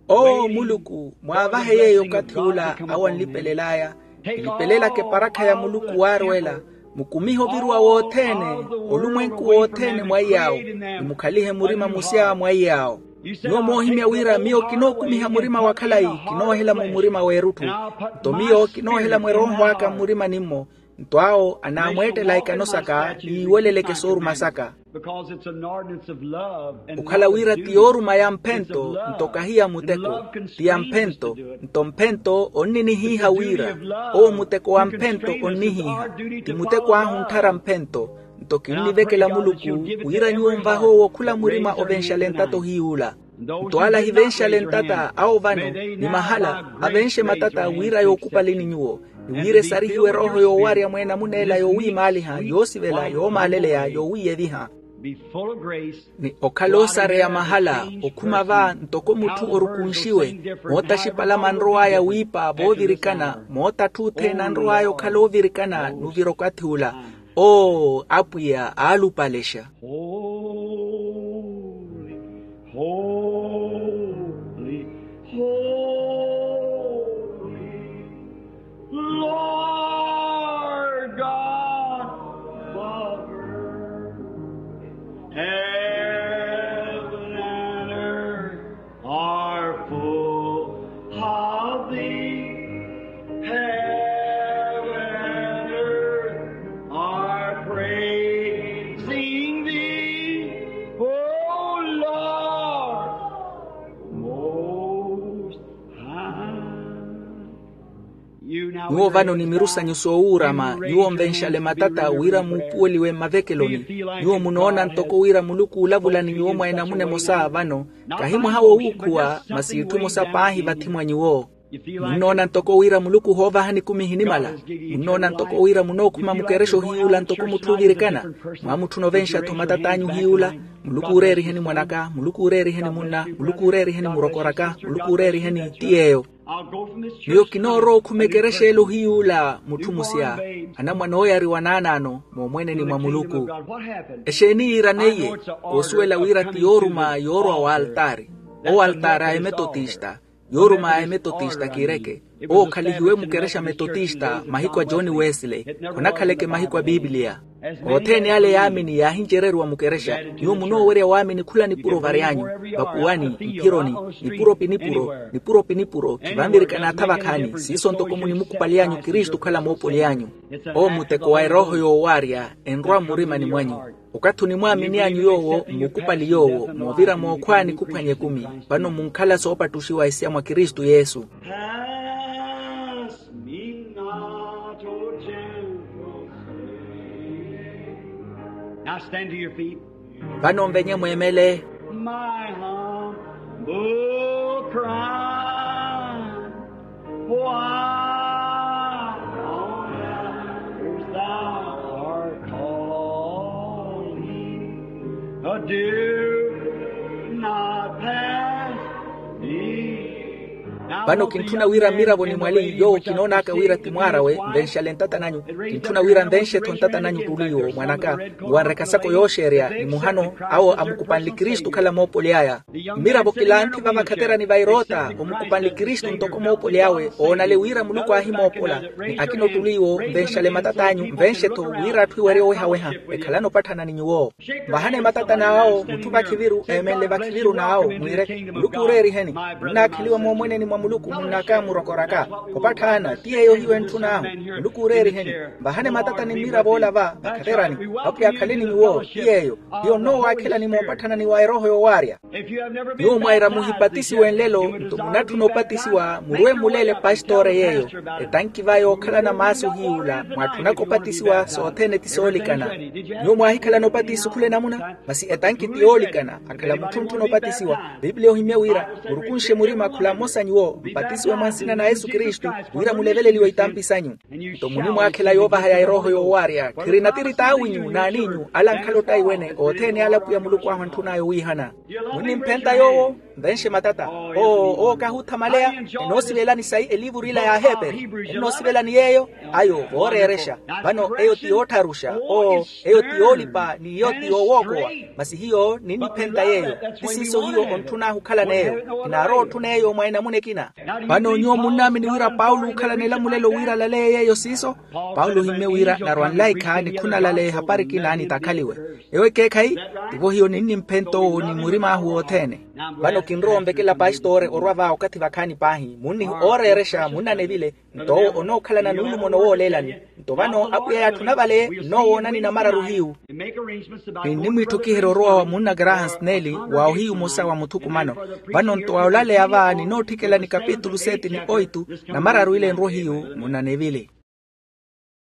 Oo muluku, mwaavahe yeeyo okathi ula awo anlipelel'aya. Nlipelelaka eparakha ya muluku waarwela. Mukumihe oviruwa wothene, olumwenku wothene mwaiy'awo. Nimukhalihe murima musya mwaiy'awo. Nyuwo moohimya wira miyo kinookumiha murima wa khalayi, kinoohela-mo murima w'erutthu. Nto miyo kinoohela-mo erooho aka mmurimani-mmo. Nto awo anaamweettela ikano saka ni yiiweleleke sooruma saka. Okhala wira ti yooruma ya mphento, nto kahi ya muteko. Ti ya mphento. Nto mphento onninihiiha wira, owo muteko wa mphento onnihiiha. Ti muteko ahu ntthara mphento. Nto kinnivekela muluku, wira nyuwo nvahe owo khula murima ovenxale ntata ohiy'ula. Nto ala ahivenxale ntata awo vano, ni mahala avenxe matata wira yookupaleni nyuwo. Ni wira esarihiwe erooho yoowarya mweenamuna ela yoowiimaaliha, yoosivela, yoomaaleleya, yoowiiyeviha. Ni okhala osareya mahala, okhuma va ntoko mutthu orukunxiwe. Mootaxipala manrow'aya wiipa voovirikana, mootatthu othene anrow'aya okhala oovirikana nuvira okathi ula. Oo apwiya aalupalexa. Holy, holy, holy, Lord God above. Heaven and earth are full of thee. Heaven and earth are praising thee, O Lord Most High. Nyuwo vano ni miru sanyu soowuurama, nyuwo nvenxale matata wira muupuweliwe mmavekeloni. Nyuwo munoona ntoko wira muluku uulavula ni nyuwo mwa enamuna emosa vano, kahi mwaha wowuukhuwa masi itthu emosa paahi vathi mwa nyuwo. Munnoona ntoko wira muluku ohoovahani ekumi ehinimala. Munnoona ntoko wira munookhuma mukerexa ohiyuula ntoko mutthu oovirikana. Mwaamutthuna ovenxa-tho matat'anyu ohiyuula. Muluku uureeriheni mwan'aka, muluku uureeriheni munna, muluku uureeriheni murokor'aka, muluku uureeriheni ti yeeyo. Miyo kinoorowa okhuma ekerexa ela ohiyuula mutthu musya. Anamwane ooyariwa naanaano moomweneni mwa muluku. Exeeni yiiraneiye? Koosuwela wira ti yooruma yoorwa w'altaari. Owo altaari a emetotista. Yooruma a emetotista kireke. Owo okhalihiwe mukerexa metotista mahiku a john wesley. Khonakhaleke mahiku a pipiliya. Othene ale yaamini yaahincereriwa mukerexa. Nyuwo munoowerya waamini khula nipuro varyanyu, vakuwani, mphironi, nipuro pinipuro, nipuro pinipuro khivanvirikana atha vakhaani siiso ntoko munimukupaly'anyu kristu okhala moopol'anyu. Owo muteko wa erooho yoowarya enrwa mmurimani mwanyu. Okathi onimwaamini anyu yoowo mmukupali yoowo moovira mookhwaani khuphwanya ekumi. Vano munkhala soopattuxiwa esya mwa kristu yesu. Pass me not, O gentle Savior. Now stand to your feet. Vano nvenye mweemele. My humble cry, why on earth thou art But do not pass me. Vano kintthuna wira mmiravo ni mwali yoowo kinoonaka wira ti mwaar'awe, nvenxale ntata nanyu. Kintthuna wira nvenxe-tho ntata nanyu ttuliiwo mwan'aka, ni wanreka sako yooxeerya ni muhano awo amukupanle kristu okhala moopoly'aya. Mmiravo kilanthi vavakhaterani va eroota omukupanle kristu ntoko moopoly'awe oonale wira muluku aahimoopola. Ni akina ottuli iwo nvenxale matat'anyu nvenxe-tho wira atthu iwerye owehaweha. Ekhalani opatthana ni nyuwo. Vahani matatani awo mutthu vakhiviru eemenle vakhiviru n'awo mwiire, muluku ooreeriheni. Munnaakheliwa moomweneni mwa muluku munnakamurokoraka. Opatthana ti yeeyo hiyo entthun'ahu. Muluku ooreeriheni. Vahani matatani mmiravo ola va vakhaterani. Apwiya akhaleni nyuwo ti yeeyo. Hiyo nnoowaakhelani moopatthanani wa erooho yoowaarya. Nyuwo mwaira muhipatisiwe nlelo nto munatthuna opatisiwa murwe muleele pastore yeeyo. Etanki va yookhalana maasu hiy'ula mwaatthunaka opatisiwa sothene ti soolikana. Nyuwo mwaahikhalana opatisi khula enamuna. Masi etanki ti yoolikana akhala mutthu ontthuna opatisiwa. Pipiliya ohimye wira murukunxe murima khula mmosa nyuwo mpatisiwe mwa nsina na yesu kristu wira muleveleliwe itampi sanyu. Nto munimwaakhela yoovaha ya erooho yoowaarya khirina tiri t'awinyu n'aniinyu ala ankhala ottaiwene othene ala pwiya muluku ahu antthun'aya owiihana. Munnimphenta yoowo nvenxe matata. Oo owo kahuuthamaleya. Enoosivelani sayi eliivuru ila y'aheperi? Enoosivelani yeeyo? Ayo vooreerexa. Vano eyo ti yoottharuxa. Oo eyo ti yoolipa ni iyo ti yoowookowa. Masi hiyo ninniphenta yeeyo. Ti siiso hiyo ontthun'ahu okhala n'eyo. Kinaarowa otthuna eyo mwa enamuna ekina. Vano nyuwo munnaamini wira paulo ookhalana elamulelo wira alaleye yeeyo siiso? Paulo ohimmye wira narwa nlaikha ni khunalaleya ehapari ekina nitakhaliwe. Ewo ekeekhayi. Tivo hiyo ninnimphenta owo ni murim'ahu wothene. Vano kinrowa onvekela pastore orwa va okathi vakhaani paahi munnihi ooreerexa munnanevile. Nto owo onookhalana nuulumono wooleelani. Nto vano apwiya yaatthuna vale nnoowoonani namararu hiyu. Ninnimwiitthukiherya orowa wa munna graham sneli wa ohiyu mmosa wa muthukumano. Vano nto wa olaleya va ninootthikela ni kapitulu seti ni oitu namararu ile enrwa ohiyu munnanevile.